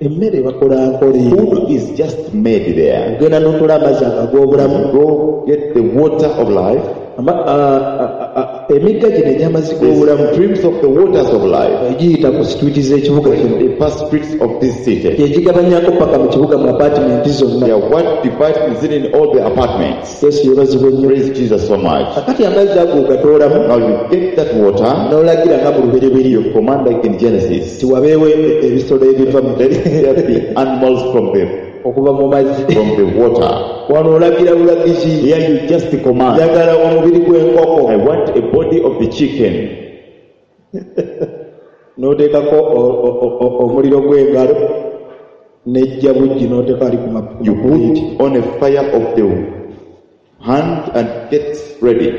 emmere bakola nkole. food is just made there. Ogenda n'otoola amazzi ag'obulamu. Go get the water of life, Ama- a- a- a- emigga gino egy'amazzi the g'obulamu streams of the waters of life, egiyita ku situiti z'ekibuga kino the past streets of this city. gyegigabanyako paka mu kibuga mu apaatimenti They zonna. are what divides the city in all the apartments. Yesu yebazibwe nnyo. Praise Jesus so much. Kakati amazzi ago ogatoolamu Now you get that water, n'olagira nga mu lubereberye you command like in Genesis. nti wabeewo e- ebisolo ebiva mu Let there be animals from the okuva mu mazzi. from the water. Wano olagira bulagizi. Here you just command. Njagala omubiri gw'enkoko. I want a body of the chicken. N'oteekako o- o- o- o- omuliro gw'engalo n'ejja buggi n'oteeka ali ku ma- ku You mapuleeti. put on a fire of the hand and get ready.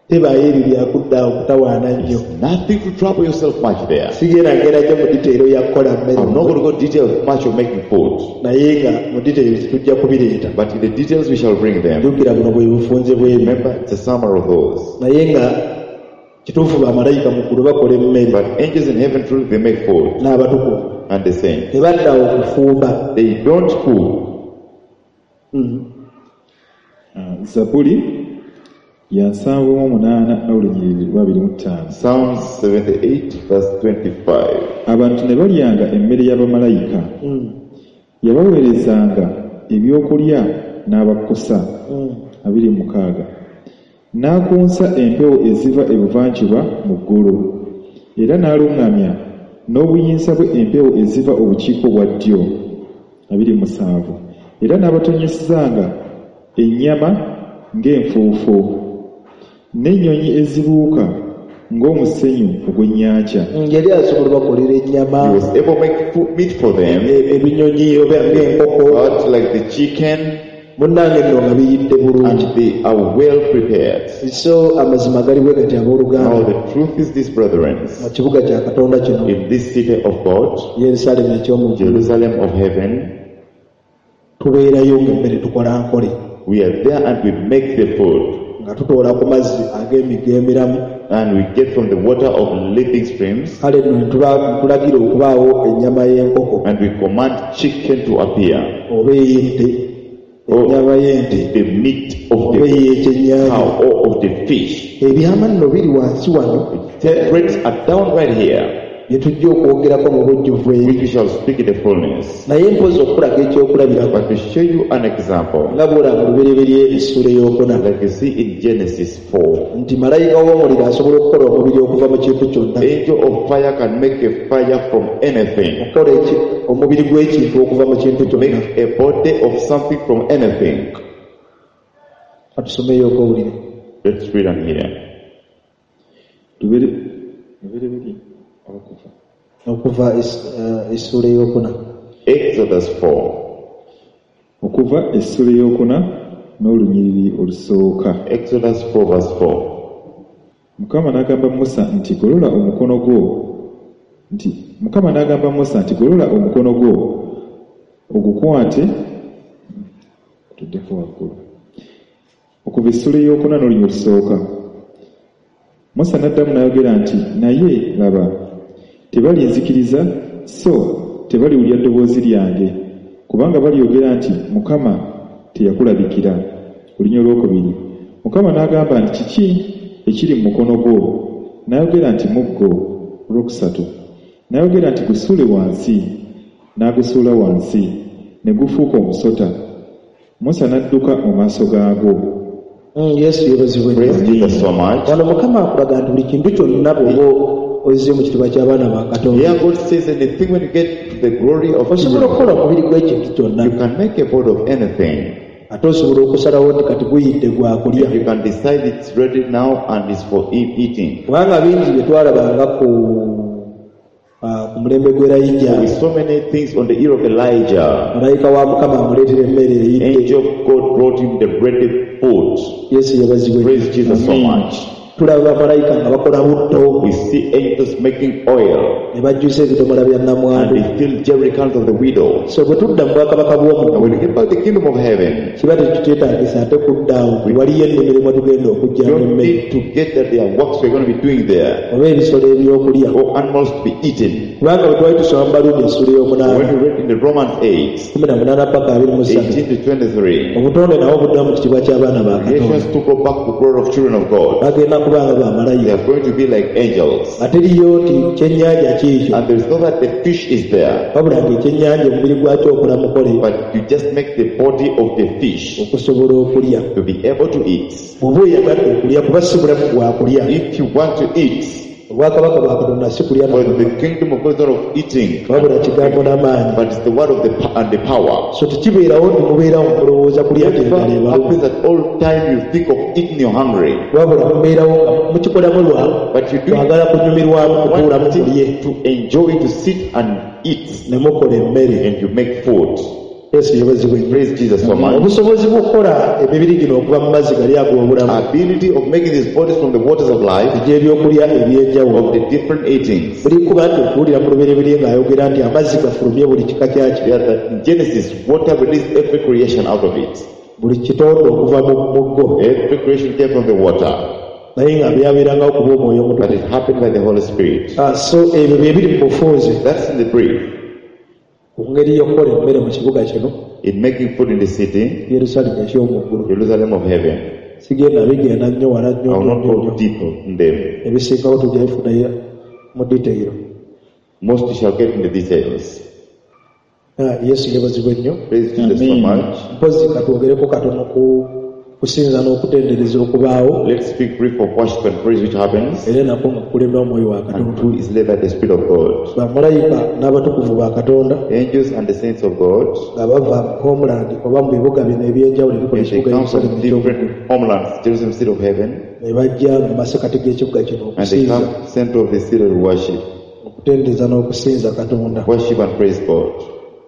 Tebaayo ebyo byakudda awo kutawaana nnyo. Nothing to trouble yourself much there. Sigenda ngenda nnyo mu detail ya kukola mmere. I'm not going to go detail much of making food, Naye nga mu details tujja kubireeta. but in the details we shall bring them. Jjukira buno bwe bufunze bw'ebyo. Remember, it's a summary of those. Naye nga kituufu bamalayika mu ggulu bakola emmere But angels in heaven truly they make food n'abatukuvu. and the saints. Tebadda awo kufumba. They don't cook. Ah, Zabbuli ya nsanvu mu munaana n'olunyiriri lwa abiri mu ttaano. Psalms seventy-eight verse twenty-five. Abantu ne balyanga emmere y'abamalayika. Yabaweerezanga ebyokulya n'abakkusa. Abiri mu mukaaga. N'akunsa empewo eziva ebuvanjuba mu ggulu, era n'aluŋŋamya n'obuyinza bwe empewo eziva obukiika obwa ddyo. Abiri mu musanvu. Era n'abatonyesezanga ennyama ng'enfuufu, n'ennyonyi ezibuuka ng'omusenyu ogw'ennyanja. Yali asobola bakolera ennyama, He was able to make food, meat for them, e- ebinyonyi oba ng'enkoko. but like the chicken, Munnange nno nga biyidde bulungi. and they are well prepared. So amazima gali bwe gati Now abooluganda the truth is this, brethren, mu kibuga kya Katonda kino in this city of God, Yerusaalemu eky'omu ggulu, Jerusalem of heaven, tubeerayo ng'emmere tukola nkole. we are there and we make the food, Nga tutoola ku mazzi ag'emigga emiramu. and we get from the water of living streams, Kale nno ne tuba- tulagira okubaawo ennyama y'enkoko and we command chicken to appear, oba ey'ente, ennyama y'ente the meat of oba the ey'ekyennyanja. cow or of the fish. Ebyama nno biri wansi wano Secrets are down right here, bye tujja okwogerako mu bujjuvu eri. which we shall speak in the fullness. Naye mpozi okulaga ekyokulabirako But to show you an example, nga bw'olaba mu lubereberye essuula ey'okuna like you see in Genesis four, nti malayika w'omuliro asobola okukola omubiri okuva mu kintu kyonna. angel of fire can make a fire from anything, Okukola eki- omubiri gw'ekintu okuva mu kintu kyonna. make a body of something from anything. Katusomeyo okowulire. Let's read on here. Lubere- Lubereberye okuva. Okuva es- eh, essuula ey'okuna. Exodus four. Okuva essuula ey'okuna n'olunyiriri olusooka. Exodus four verse four. Mukama n'agamba Musa nti golola omukono gwo nti Mukama n'agamba Musa nti golola omukono gwo ogukwate tuddeko waggulu. Okuva essuula ey'okuna n'olunyiriri olusooka. Musa n'addamu n'ayogera nti naye laba tebalinzikiriza so tebaliwulira ddoboozi lyange kubanga balyogera nti Mukama teyakulabikira. Olunyiriri olwokubiri. Mukama n'agamba nti kiki ekiri mu mukono gwo? N'ayogera nti muggo. Olwokusatu. N'ayogera nti gusuule wansi. N'agusuula wansi ne gufuuka omusota. Musa n'adduka mu maaso gaagwo. Mm, Yesu yeebazibwe. Praise Jesus so much. Wano Mukama akulaga nti buli kintu kyonna bw'oba ozze mu kitiibwa ky'abaana ba Katonda Here God says anything when you get to the glory of osobola children, okukola omubiri gw'ekintu kyonna. you can make a body of anything. Ate osobola okusalawo nti kati guyidde gwakulya. You can decide it's ready now and it's for e- eating. Kubanga bingi bye twalabanga ku ah, ku mulembe gw'Erayija. With so many things on the ear of Elijah, Malayika wa Mukama amuleetera emmere eyidde. Angel of God brought him the ready food. Yesu yebazibwe. Praise Jesus so much. Tulaba bamalayika nga bakola butto. We see angels making oil Ne bajjuza ebidomola bya and nnamwandu. they fill jerrycans of the widow. So bwe tudda mu bwakabaka And bw'omuggulu when we get back to the kingdom of heaven, kiba tekikyetaagisa ate kudda awo waliyo ennimiro mwe tugenda we okujjamu don't emmere need to get that there are works we're going to be doing there oba ebisolo ebyokulya. or animals to be eaten. Kubanga bwe twali tusoma mu Baluumi essula ey'omunaana When we read in the Romans eight, kumi na munaana paka abiri mu ssatu eighteen to twenty-three, obutonde nabwo budda mu kitiibwa ky'abaana ba Katonda. creations to go back to glory of children of God. Bagenda kubanga They bamalayika. are going to be like angels. Ate eriyo nti kyennyanja kiikyo And there is not that the fish is there, wabula ng'ekyennyanja omubiri gwakyo okola mukole but you just make the body of the fish okusobola okulya. to be able to eat. Bw'oba oyagadde okulya kuba si bulamu bwakulya. If you want to eat, Obwakabaka bwa Katonda si kulya for na the kingdom of God is not of eating, wabula kigambo n'amaanyi. but it's the word of the po- and the power. So tekibeerawo nti mubeerawo mulowooza kulya nti Never enjala ebaluma. happens at all time you think of eating, you're hungry. Wabula mubeerawo nga mukikolamu lwa But you do kwagala kunyumirwamu kutuulamu mulye want to enjoy, to sit and eat, ne mukola emmere. and you make food. Yesu yebazibwe nnyo. Praise Jesus so much. Obusobozi bw'okukola emibiri gino okuva mu mazzi gali ag'obulamu Ability of making these bodies from the waters of life, egy'ebyokulya eby'enjawulo of the different eatings. buli kuba nti okuwulira mu lubereberye ng'ayogera nti amazzi gafulumye buli kika kyakyo. Yeah, that in Genesis, water released every creation out of it. Buli kitonde okuva mu muggo. Every creation came from the water, Naye nga byabeerangawo kuba omwoyo but omutukuvu. it happened by the Holy Spirit. Ah, so ebyo bye biri mu bufunze That's in the brief. ku ngeri y'okukola emmere mu kibuga kino In making food in the city, Yerusaalemi eky'omu ggulu. Jerusalem of heaven. Sigenda bigenda nnyo wala I nnyo will nnyo not nnyo go nnyo. deep in them. Ebisingawo tujja bifunayo mu detail. Most you shall get in the details. Ah, Yesu yeebazibwe nnyo. Praise Jesus so Amen. much. Mpozi katwogereko katono ku kusinza n'okutendereza okubaawo Let's speak brief of worship and praise which happens, era nako nga kukulemberwa omwoyo wa and Katonda. who is led by the Spirit of God. Bamalayika n'abatukuvu ba Katonda Angels and the saints of God, nga bava mu homeland oba mu bibuga bino eby'enjawulo ebikola and they ekibuga come from Yerusaalemi eky'omu ggulu different homelands, Jerusalem city of heaven, ne bajja mu masekati g'ekibuga kino and they okusinza come to the center of the city to worship, okutendereza n'okusinza Katonda. worship and praise God.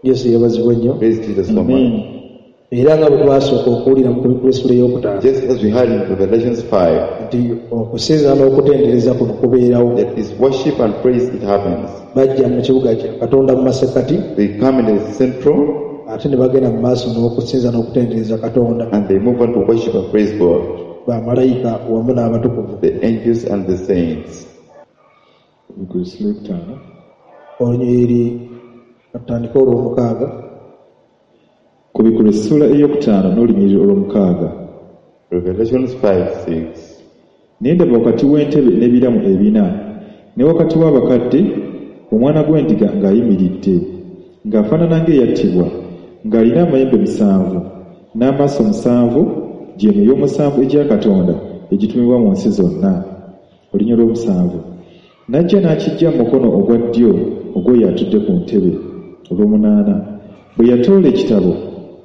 Yesu yeebazibwe nnyo. Praise Jesus so much. Era nga bwe twasooka okuwulira mu kubikula essula ey'okutaano Just as we heard in Revelations five, nti okusinza n'okutendereza kuno kubeerawo. that is worship and praise, it happens. Bajja mu kibuga kya Katonda mu masekati They come in the central ate ne bagenda mu maaso n'okusinza n'okutendereza Katonda. and they move on to worship and praise God, Bamalayika wamu n'abatukuvu. the angels and the saints. Kubikula essula ey'okutaano Olunyiriri katutandike olw'omukaaga. Kubikula essula ey'okutaano n'olunyiriri olw'omukaaga. Revelations five six. Ne ndaba wakati w'entebe n'ebiramu ebina ne wakati w'abakadde omwana gw'endiga ng'ayimiridde ng'afaanana ng'eyattibwa ng'alina amayembe musanvu n'amaaso musanvu gye myoyo musanvu egya Katonda egitumibwa mu nsi zonna. Olunyiriri olw'omusanvu n'ajja n'akiggya mu mukono ogwa ddyo ogw'oyo atudde ku ntebe. Olw'omunaana bwe yatoola ekitabo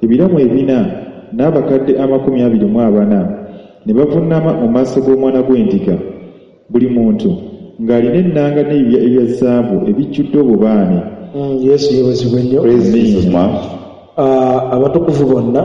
ebiramu ebina n'abakadde amakumi abiri mu abana ne bavuunama mu maaso g'omwana gw'endiga buli muntu ng'alina ennanga n'ebibya ebya zaabu ebijjudde obubaane. Mm, Yesu yeebazibwe nnyo. Praise Jesus much. Ah, abatukuvu bonna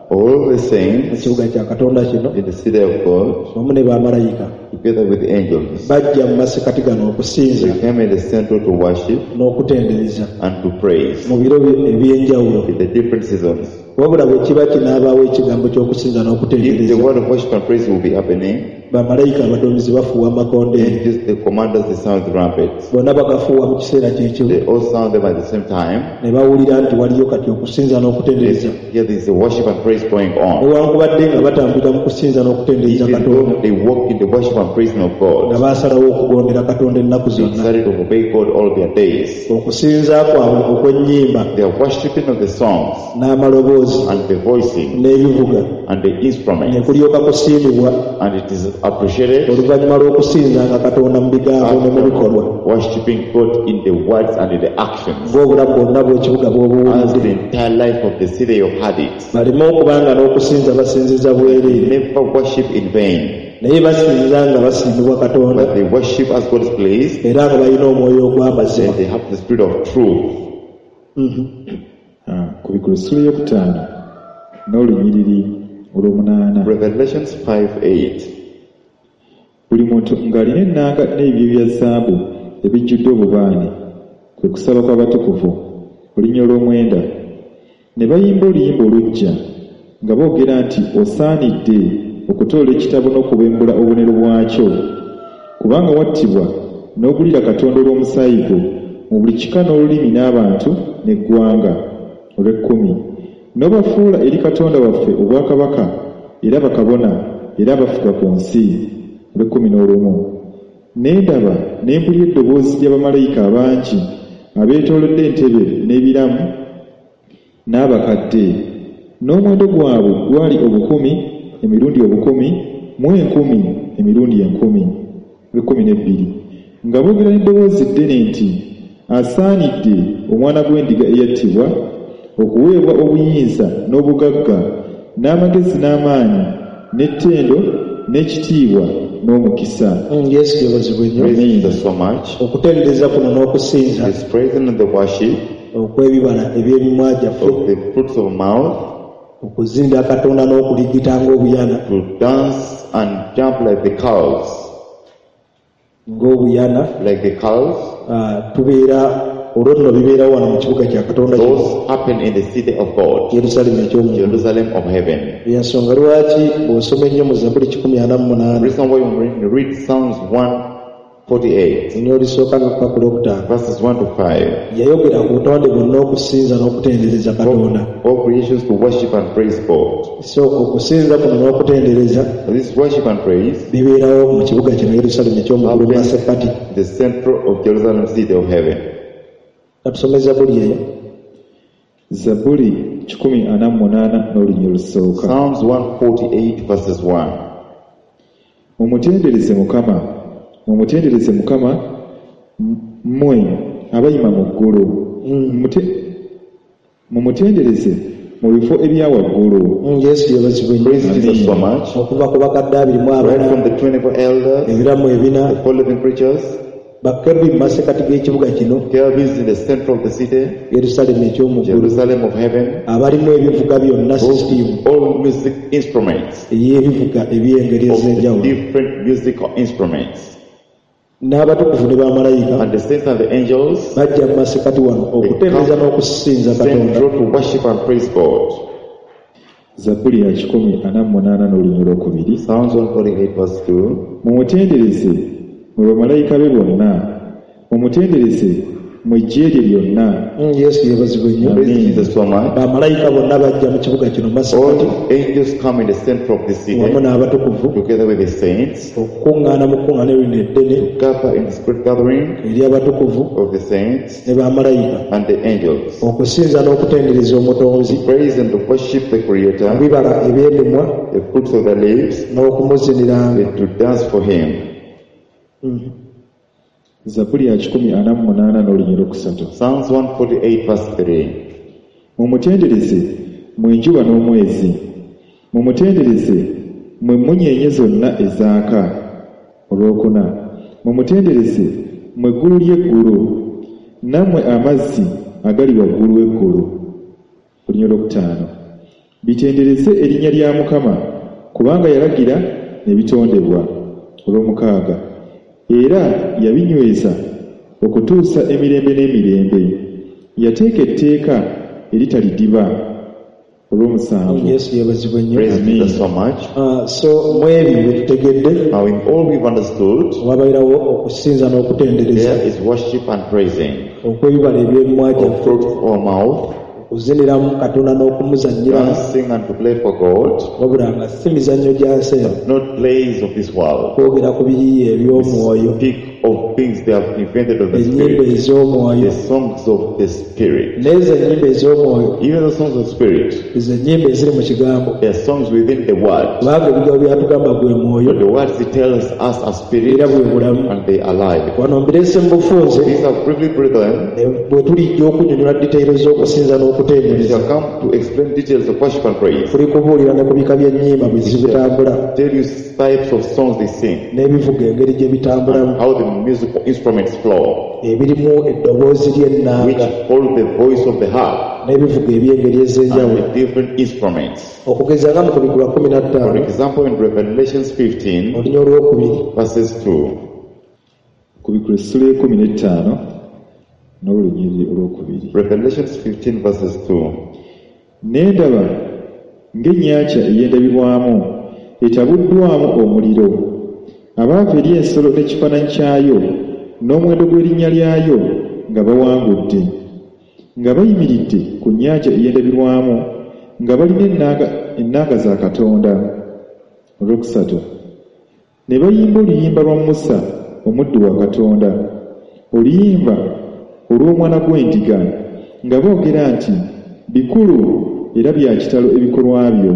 All the mu saints kibuga kya Katonda kino in the city of God, wamu ne bamalayika together with the angels, bajja mu masekati gano okusinza they came in the center to worship n'okutendereza and to praise mu biro eby'enjawulo. in the different seasons. Wabula bwe kiba kinaabaawo ekigambo ky'okusinza If the n'okutendereza word of worship and praise will be happening, bamalayika abaduumizi bafuuwa amakondeere. angels, the commanders, they sound the trumpets. Bonna bagafuuwa mu kiseera kyekimu They all sound them at the same time. ne bawulira nti waliyo kati okusinza n'okutendereza. Here there is a worship and praise going on. Newankubadde nga batambulira mu kusinza n'okutendereza Even Katonda though they walk in the worship and praising of nga God, baasalawo okugondera Katonda ennaku they zonna. decided to obey God all their days. Okusinza kwabwe okw'ennyimba Their worshiping of the songs n'amaloboozi n'amaloboozi and the voicing n'ebivuga and the ne instruments. kulyoka kusiimibwa And it is appreciated oluvannyuma lw'okusinzanga Katonda mu bigambo ne mu bikolwa worshipping God in the words and in the actions. ng'obulamu bwonna bw'ekibuga As bw'obuwulidde the entire life of the city of had it. baleme okubanga n'okusinza basinziza bwereere Never worship in vain, naye basinza nga basiimibwa Katonda but they worship as God is pleased, era nga balina omwoyo ogw'amazima and they have the spirit of truth. Ah, Kubikkulwa essula eyokutaano n'olunyiriri olw'omunaana Revelations five eight. Buli muntu ng'alina ennanga n'ebibya bya zaabu ebijjudde obubaane kwe kusaba kw'abatukuvu olunya olw'omwenda ne bayimba oluyimba oluggya nga boogera nti osaanidde okutoola ekitabo n'okubembula obubonero bwakyo kubanga wattibwa n'ogulira Katonda olw'omusaayi gwo mu buli kika n'olulimi n'abantu n'eggwanga olw'ekkumi n'obafuula eri Katonda waffe obwakabaka era bakabona era abafuga ku nsi olw'ekkumi n'olumu ne ndaba ne mpulira eddoboozi lya bamalayika abangi abeetoolodde entebe n'ebiramu n'abakadde n'omuwendo gwabwe gwali obukumi emirundi obukumi mu enkumi emirundi enkumi olw'ekkumi n'ebbiri nga boogera n'eddoboozi ddene nti asaanidde omwana gw'endiga eyattibwa okuweebwa obuyinza n'obugagga n'amagezi n'amaanyi n'ettendo n'ekitiibwa n'omukisa. Mm, Yesu yeebazibwe nnyo. Praise Jesus so much. Okutendereza kuno n'okusinza His praising and the worship okw'ebibala eby'emimwa gyaffe of the fruits of mouth, okuzinda Katonda n'okuligita ng'obuyana to dance and jump like the cows, ng'obuyana like the cows. ah, tubeera olwo nno bibeerawo wano mu kibuga kya Katonda kino Those happen in the city of God, Yerusaalemi eky'omu Jerusalem of heaven. Ensonga lwaki bw'osoma ennyo mu Zabbuli kikumi ana mu munaana Reason why when you read Psalms one forty-eight, ennyo olisooka nga kupa ku lwokutaano verses one to five, yayogera ku butonde bwonna okusinza n'okutendereza Katonda. all creations to worship and praise God. So okusinza kuno n'okutendereza This worship and praise bibeerawo mu kibuga kino Yerusaalemi eky'omu ggulu mu masekkati. the center of Jerusalem, city of heaven. Katusome Zabbuli eyo. Zabbuli kikumi ana mu munaana n'olunya olusooka. Psalms one forty-eight verses one. Mumutendereze Mukama, mumutendereze Mukama mmwe abayima mu ggulu. Mumute- Mumutendereze mu bifo ebya waggulu. Mm, Yesu yeebazibwe nnyo. Praise Jesus so much. Okuva ku bakadde abiri mu Right abana from the twenty-four elders, ebiramu ebina the four living creatures, bakerubi mu masekkati g'ekibuga kino cherubims in the center of the city, Yerusaalemi eky'omu ggulu Jerusalem of heaven, abalimu ebivuga byonna sisitimu all music instruments, ey'ebivuga eby'engeri of the ez'enjawulo different musical instruments, n'abatukuvu ne bamalayika and the saints and the angels bajja mu masekkati wano okutendereza n'okusinza Katonda. central to worship and praise God. Zabbuli ya kikumi ana mu munaana n'olunya olwokubiri. Psalms one forty-eight verse two. Mumutendereze mwe bamalayika be bonna, mumutendereze mwe eggye lye lyonna. Mm, Yesu yeebazibwe nnyo. Praise Jesus so much. Bamalayika bonna bajja mu kibuga kino masekkati All angels come in the center of the city wamu n'abatukuvu together with the saints, okukuŋŋaana mu kkuŋŋaaniro lino eddene gather in this great gathering eri abatukuvu of the saints ne bamalayika and the angels. okusinza n'okutendereza Omutonzi Praise and to worship the Creator, ebibala eby'emimwa the fruits of the lips, n'okumuziniranga. and to dance for Him. Zabbuli ya kikumi ana mu munaana n'olunya olwokusatu. Psalms one forty-eight verse three. Mumutendereze mmwe enjuba n'omwezi, mumutendereze mmwe emmunyeenye zonna ezaaka. Olwokuna, mumutendereze mmwe eggulu ly'eggulu, nammwe amazzi agali waggulu w'eggulu. Olunya olwokutaano, bitendereze erinnya lya Mukama, kubanga yalagira ne bitondebwa. Olwomukaaga, era yabinyweza okutuusa emirembe n'emirembe, yateeka etteeka eritalidiba. Olw'omusanvu. Yesu yeebazibwe nnyo. Praise Amen. Jesus so much. Ah, so mu ebyo bye tutegedde Now in all we've understood, wabeerawo okusinza n'okutendereza there is worship and praising okw'ebibala eby'emimwa of gyaffe fruits of our mouth, okuziniramu Katonda n'okumuzannyiramu dancing and to play for God, wabula nga si mizannyo gya nsi eno not plays of this world. kwogera ku biyiiye eby'omwoyo Speak of things they have invented of the ennyimba Spirit. ez'omwoyo The songs of the Spirit. n'ezo ennyimba ez'omwoyo Even the songs of the Spirit, ezo ennyimba eziri mu kigambo they are songs within the Word. kubanga ebigambo byatugamba gwe mwoyo But the words it tells us are spirit era bwe bulamu and they are alive. wano mbireese mu bufunze These are briefly, brethren, ne bwe tulijja okunnyonnyola detailo z'okusinza we n'okutendereza shall come to explain details of worship and praise. tuli kubuulira ne ku bika by'ennyimba bwe zibitambula Tell you types of songs they sing, n'ebivuga engeri gye bitambulamu how the musical instruments flow, ebirimu eddoboozi which ly'ennanga hold the voice of the harp n'ebivuga eby'engeri and ez'enjawulo the different instruments. okugeza nga mu kubikkulwa kumi na For ttaano example, in Revelations fifteen, olunya olwokubiri verses two, Kubikula essula ekumi n'ettaano n'olunyiriri olwokubiri. Revelations fifteen, verses two. Ne ndaba ng'ennyanja ey'endabirwamu etabuddwamu omuliro abaava eri ensolo n'ekifaananyi kyayo n'omuwendo gw'erinnya lyayo nga bawangudde nga bayimiridde ku nnyanja ey'endabirwamu nga balina ennanga ennanga za Katonda. Olwokusatu ne bayimba oluyimba lwa Musa omuddu wa Katonda oluyimba olw'omwana gw'endiga nga boogera nti bikulu era bya kitalo ebikolwa byo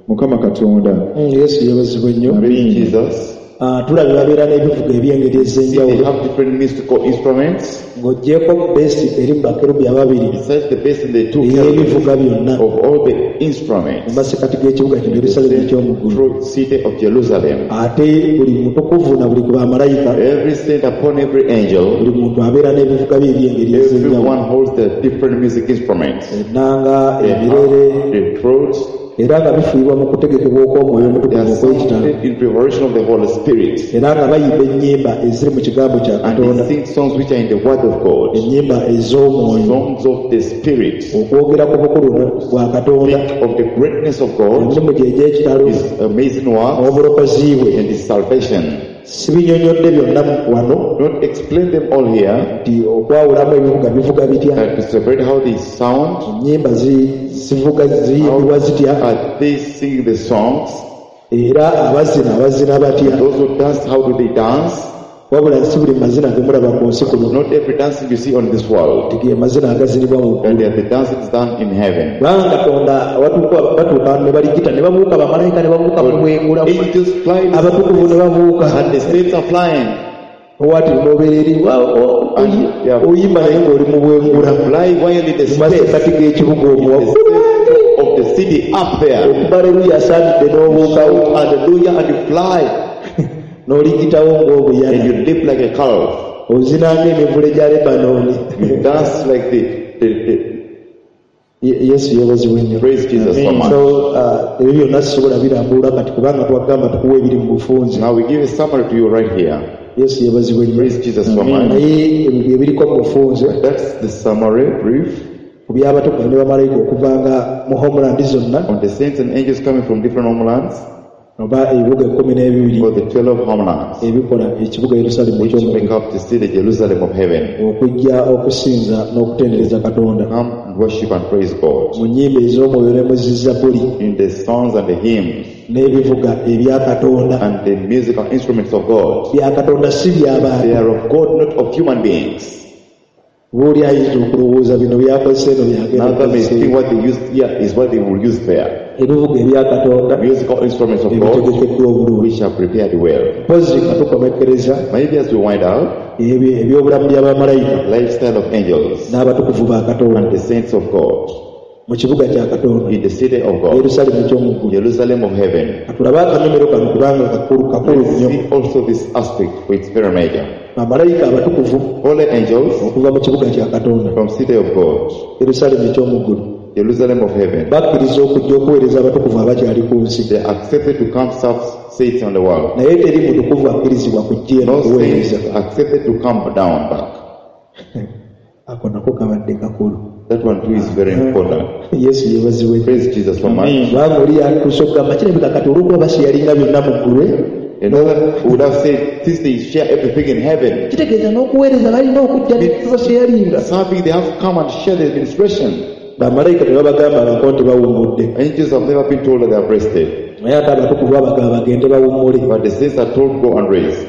Mukama Katonda. Mm, Yesu yeebazibwe nnyo. Praise Amen. Jesus. Ah, tulabye babeera n'ebivuga eby'engeri See, they ez'enjawulo have different musical instruments. ng'oggyeko beesi eri mu bakerubi ababiri Besides the bass and the two cherubim ey'ebivuga byonna of all the mu instruments, masekati g'ekibuga kino Yerusaalemi eky'omu ggulu. through city of Jerusalem. Ate buli mutukuvu na buli ku bamalayika Every saint upon every angel, buli muntu abeera n'ebivuga bye eby'engeri ez'enjawulo everyone holds their different music instruments. ennanga They ebirere have the throat, era nga bifuuyibwa mu kutegekebwa okw'omwoyo they omutukuvu are okw'ekitalo sounded in preparation of the Holy Spirit. era nga bayimba ennyimba eziri mu kigambo kya And Katonda they sing songs which are in the Word of God, ennyimba ez'omwoyo songs of the Spirit. okwogera ku bukulu bwa Katonda Think of the greatness of God, emirimu gye egy'ekitalo His amazing works, n'obulokozi bwe and His salvation. sibinyonnyodde byonna wano Not explain them all here, nti okwawulamu ebivuga bivuga bitya but to separate how they sound, ennyimba zi- zivuga ziyimbibwa zitya are they singing the songs, era abazina abazina batya those who dance, how do they dance? wabula si buli mazina ge mulaba ku nsi kuno Not every dancing you see on this world, nti ge mazina agazinibwa mu and ggulu they are the dancings done in heaven. kubanga Katonda watuuka batuuka ne baligita ne babuuka bamalayika ne babuuka mu bwengula Angels fly abatukuvu ne babuuka and the saints are flying. owaati n'obeera eri wa- o- oyi- Yeah. oyimba naye ng'oli mu bwengula Fly while in the mu space, masekati g'ekibuga omwo the center of the city up there. okuba aleluya asaanidde n'obuukawo Shout hallelujah and you fly n'oligitawo and ng'obuyana you leap like a calf. ozina ng'emivule gya Lebanooni You dance like the, the, the Ye- Yesu yeebazibwe nnyo. praise Jesus so much. So uh, ebyo byonna sisobola birambulula kati kubanga twagamba tukuwa ebiri mu bufunze. Now we give a summary to you right here. Yesu yeebazibwe nnyo. Praise Jesus so much. Naye ebyo bye biriko mu bufunze That's the summary brief ku by'abatukuvu ne bamalayika okuvanga mu homeland zonna on the saints and angels coming from different homelands oba ebibuga ekkumi n'ebibiri for the twelve homelands ebikola ekibuga Yerusaalemi which eky'omu make ggulu up the city Jerusalem of heaven. okujja okusinza n'okutendereza Katonda Come and worship and praise God mu nnyimba ez'omwoyo ne mu zizzabuli in the songs and the hymns n'ebivuga ebya Katonda and the musical instruments of God. bya Katonda si by'abantu. They are of God, not of human beings. Bw'oli ayinza okulowooza bino byakozesa eno byagenda Another may okukozesa think what they used here is what they will use there. ebivuga ebya Katonda Musical instruments of God ebitegekeddwa obulungi. which are prepared well. Mpozi nga tukomekkereza Maybe as we wind up, ebyo ebyobulamu by'abamalayika lifestyle of angels n'abatukuvu ba Katonda and the saints of God mu kibuga kya Katonda in the city of God, Yerusaalemi eky'omu ggulu. Jerusalem of heaven. Katulabe akanyomero kano kubanga kakulu kakulu Let's nnyo. see also this aspect, which is very major. Bamalayika abatukuvu Holy angels okuva mu kibuga kya Katonda from city of God, Yerusaalemi eky'omu ggulu Jerusalem of heaven. bakkiriza okujja okuweereza abatukuvu abakyali ku nsi. They are accepted to come serve saints on the world. Naye teri mutukuvu akkirizibwa kujja eno No kuweereza. saints accepted to come down back. Ako nako kabadde kakulu. That one too is very important. Yesu yeebazibwe. Praise Jesus so much. Kubanga oli yatuuse okugamba kirabika kati olw'okuba basiyalinga byonna mu ggulu Another would have said, since they share everything in heaven, kitegeeza n'okuweereza balina okujja ne basiyalinga. serving they have to come and share the administration. Bamalayika tebabagambangako nti bawummudde. Angels have never been told that they have rested, Naye ate abatukuvu babagamba bagende bawummule. but the saints are told go and rest.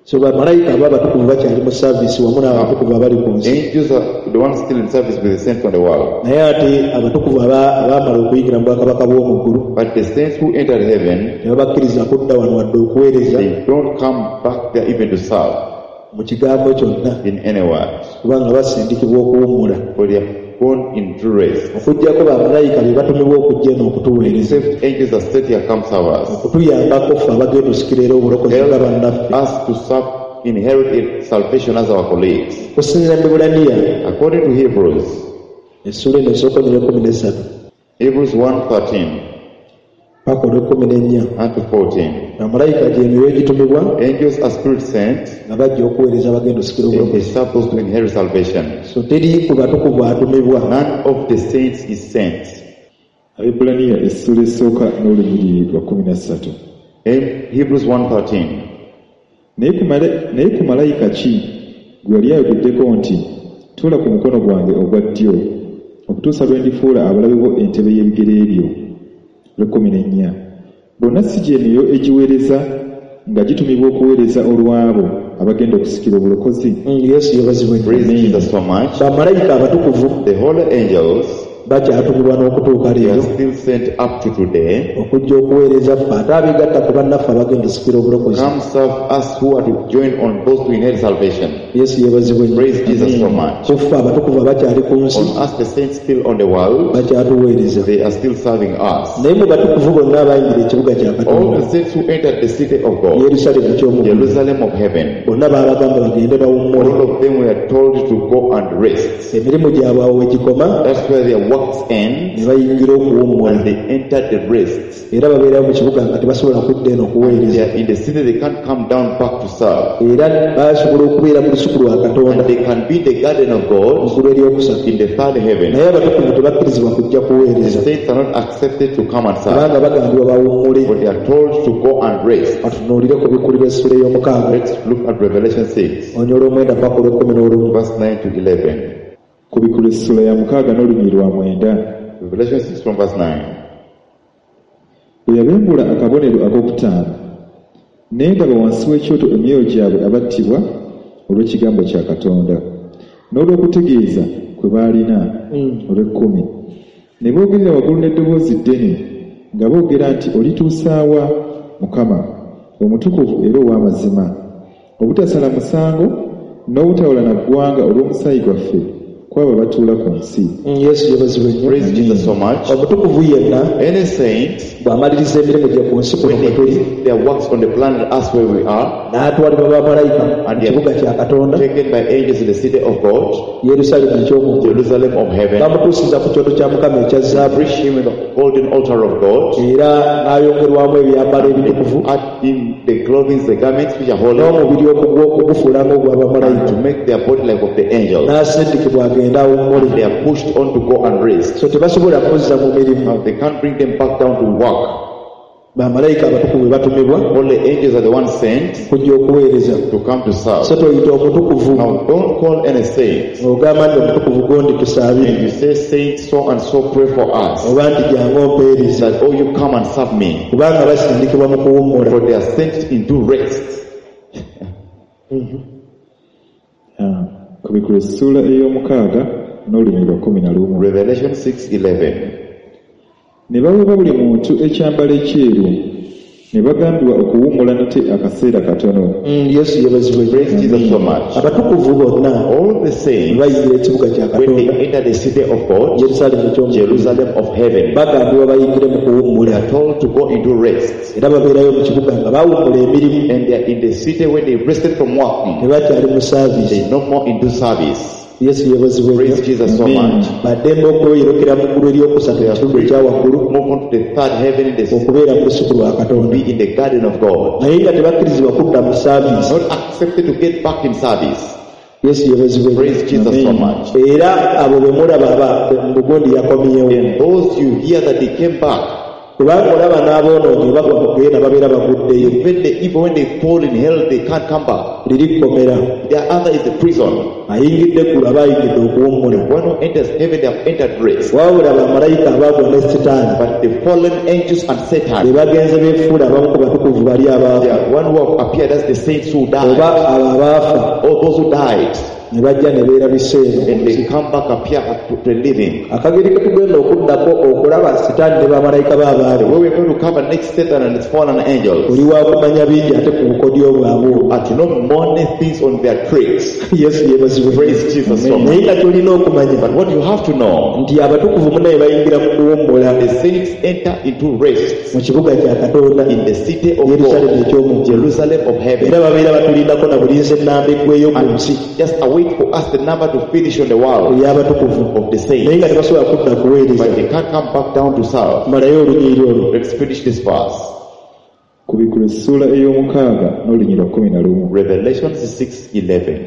So bamalayika abo abatukuvu bakyali mu saavisi wamu n'abatukuvu abali ku nsi. Angels are the ones still in service with the saints on the world. Naye ate abatukuvu aba- abaamala okuyingira mu bwakabaka bw'omu ggulu But the saints who entered heaven, tebabakkiriza kudda wano wadde okuweereza they don't come back there even to serve mu kigambo kyonna in any word. Kubanga basindikibwa okuwummula. For they have gone in true rest. Okuggyako bamalayika be batumibwa okujja eno okutuweereza Except angels that sent here come serve us. Okutuyambako ffe abagenda osikira era obulokozi nga Help bannaffe. us to serve, inherit in salvation as our colleagues. Okusinziira mu Baebbulaniya According to Hebrews, essuula eno esooka onyera ekkumi n'essatu Hebrews one thirteen paka olw'ekkumi n'ennya and to fourteen. Bamalayika gy'emyoyo egitumibwa Angels are spirit sent nga bajja okuweereza abagenda osikira and they obulokozi. serve those to inherit salvation. So teri ku batukuvu atumibwa. None of the saints is sent. Abebbulaniya essuula esooka n'olunyiriri lwa kkumi na ssatu. In Hebrews one thirteen. Naye ku mala- naye ku malayika ki gwe yali ayogeddeko nti tuula ku mukono gwange ogwa ddyo okutuusa lwe ndifuula abalabe bo entebe y'ebigere byo? Lw'ekkumi n'ennya bonna si gye myoyo egiweereza nga gitumibwa okuweereza olw'abo abagenda okusikira obulokozi? Mm, yesu yebazibwe nnyo. Praise Jesus so much. Bamalayika abatukuvu The holy angels, bakyatumibwa n'okutuuka they are leero still sent up to today. Okujja okuweereza ffe ate abeegatta ku bannaffe abagenda osikira obulokozi. Come serve us who are to join on those to inherit salvation. Yesu yeebazibwe nnyo. Praise Jesus so much. Ku ffe abatukuvu abakyali ku nsi On us, the saints still on the world, bakyatuweereza. They are still serving us. Naye mu batukuvu bonna abayingira ekibuga kya All Katonda the saints who entered the city of God, Yerusaalemu ky'omu ggulu Jerusalem of heaven, bonna baabagamba bagende bawummule. All of them were told to go and rest. Emirimu gyabwe awo wegikoma That's where their works end, ne bayingira okuwummula. And they entered the rest. Era babeerayo mu kibuga nga tebasobola kudda eno They okuweereza. are in the city, they can't come down back to serve. Era basobola okubeera mu lusuku lwa Katonda And they can be in the garden of God mu ggulu eryokusatu in the third heaven. Naye abatukuvu tebakkirizibwa kujja The kuweereza saints are not accepted to come and serve, kubanga bagambibwa bawummule. But they are told to go and rest. Batunuulire ku Bikkulirwa essula ey'omukaaga Let's look at Revelation six, onyola omwenda paka olw'ekkumi n'olumu. Verse nine to eleven. Kubikkulwa essula ya mukaaga n'olunyiriri lwa mwenda. Revelation six from verse nine. Bwe yabembula akabonero ak'okutaano ne ndaba wansi w'ekyoto emyoyo gyabwe abattibwa olw'ekigambo kya Katonda n'olw'okutegeeza kwe baalina. Olw'ekkumi ne boogerera waggulu n'eddoboozi ddene nga boogera nti olituusaawa Mukama omutukuvu era ow'amazima obutasala musango n'obutawula na ggwanga olw'omusaayi gwaffe kwabo abatuula ku nsi? Mm, yesu yebazibwe nnyo. Praise Jesus so much. Omutukuvu yenna Any saint, bw'amaliriza emirimu gye ku nsi kuno when kwe they tuli finish their works on the planet Earth where we are, n'atwalibwa bamalayika mu kibuga kya Katonda taken by angels in the city of God, Yerusaalemu eky'omu ggulu Jerusalem of heaven, bamutuusiza ku kyoto kya Mukama ekya zaabu preach him in the golden altar of God, era n'ayongerwamu ebyambalo ebitukuvu add in the clothing, the garments which are holy, n'omubiri okugwo- ogufuula ng'ogwa and bamalayika to make their body like of the angels. N'asindikibwa agende awummule. They are pushed on to go and rest. So tebasobola kuzza mu mirimu. Now they can't bring them back down to work. Bamalayika abatukuvu bwe batumibwa Only angels are the ones sent kujja okuweereza. To come to serve. So toyita omutukuvu Now don't call any saint. ng'ogamba nti omutukuvu gondi tusaabire And you say, "Saint so and so, pray for us." oba nti jangu ompeereze That, "Oh, you come and serve me." kubanga basindikibwa mu kuwummula. For they are sent into rest. Ah, Kubikkulwa essuula ey'omukaaga n'olunyiriri lwa kkumi na lumu. Revelation six eleven. Ne baweebwa buli muntu ekyambalo ekyeru ne bagambibwa okuwummula nate akaseera katono. Mm, yesu yebazibwe. Praise Jesus so much. Abatukuvu bonna All the saints, bayingira ekibuga kya when they Katonda enter the city of God, Yerusaalemu eky'omu Jerusalem of heaven, bagambibwa bayingire mu they kuwummula are told to go into rest. Era babeerayo mu kibuga nga bawummula emirimu. And they are in the city when they rested from working. Tebakyali mu saaviisi. They no more into service. Yesu yebazibwe. Praise Jesus so Amen. much. Baddembe okweyolekera mu ggulu eryokusatu mu kitundu ekya waggulu Move on to the third heaven in the city, okubeera mu lusuku lwa Katonda be in the garden of God. naye nga tebakkirizibwa kudda mu saaviisi. Not accepted to get back in service. Yesu yebazibwe. Praise Jesus so much. Era abo bwe mulaba aba mu bugundi yakomyewo And those you hear that they came back, Kubanga olaba n'aboonoonyi bagwa mu ggeyeena babeera baguddeyo. Even the evil, when they fall in hell, they can't come back. Liri kkomera. The other is the prison. Ayingidde eggulu aba ayingidde okuwummula. One who enters heaven, they have entered rest. Wabula bamalayika abaagwa ne Sitaani But the fallen angels and be Satan, bagenze beefuula abamu ku batukuvu bali they abaafa are one who have appeared as the saints who died, oba abo abaafa or those who died, ne bajja ne beerabisa eno. and they come back, appear to the living. Akageri ke tugenda okuddako okulaba Sitaani ne bamalayika be The abaali way we're going to cover next Satan and its fallen angels oli wa kumanya bingi ate ku bukodyo bwabwe obwo. are to know many things on their tricks. Yesu yeebazibwe. Praise Jesus so much. Naye nga ky'olina okumanya But what you have to know, nti abatukuvu munnaye bayingira mu kuwummula the saints enter into rest mu kibuga kya Katonda in the city of Yerusalemu God, eky'omu ggulu. Jerusalem of heaven. Era babeera batulindako na bulinzi ennamba eggweyo ku And nsi just await for us the number to finish on the world ey'abatukuvu of the naye saints. nga tebasobola kudda kuweereza. But they can't come back down to serve. Malayo olunyiriri olwo. Let's finish this verse. Kubikula essuula ey'omukaaga n'olunyiriri lwa kkumi na lumu. Revelation six eleven.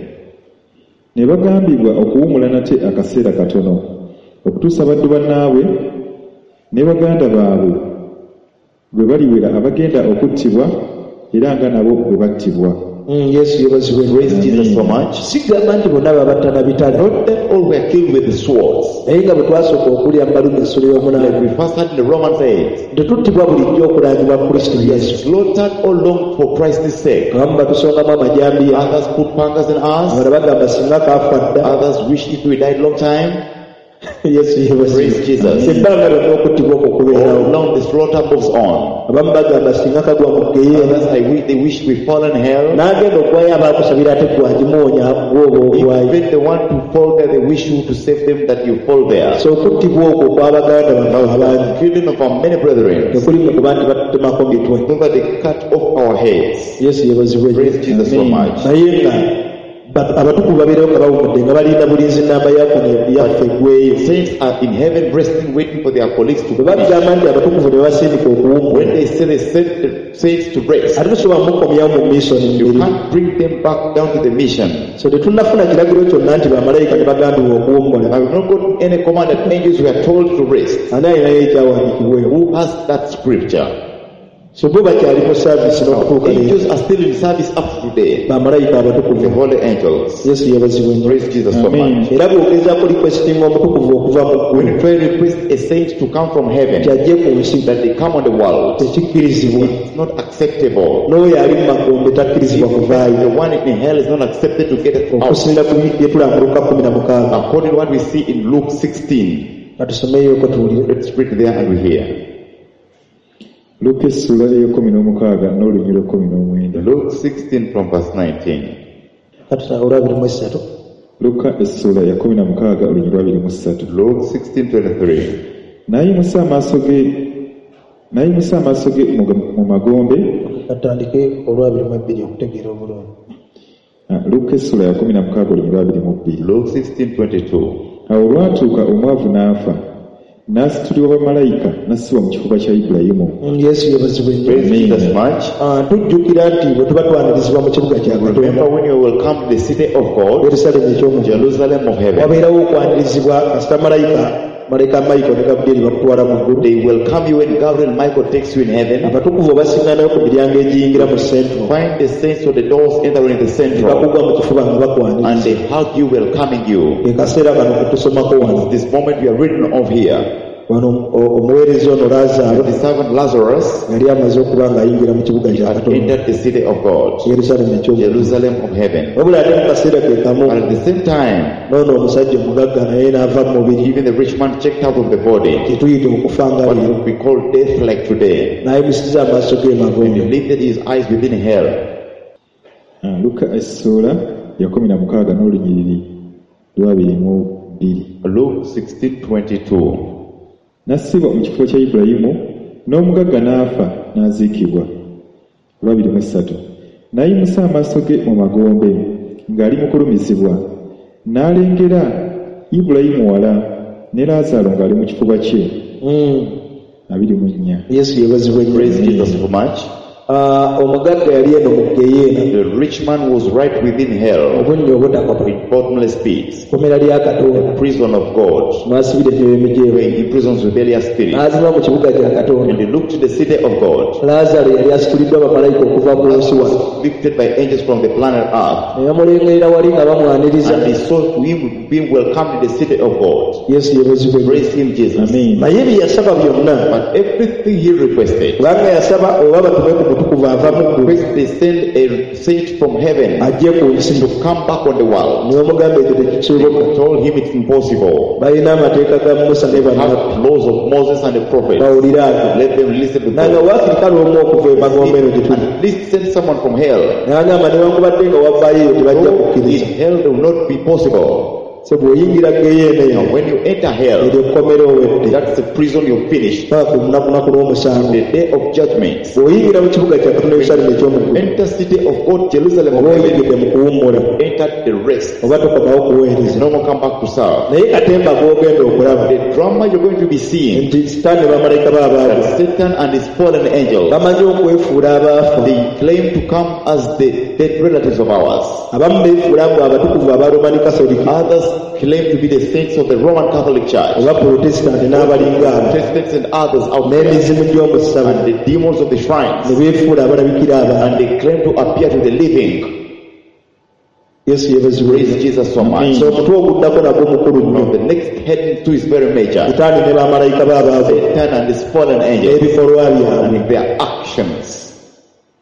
Ne bagambibwa okuwummula nate akaseera katono okutuusa baddu bannaabwe ne baganda baabwe bwe baliwera abagenda okuttibwa era nga nabo bwe battibwa. Mm, Yesu yeebazibwe. Praise Jesus so much. Sigamba nti bonna babatta na bitala Not that all were killed with the swords. naye nga bwe twasooka okulya mu Baluumi essula Like ey'omunaana we first had in the Romans eight. tetuttibwa bulijjo okulangibwa Kristo Yesu. Slaughtered all long for Christ's sake. Abamu batusongamu amajambiya Others put pangas in us. abalala bagamba singa kaafa dda. Others wish if we died long time. Yesu yeebazibwe. Praise Jesus. Ebbanga lyonna okuttibwa okwo All kubeerawo. long the slaughter moves on. Abamu bagamba singa kagwa mu ggeyeena Others I wish, they wish we fall in hell. n'agenda okuwayo abaakusabira ate gwe agimuwonya gw'oba ogwayo. Even the one to fall there, they wish you to save them that you fall there. So okuttibwa okwo okw'abaganda baffe abangi Killing of our many brethren. tekuli mu kuba nti batutemako mitwe. Not that they cut off our heads. Yesu yeebazibwe. Praise Jesus so much. Naye nga ba- abatukuvu babeerawo nga bawumudde nga balinda bulinzi nnamba yaffe yaffe eggweyo. Saints are in heaven resting, waiting for their colleagues to Bwe finish. bagamba nti abatukuvu ne basindika okuwummula When they say they send the saints to rest, ate tosobola mukomyawo mu misoni you mubiri. can't bring them back down to the mission. So tetunnafuna kiragiro kyonna nti bamalayika ne bagambibwa okuwummula. I have not got any command that angels were told to rest. Ani alinayo ekyawandiikibwa? Who has that scripture? So bo bakyali mu saavisi n'okutuuka leero. Angels are still in service up to today. Bamalayika The abatukuvu. holy angels. Yesu yeebazibwe nnyo. Praise Jesus so Amen. much. Era bw'ogezaako requestinga omutukuvu okuva mu When ggulu you try to request a saint to come from heaven, nti ajje ku nsi that they come on the world, tekikkirizibwa. it's not acceptable. N'oyo ali mu magombe takkirizibwa kuvaayo. The one in hell is not accepted to get out. Okusinziira ku bye tulaba mu Luka kkumi na mukaaga. According to what we see in Luke sixteen. Katusomeyooko tuwulire. Let's read there and we hear. Luka essuula ey'ekkumi n'omukaaga n'olunyiriri lw'ekkumi n'omwenda. Luke sixteen from verse nineteen. Katusa olwabiri mu essatu. Luka essuula ya kkumi na mukaaga olunyiriri lw'abiri mu ssatu. Luke sixteen twenty-three. N'ayimusa amaaso ge n'ayimusa amaaso ge mu, mu magombe. Katandike olwabiri mu ebbiri okutegeera obulungi. Ah, Luka essuula ya kkumi na mukaaga olunyiriri lw'abiri mu bbiri. Luke sixteen twenty-two. Awo olwatuuka omwavu n'afa n'asitulibwa bamalayika n'assibwa mu kifuba kya Ibulayimu. Mm, Yesu yeebazibwe nnyo. Praise Jesus much. Ah, tujjukira nti bwe tuba twanirizibwa mu kibuga kya Katonda Remember when you will come to the city of God, Yerusalemu eky'omu ggulu, Jerusalem of heaven, wabeerawo okwanirizibwa kasita malayika malayika Michael ne Gabriel bakutwala mu ggulu. they welcome you when Gabriel and Michael takes you in heaven. Abatukuvu obasiŋŋanayo ku miryango egiyingira mu central. Find the saints on the doors entering the central, Bakugwa mu kifuba nga bakwaniriza. and they hug you, welcoming you. Ke kaseera kano ke tusomako wano. This moment we are reading of here. Wano o- omuweereza ono Laazaalo The servant Lazarus yali amaze okuba ng'ayingira mu kibuga kya had Katonda entered the city of God, Yerusalemu eky'omu ggulu. Jerusalem of heaven. Wabula ate mu kaseera ke kamu But at the same time, n'ono omusajja omugagga naye n'ava mu mubiri even the rich man checked out of the body, kye tuyita okufa nga what leero we call death like today. n'ayimusiza amaaso ge And he magombe. lifted his eyes within hell. Ah, Luka essuula ya kkumi na mukaaga n'olunyiriri lw'abiri mu bbiri. Luke sixteen twenty-two. N'assibwa mu kifo kya Ibulayimu n'omugagga n'afa n'aziikibwa. Olwabiri mu essatu. N'ayimusa amaaso ge mu magombe ng'ali mu kulumizibwa n'alengera Ibulayimu wala ne Laazaalo ng'ali mu kifuba kye. Mm. Abiri mu nnya. Yesu yeebazibwe nnyo. Praise Jesus so much. Ah, omugagga yali eno mu geyeena The rich man was right within hell, obunnya obutakoma in bottomless pits, kkomera lya katonda prison of God, mwasibira emyoyo emijeemu where he imprisons rebellious spirits. n'azima mu kibuga kya katonda And he looked to the city of God, laazaalo yali asituliddwa bamalayika okuva ku nsi wano lifted by angels from the planet Earth. ne bamulengerera wali nga bamwaniriza And he saw him being welcomed in the city of God. yesu yeebazibwe nnyo. Praise him, Jesus. Amen. naye bye yasaba byonna But everything he requested, kubanga yasaba oba batume ku mutukuvu ava mu ggulu request they send a saint from heaven ajje ku nsi to come back on the world. ne bamugamba ekyo tekisoboka Told him it's impossible. balina amateeka ga musa ne bannabbi Have laws of Moses and the prophets. bawulire ago Let them listen to nanga God. waakiri kale omu okuva emagombe eno gye tuli At least send someone from hell. n'agamba newankubadde nga wavaayo eyo tebajja Though kukkiriza in hell it will not be possible. so bw'oyingira geyeena eyo Now when you enter hell, eryo kkomera owedde that's the prison you're finished. paka ku lunaku lunaku lw'omusango The day of judgment. bw'oyingira mu kibuga kya katonda yerusaalemu eky'omuggulu Enter city of God, Jerusalem of oba heaven. oyingidde mu kuwummula Enter the rest. oba tokomawo kuweereza No more come back to serve. naye katemba gw'ogenda okulaba The drama you're going to be seeing, nti sitaani ne bamalayika be abaavu that Satan and his fallen angels, bamanyi okwefuula abaafa they claim to come as the dead relatives of ours. abamu beefuula mbu abatukuvu aba romani katoliki Others claim to be the saints of the Roman Catholic Church, oba protesitanti n'abalinga abo Protestants and others out there, n'emizimu gy'omu ssabo and the demons of the shrines, ne beefuula abalabikira abantu and they claim to appear to the living. yesu yeebazibwe Praise Jesus so much. so omutwe oguddako nagwo mukulu Now nnyo the next heading too is very major. sitaani ne bamalayika be abaavu Satan and his fallen angels n'ebikolwa byabwe and their actions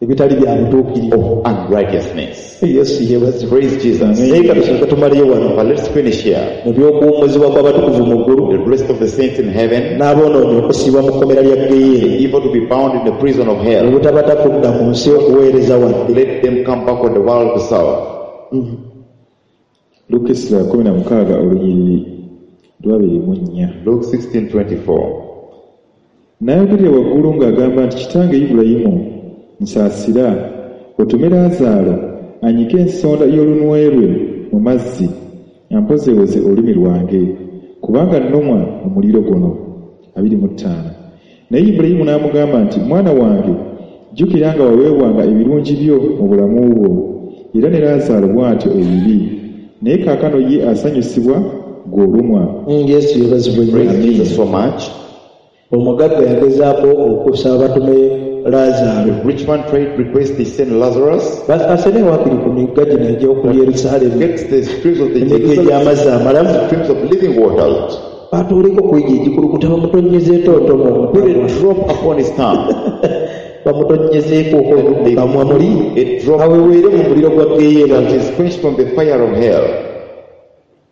ebitali bya butuukirivu of unrighteousness. yesu yeebazibwe Praise Jesus. naye katusooke tumaleyo wano But let's finish here. mu by'okuwummuzibwa kw'abatukuvu mu ggulu The rest of the saints in heaven, n'aboonoonyi okusiibwa mu kkomera lya geyeena the evil to be bound in the prison of hell. obutabata kudda ku nsi okuweereza wadde Let them come back on the world to serve. Luka essula ya kumi na mukaaga olunyiriri lwabiri mu nnya Luke sixteen twenty-four. N'ayogerera waggulu ng'agamba nti kitange Ibulayimu nsaasira otume Laazaalo anyike ensonda y'olunwe lwe mu mazzi ampozeewoze olulimi lwange kubanga nnumwa omuliro guno. Abiri mu ttaano. Naye Ibulayimu n'amugamba nti mwana wange jjukira nga waweebwanga ebirungi byo mu bulamu bwo era ne Laazaalo bw'atyo ebibi naye kaakano ye asanyusibwa gw'olumwa. Mm, yesu yeebazibwe nnyo. Praise Jesus so much. omugagga yagezaako okusaba batume laazaalo The rich man tried to request they send Lazarus. asene waakiri ku migga gino egy'oku yerusaalemi Gets the streams of the emigga Jerusalem, egy'amazzi amalamu streams of living waters. batuuleko ku egyo egikulukuta bamutonyezeeko ntono Put a drop upon his tongue. bamutonyezeeko mu kamwa muli A drop aweweere mu muliro gwa geyeena that is quenched from the fire of hell.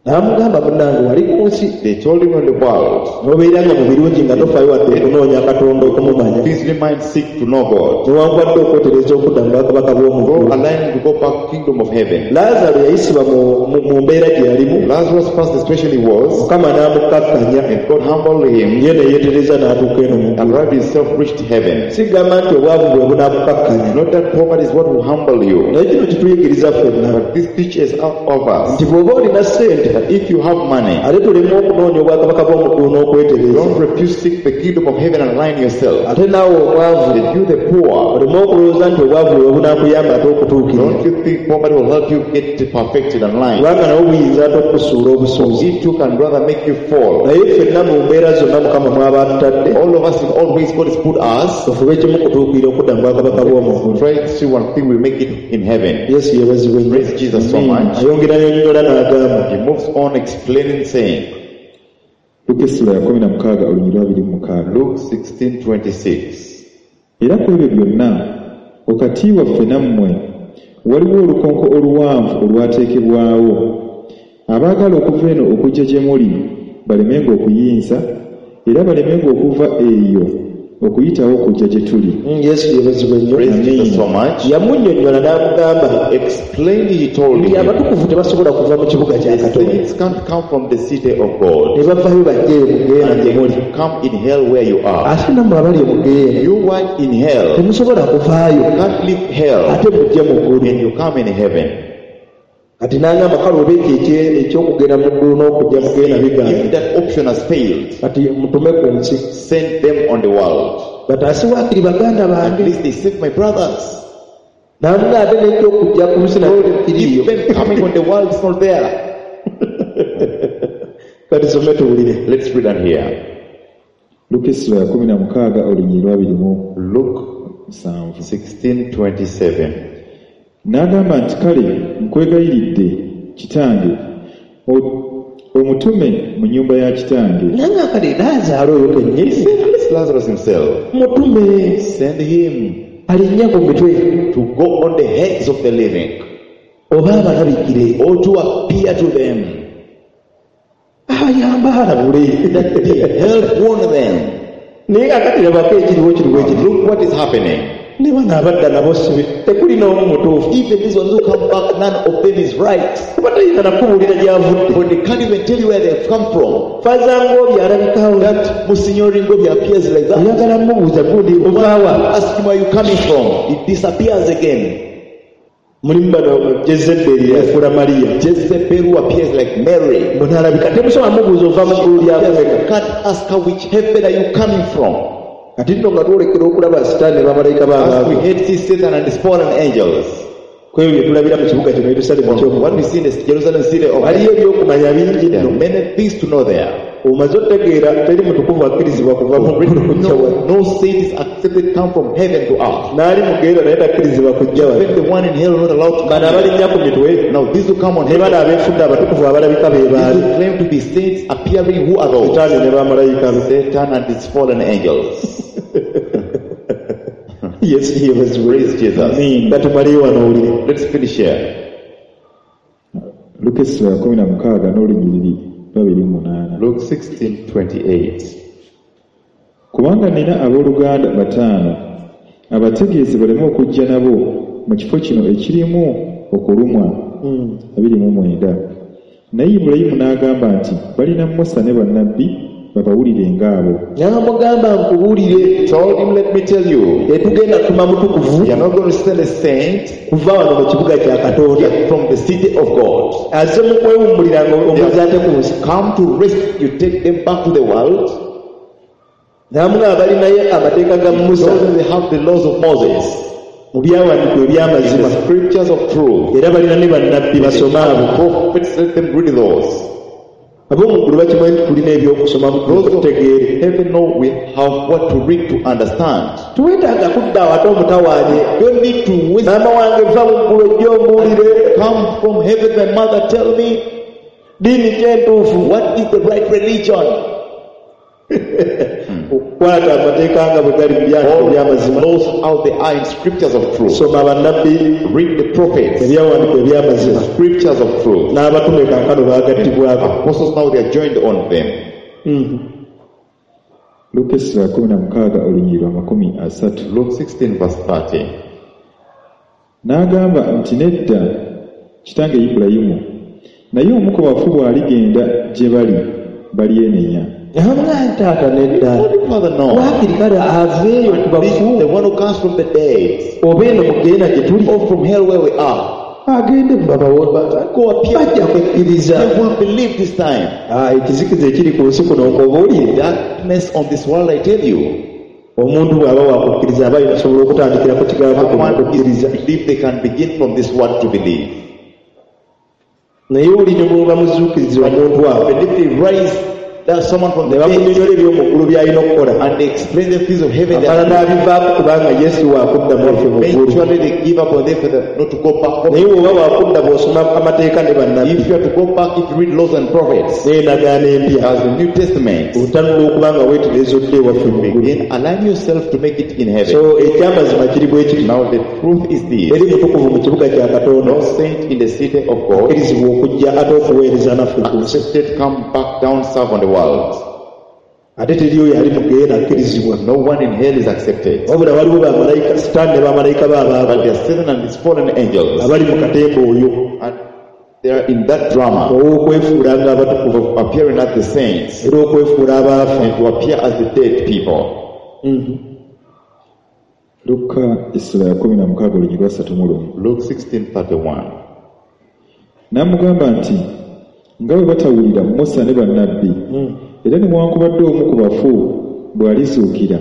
n'amugamba munnange wali ku nsi They told him on the world, n'obeera nga mu birungi nga tofaayo wadde okunoonya katonda okumumanya busy mind seek to know God. newankubadde okwetereza okudda mu bwakabaka bw'omu Go ggulu align to go back kingdom of heaven. laazaalo yayisibwa mu- mu- mu mbeera gye yalimu Lazarus passed the situation he was, mukama n'amukkakkanya and God humbled him ye ne yeetereza n'atuuka eno mu and ggulu arrived himself reached heaven. sigamba nti obwavu bwe bunaakukakkanya Not that poverty is what will humble you, naye kino kituyigiriza ffenna but this teaches all of us nti bw'oba olina ssente that if you have money, ate tuleme okunoonya obwakabaka bw'omu ggulu n'okwetereza don't refuse seek the kingdom of heaven and align yourself. ate naawe omwavu That you the poor, oleme okulowooza nti obwavu bwe bunaakuyamba ate okutuukirira don't you think poverty will help you get perfected and aligned? kubanga nawe buyinza ate okukusuula obusuuzi It too can rather make you fall. naye ffenna mu mbeera zonna mukama mwaba atutadde All of us in all ways God has put us, tufube kimu kutuukirira okudda mu bwakabaka bw'omu ggulu try to see one thing we make it in heaven. yesu yeebazibwe nnyo Praise Jesus so much. ayongera yonnyola n'agamba He moves on explaining, saying, Luka essula ya kumi na mukaaga olunyiriri lwabiri mu mukaaga. Luke sixteen twenty-six. Era ku ebyo byonna wakati waffe nammwe waliwo olukonko oluwanvu olwateekebwawo abaagala okuva eno okujja gye muli balemenga okuyinza era balemenga okuva eyo okuyitawo okujja gye tuli. Mm, yesu yeebazibwe nnyo Praise Jesus so much. yamunnyonnyola n'amugamba Explained, he told nti him, abatukuvu tebasobola kuva mu kibuga kya the katonda saints can't come from the city of God ne bavaayo bajje mu geyeena and gye muli they come in hell where you are. ate nammwe abali mu geyeena You are in hell, temusobola kuvaayo you can't leave hell ate mujje mu ggulu and you come in heaven. kati n'agamba kale oba ekyo ekye- eky'okugenda mu ggulu n'okujja mu geyeena bigaana If that option has failed, kati mutume ku nsi send them on the world. Bataase waakiri baganda At bange. least they save my brothers. Namuga ate n'ekyokujja ku nsi nakyo tekiriiyo. Even coming on the world is not there. Kati some tuwulire. Let's read on here. Luka essula ya kumi na mukaaga olunyiriri lwa abiri mu Luke musanvu. sixteen twenty-seven. N'agamba nti kale nkwegayiridde kitange o- omutume mu nnyumba ya kitange. Nanga kale Laazaalo oyo kennyini. Send at least Lazarus himself. Mutume Send him alinnya ku mitwe to go on the heads of the living oba abalabikire or to appear to them. abayamba alabule. Help warn them. Naye kakati labako ekiriwo kiriwo ekiri. Look what is happening. Ne bano abadda nabo sibe tekuli n'omu mutuufu. Even these ones who come back, none of them is right. Kuba tayinza nakubuulira gy'avudde. But they can't even tell you where they've come from. Faaza Ngobi alabikawo. That Monsignor Ngobi appears like that. Oyagala mubuuza gundi ovaawa. Ask him where you're coming from. It disappears again. Mulimu bano Jezeberi yafuula Mariya. Jezebel who appears like Mary. Mbu n'alabika temusobola mubuuza ova mu ggulu lya You can't ask her which heaven are you coming from. Kati nno nga twolekera okulaba Sitaani ne bamalayika As we b'abaavu. hate see Satan and his fallen angels. Ku ebyo bye tulabira mu kibuga kino Yerusaalemi eky'omu What we see in the Jerusalem city of waliyo ebyokumanya bingi there are nno. many things to know there. Omaze otegeera teri mutukuvu akkirizibwa kuva mu ggulu kujja wano. No, no saint is accepted come from heaven to earth. N'ali mu ggeyeena naye takkirizibwa kujja wano. Even the one in hell not allowed to Bano come. abalinnya ku mitwe Now these who come on ne heaven, bano abeefudde abatukuvu abalabika be these baali. who claim to be saints appearing, who are those? Sitaani ne bamalayika be. Satan and his fallen angels. Yesu yeebazibwe. Praise Jesus. Katumaleyo wano owulire. Let's finish here. Luka essula ya kumi na mukaaga n'olunyiriri lwa abiri mu munaana. Luke sixteen twenty-eight. Kubanga nnina abooluganda bataano abategeeze baleme okujja nabo mu kifo kino ekirimu okulumwa. Abiri mu mwenda. Naye Ibulayimu n'agamba nti balina Musa ne bannabbi babawulire ng'abo. N'amugamba nkubuulire. Told him, let me tell you, Tetugenda tuma mutukuvu you are not going to send a saint kuva wano mu kibuga kya Katonda. yet from the city of God. Azze mu kwewummulira nga omuzza ate ku nsi. Come to rest, you take them back to the world. N'amugamba balinayo amateeka ga Musa Told them they have the laws of Moses, mu byawandiikibwa eby'amazima. the scriptures of truth. Era balina ne bannabbi basome abo. Prophets, let them read those. Ab'omu ggulu bakimanyi nti tulina ebyokusoma Those of tutegeere. heaven know we have what to read to understand. Tuwetaaga kudda awo ate omutawaanye. Don't need to waste. Maama wange va mu ggulu ojje ombuulire. Come from heaven, my mother, tell me Ddiini ki entuufu? what is the right religion. Okukwata amateeka nga bwe gali mu byawandiikibwa eby'amazima. Laws how they are in scriptures of truth. Soma bannabbi Read the prophets, ebyawandiikibwa eby'amazima. scriptures of truth. N'abatume kaakano baagattibwako. Apostles now they are joined on them. Luka essula ya kumi na mukaaga olunyiriri lwa makumi asatu. Luke sixteen verse thirty. N'agamba nti nedda kitange Ibulayimu naye omu ku bafu bw'aligenda gye bali balyenenya. N'amugamba taata nedda. Holy Father, no. Waakiri kale aveeyo ku bafu The one who comes from the dead oba eno mu ggeyeena gye tuli or from hell where we are. agende babawo Go appear. bajja kukkiriza. They will believe this time. Ah, ekizikiza ekiri ku nsi kuno nkubuulire. Darkness on this world, I tell you. Omuntu bw'aba wakukkiriza aba asobola okutandikira ku kigambo kuno Someone is okukkiriza. believe they can begin from this word to believe. Naye oli ne bw'oba muzuukiriza omuntu awo But if they rise that someone from ne the dead bakunnyonnyola eby'omu ggulu by'alina okukola and they explain the things of heaven, they amala are n'abivaako kubanga Yesu waakudda mu ffe mu ggulu. eventually they give up on them for them not to go back home. Naye bw'oba waakudda bw'osoma amateeka ne bannabbi If you are to go back, if you read laws and prophets, n'endagaano empya as the New Testament, otanula okuba nga weetereeza odde ewaffe mu ggulu. begin align yourself to make it in heaven. So ekyamazima kiri bwe kiri. Now the truth is this: Eri mutukuvu mu kibuga kya Katonda no saint in the city of God akkirizibwa okujja ate okuweereza naffe ku nsi. accepted come back down serve on the world. Ate teri oyo ali mu ggeyeena akkirizibwa. No one in hell is accepted. Wabula waliwo bamalayika Sitaani ne bamalayika be But abaava there are seven and his fallen angels, abali mu katemba oyo and they are in that drama ow'okwefuula ng'abatukuvu of appearing as the saints era okwefuula abaafa. and to appear as the dead people. Luka essula ya kumi na mukaaga olunyiriri lwa asatu mu lumu. Luke sixteen thirty-one. N'amugamba nti nga bwe batawulira Musa ne bannabbi era newankubadde omu ku bafu bw'alizuukira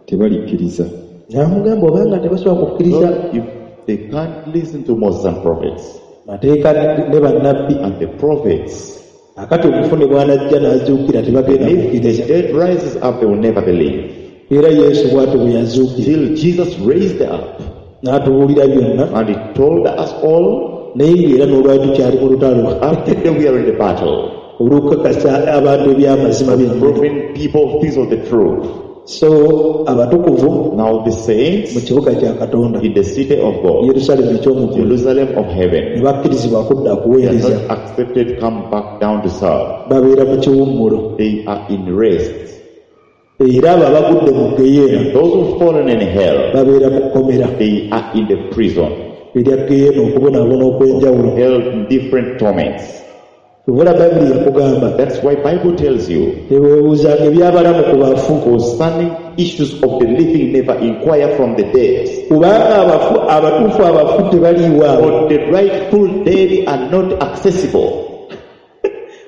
Tebalikkiriza. N'amugamba obanga tebasobola kukkiriza So if they can't listen to Moses and prophets mateeka ne bannabbi and the prophets, akati omufu ne bw'anajja n'azuukira tebagenda if the kukkiriza. dead rises up, they will never believe. Era Yesu bw'atyo bwe yazuukira Till Jesus raised up n'atubuulira byonna and he told us all, naye ng'era n'olwali tukyali mu lutalo up to today we are in the battle, olw'okukakasa abantu eby'amazima byonna. proving people things of the truth. So abatukuvu Now the mu saints kibuga kya Katonda in the city of God, Yerusaalemi eky'omu ggulu Jerusalem of ne heaven, bakkirizibwa kudda they are kuweereza not accepted, come back down to serve. babeera mu kiwummulo. They are in rest. Era abo abagudde mu ggeyeena Those who've fallen in hell, babeera mu kkomera they are in the prison, erya ggeyeena okubonaabona okw'enjawulo. held in different torments. Kyova Bayibuli yakugamba That's why Bible tells you teweebuuzanga eby'abalamu ku bafu concerning issues of the living, never inquire from the dead. kubanga abafu abatuufu abafu tebaliiwo abo. For the rightful dead are not accessible.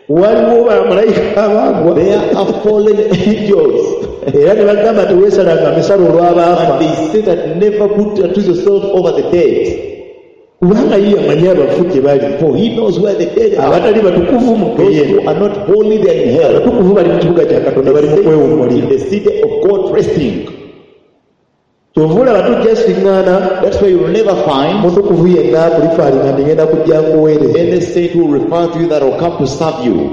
Waliwo bamalayika abaagwa There are fallen angels. era ne bagamba teweesalanga misalo olw'abaafa And they say that never put unto yourself over the dead. kubanga ye yamanyi abafu gye bali. For he knows where the dead are. Abatali batukuvu mu Those ggeyeena who are not holy, they are in hell. abatukuvu bali mu kibuga kya Katonda bali mu In kwewummulira. the city of God resting. Kyova olaba tujja siŋŋaana That's why you will never find mutukuvu yenna akulifaalinga nti ngenda kujja nkuweereza. any saint who will refer to you that will come to serve you.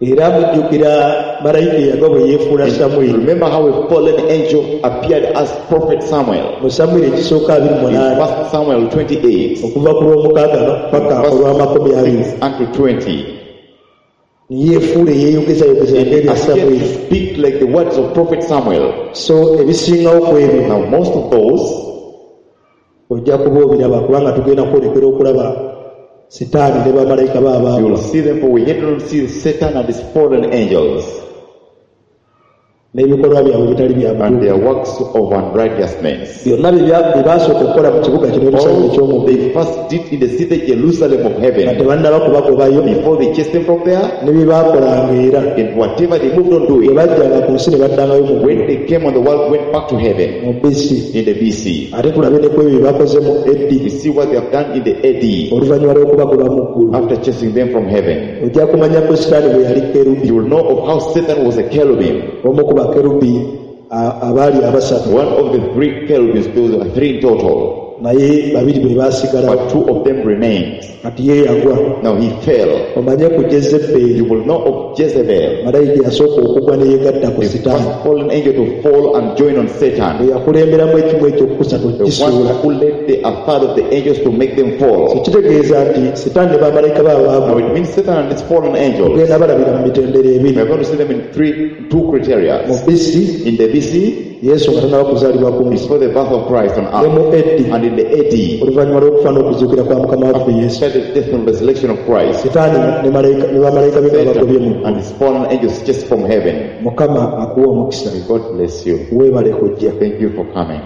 Era mujjukira malayika eyagwa bwe yeefuula Samwiri. Remember how a fallen angel appeared as prophet Samuel. Mu Samwiri ekisooka abiri In munaana First Samuel twenty-eight, okuva ku lw'omukaaga paka olw'amakumi abiri six unto twenty. yeefuula eyeeyogezayogeza And he ng'erya appeared to Samwiri. speak like the words of prophet Samuel. So ebisingawo ku ebyo Now most of those ojja kuba obiraba kubanga tugenda kwolekera okulaba Sitaani ne bamalayika be you abaagwa. will see them, for we yet don't see Satan and his fallen angels n'ebikolwa byabwe bitali bya and their butuukirivu. works of unrighteousness. Byonna bye bya- bye baasooka okukola mu kibuga kino Yerusaalemi All eky'omu ggulu they first did in the city Jerusalem of nga heaven tebannaba kubagobayo before they chased them from there, ne bye baakolanga era and whatever they moved on bwe doing, bajjanga ku nsi ne baddangayo mu when ggulu they came on the world, went back to heaven mu B C. in the B C. Ate tulabe ne ku ebyo bye bakoze mu A D We see what they have done in the A D oluvannyuma lw'okubagoba mu ggulu. after chasing them from heaven. Ojja kumanya ku Sitaani bwe yali kerubi You will know of how Satan was a cherubim, omu ku bakerubi a- abaali abasatu one of the three cherubims, those are three in total, naye babiri be baasigalawo but two of them remained. kati ye yagwa. Now he fell. Omanye ku Jezeberi You will know of Jezebel, malayika yasooka okugwa ne yeegatta ku the Sitaani first fallen angel to fall and join on Satan, eyakulemberamu ekimu ekyokusatu the one kisuula. who led the a third of the angels to make them fall. Kitegeeza nti Sitaani ne bamalayika be Now abaagwa it means Satan and his fallen angels. tugenda balabira mu mitendera We ebiri are going to see them in three, two criteria. mu B C In the B C, Yesu nga tannaba kuzaalibwa ku nsi before the birth of Christ on ne earth, mu A D and in the A D, oluvannyuma lw'okufa n'okuzuukira kwa Mukama waffe Yesu after the death and resurrection of Christ, Sitaani ne malayika- ne bamalayika be nga bagobye mu Satan ggulu. and his fallen angels chased from heaven. Mukama akuwa omukisa. May God bless you. Weebale kujja. Thank you for coming.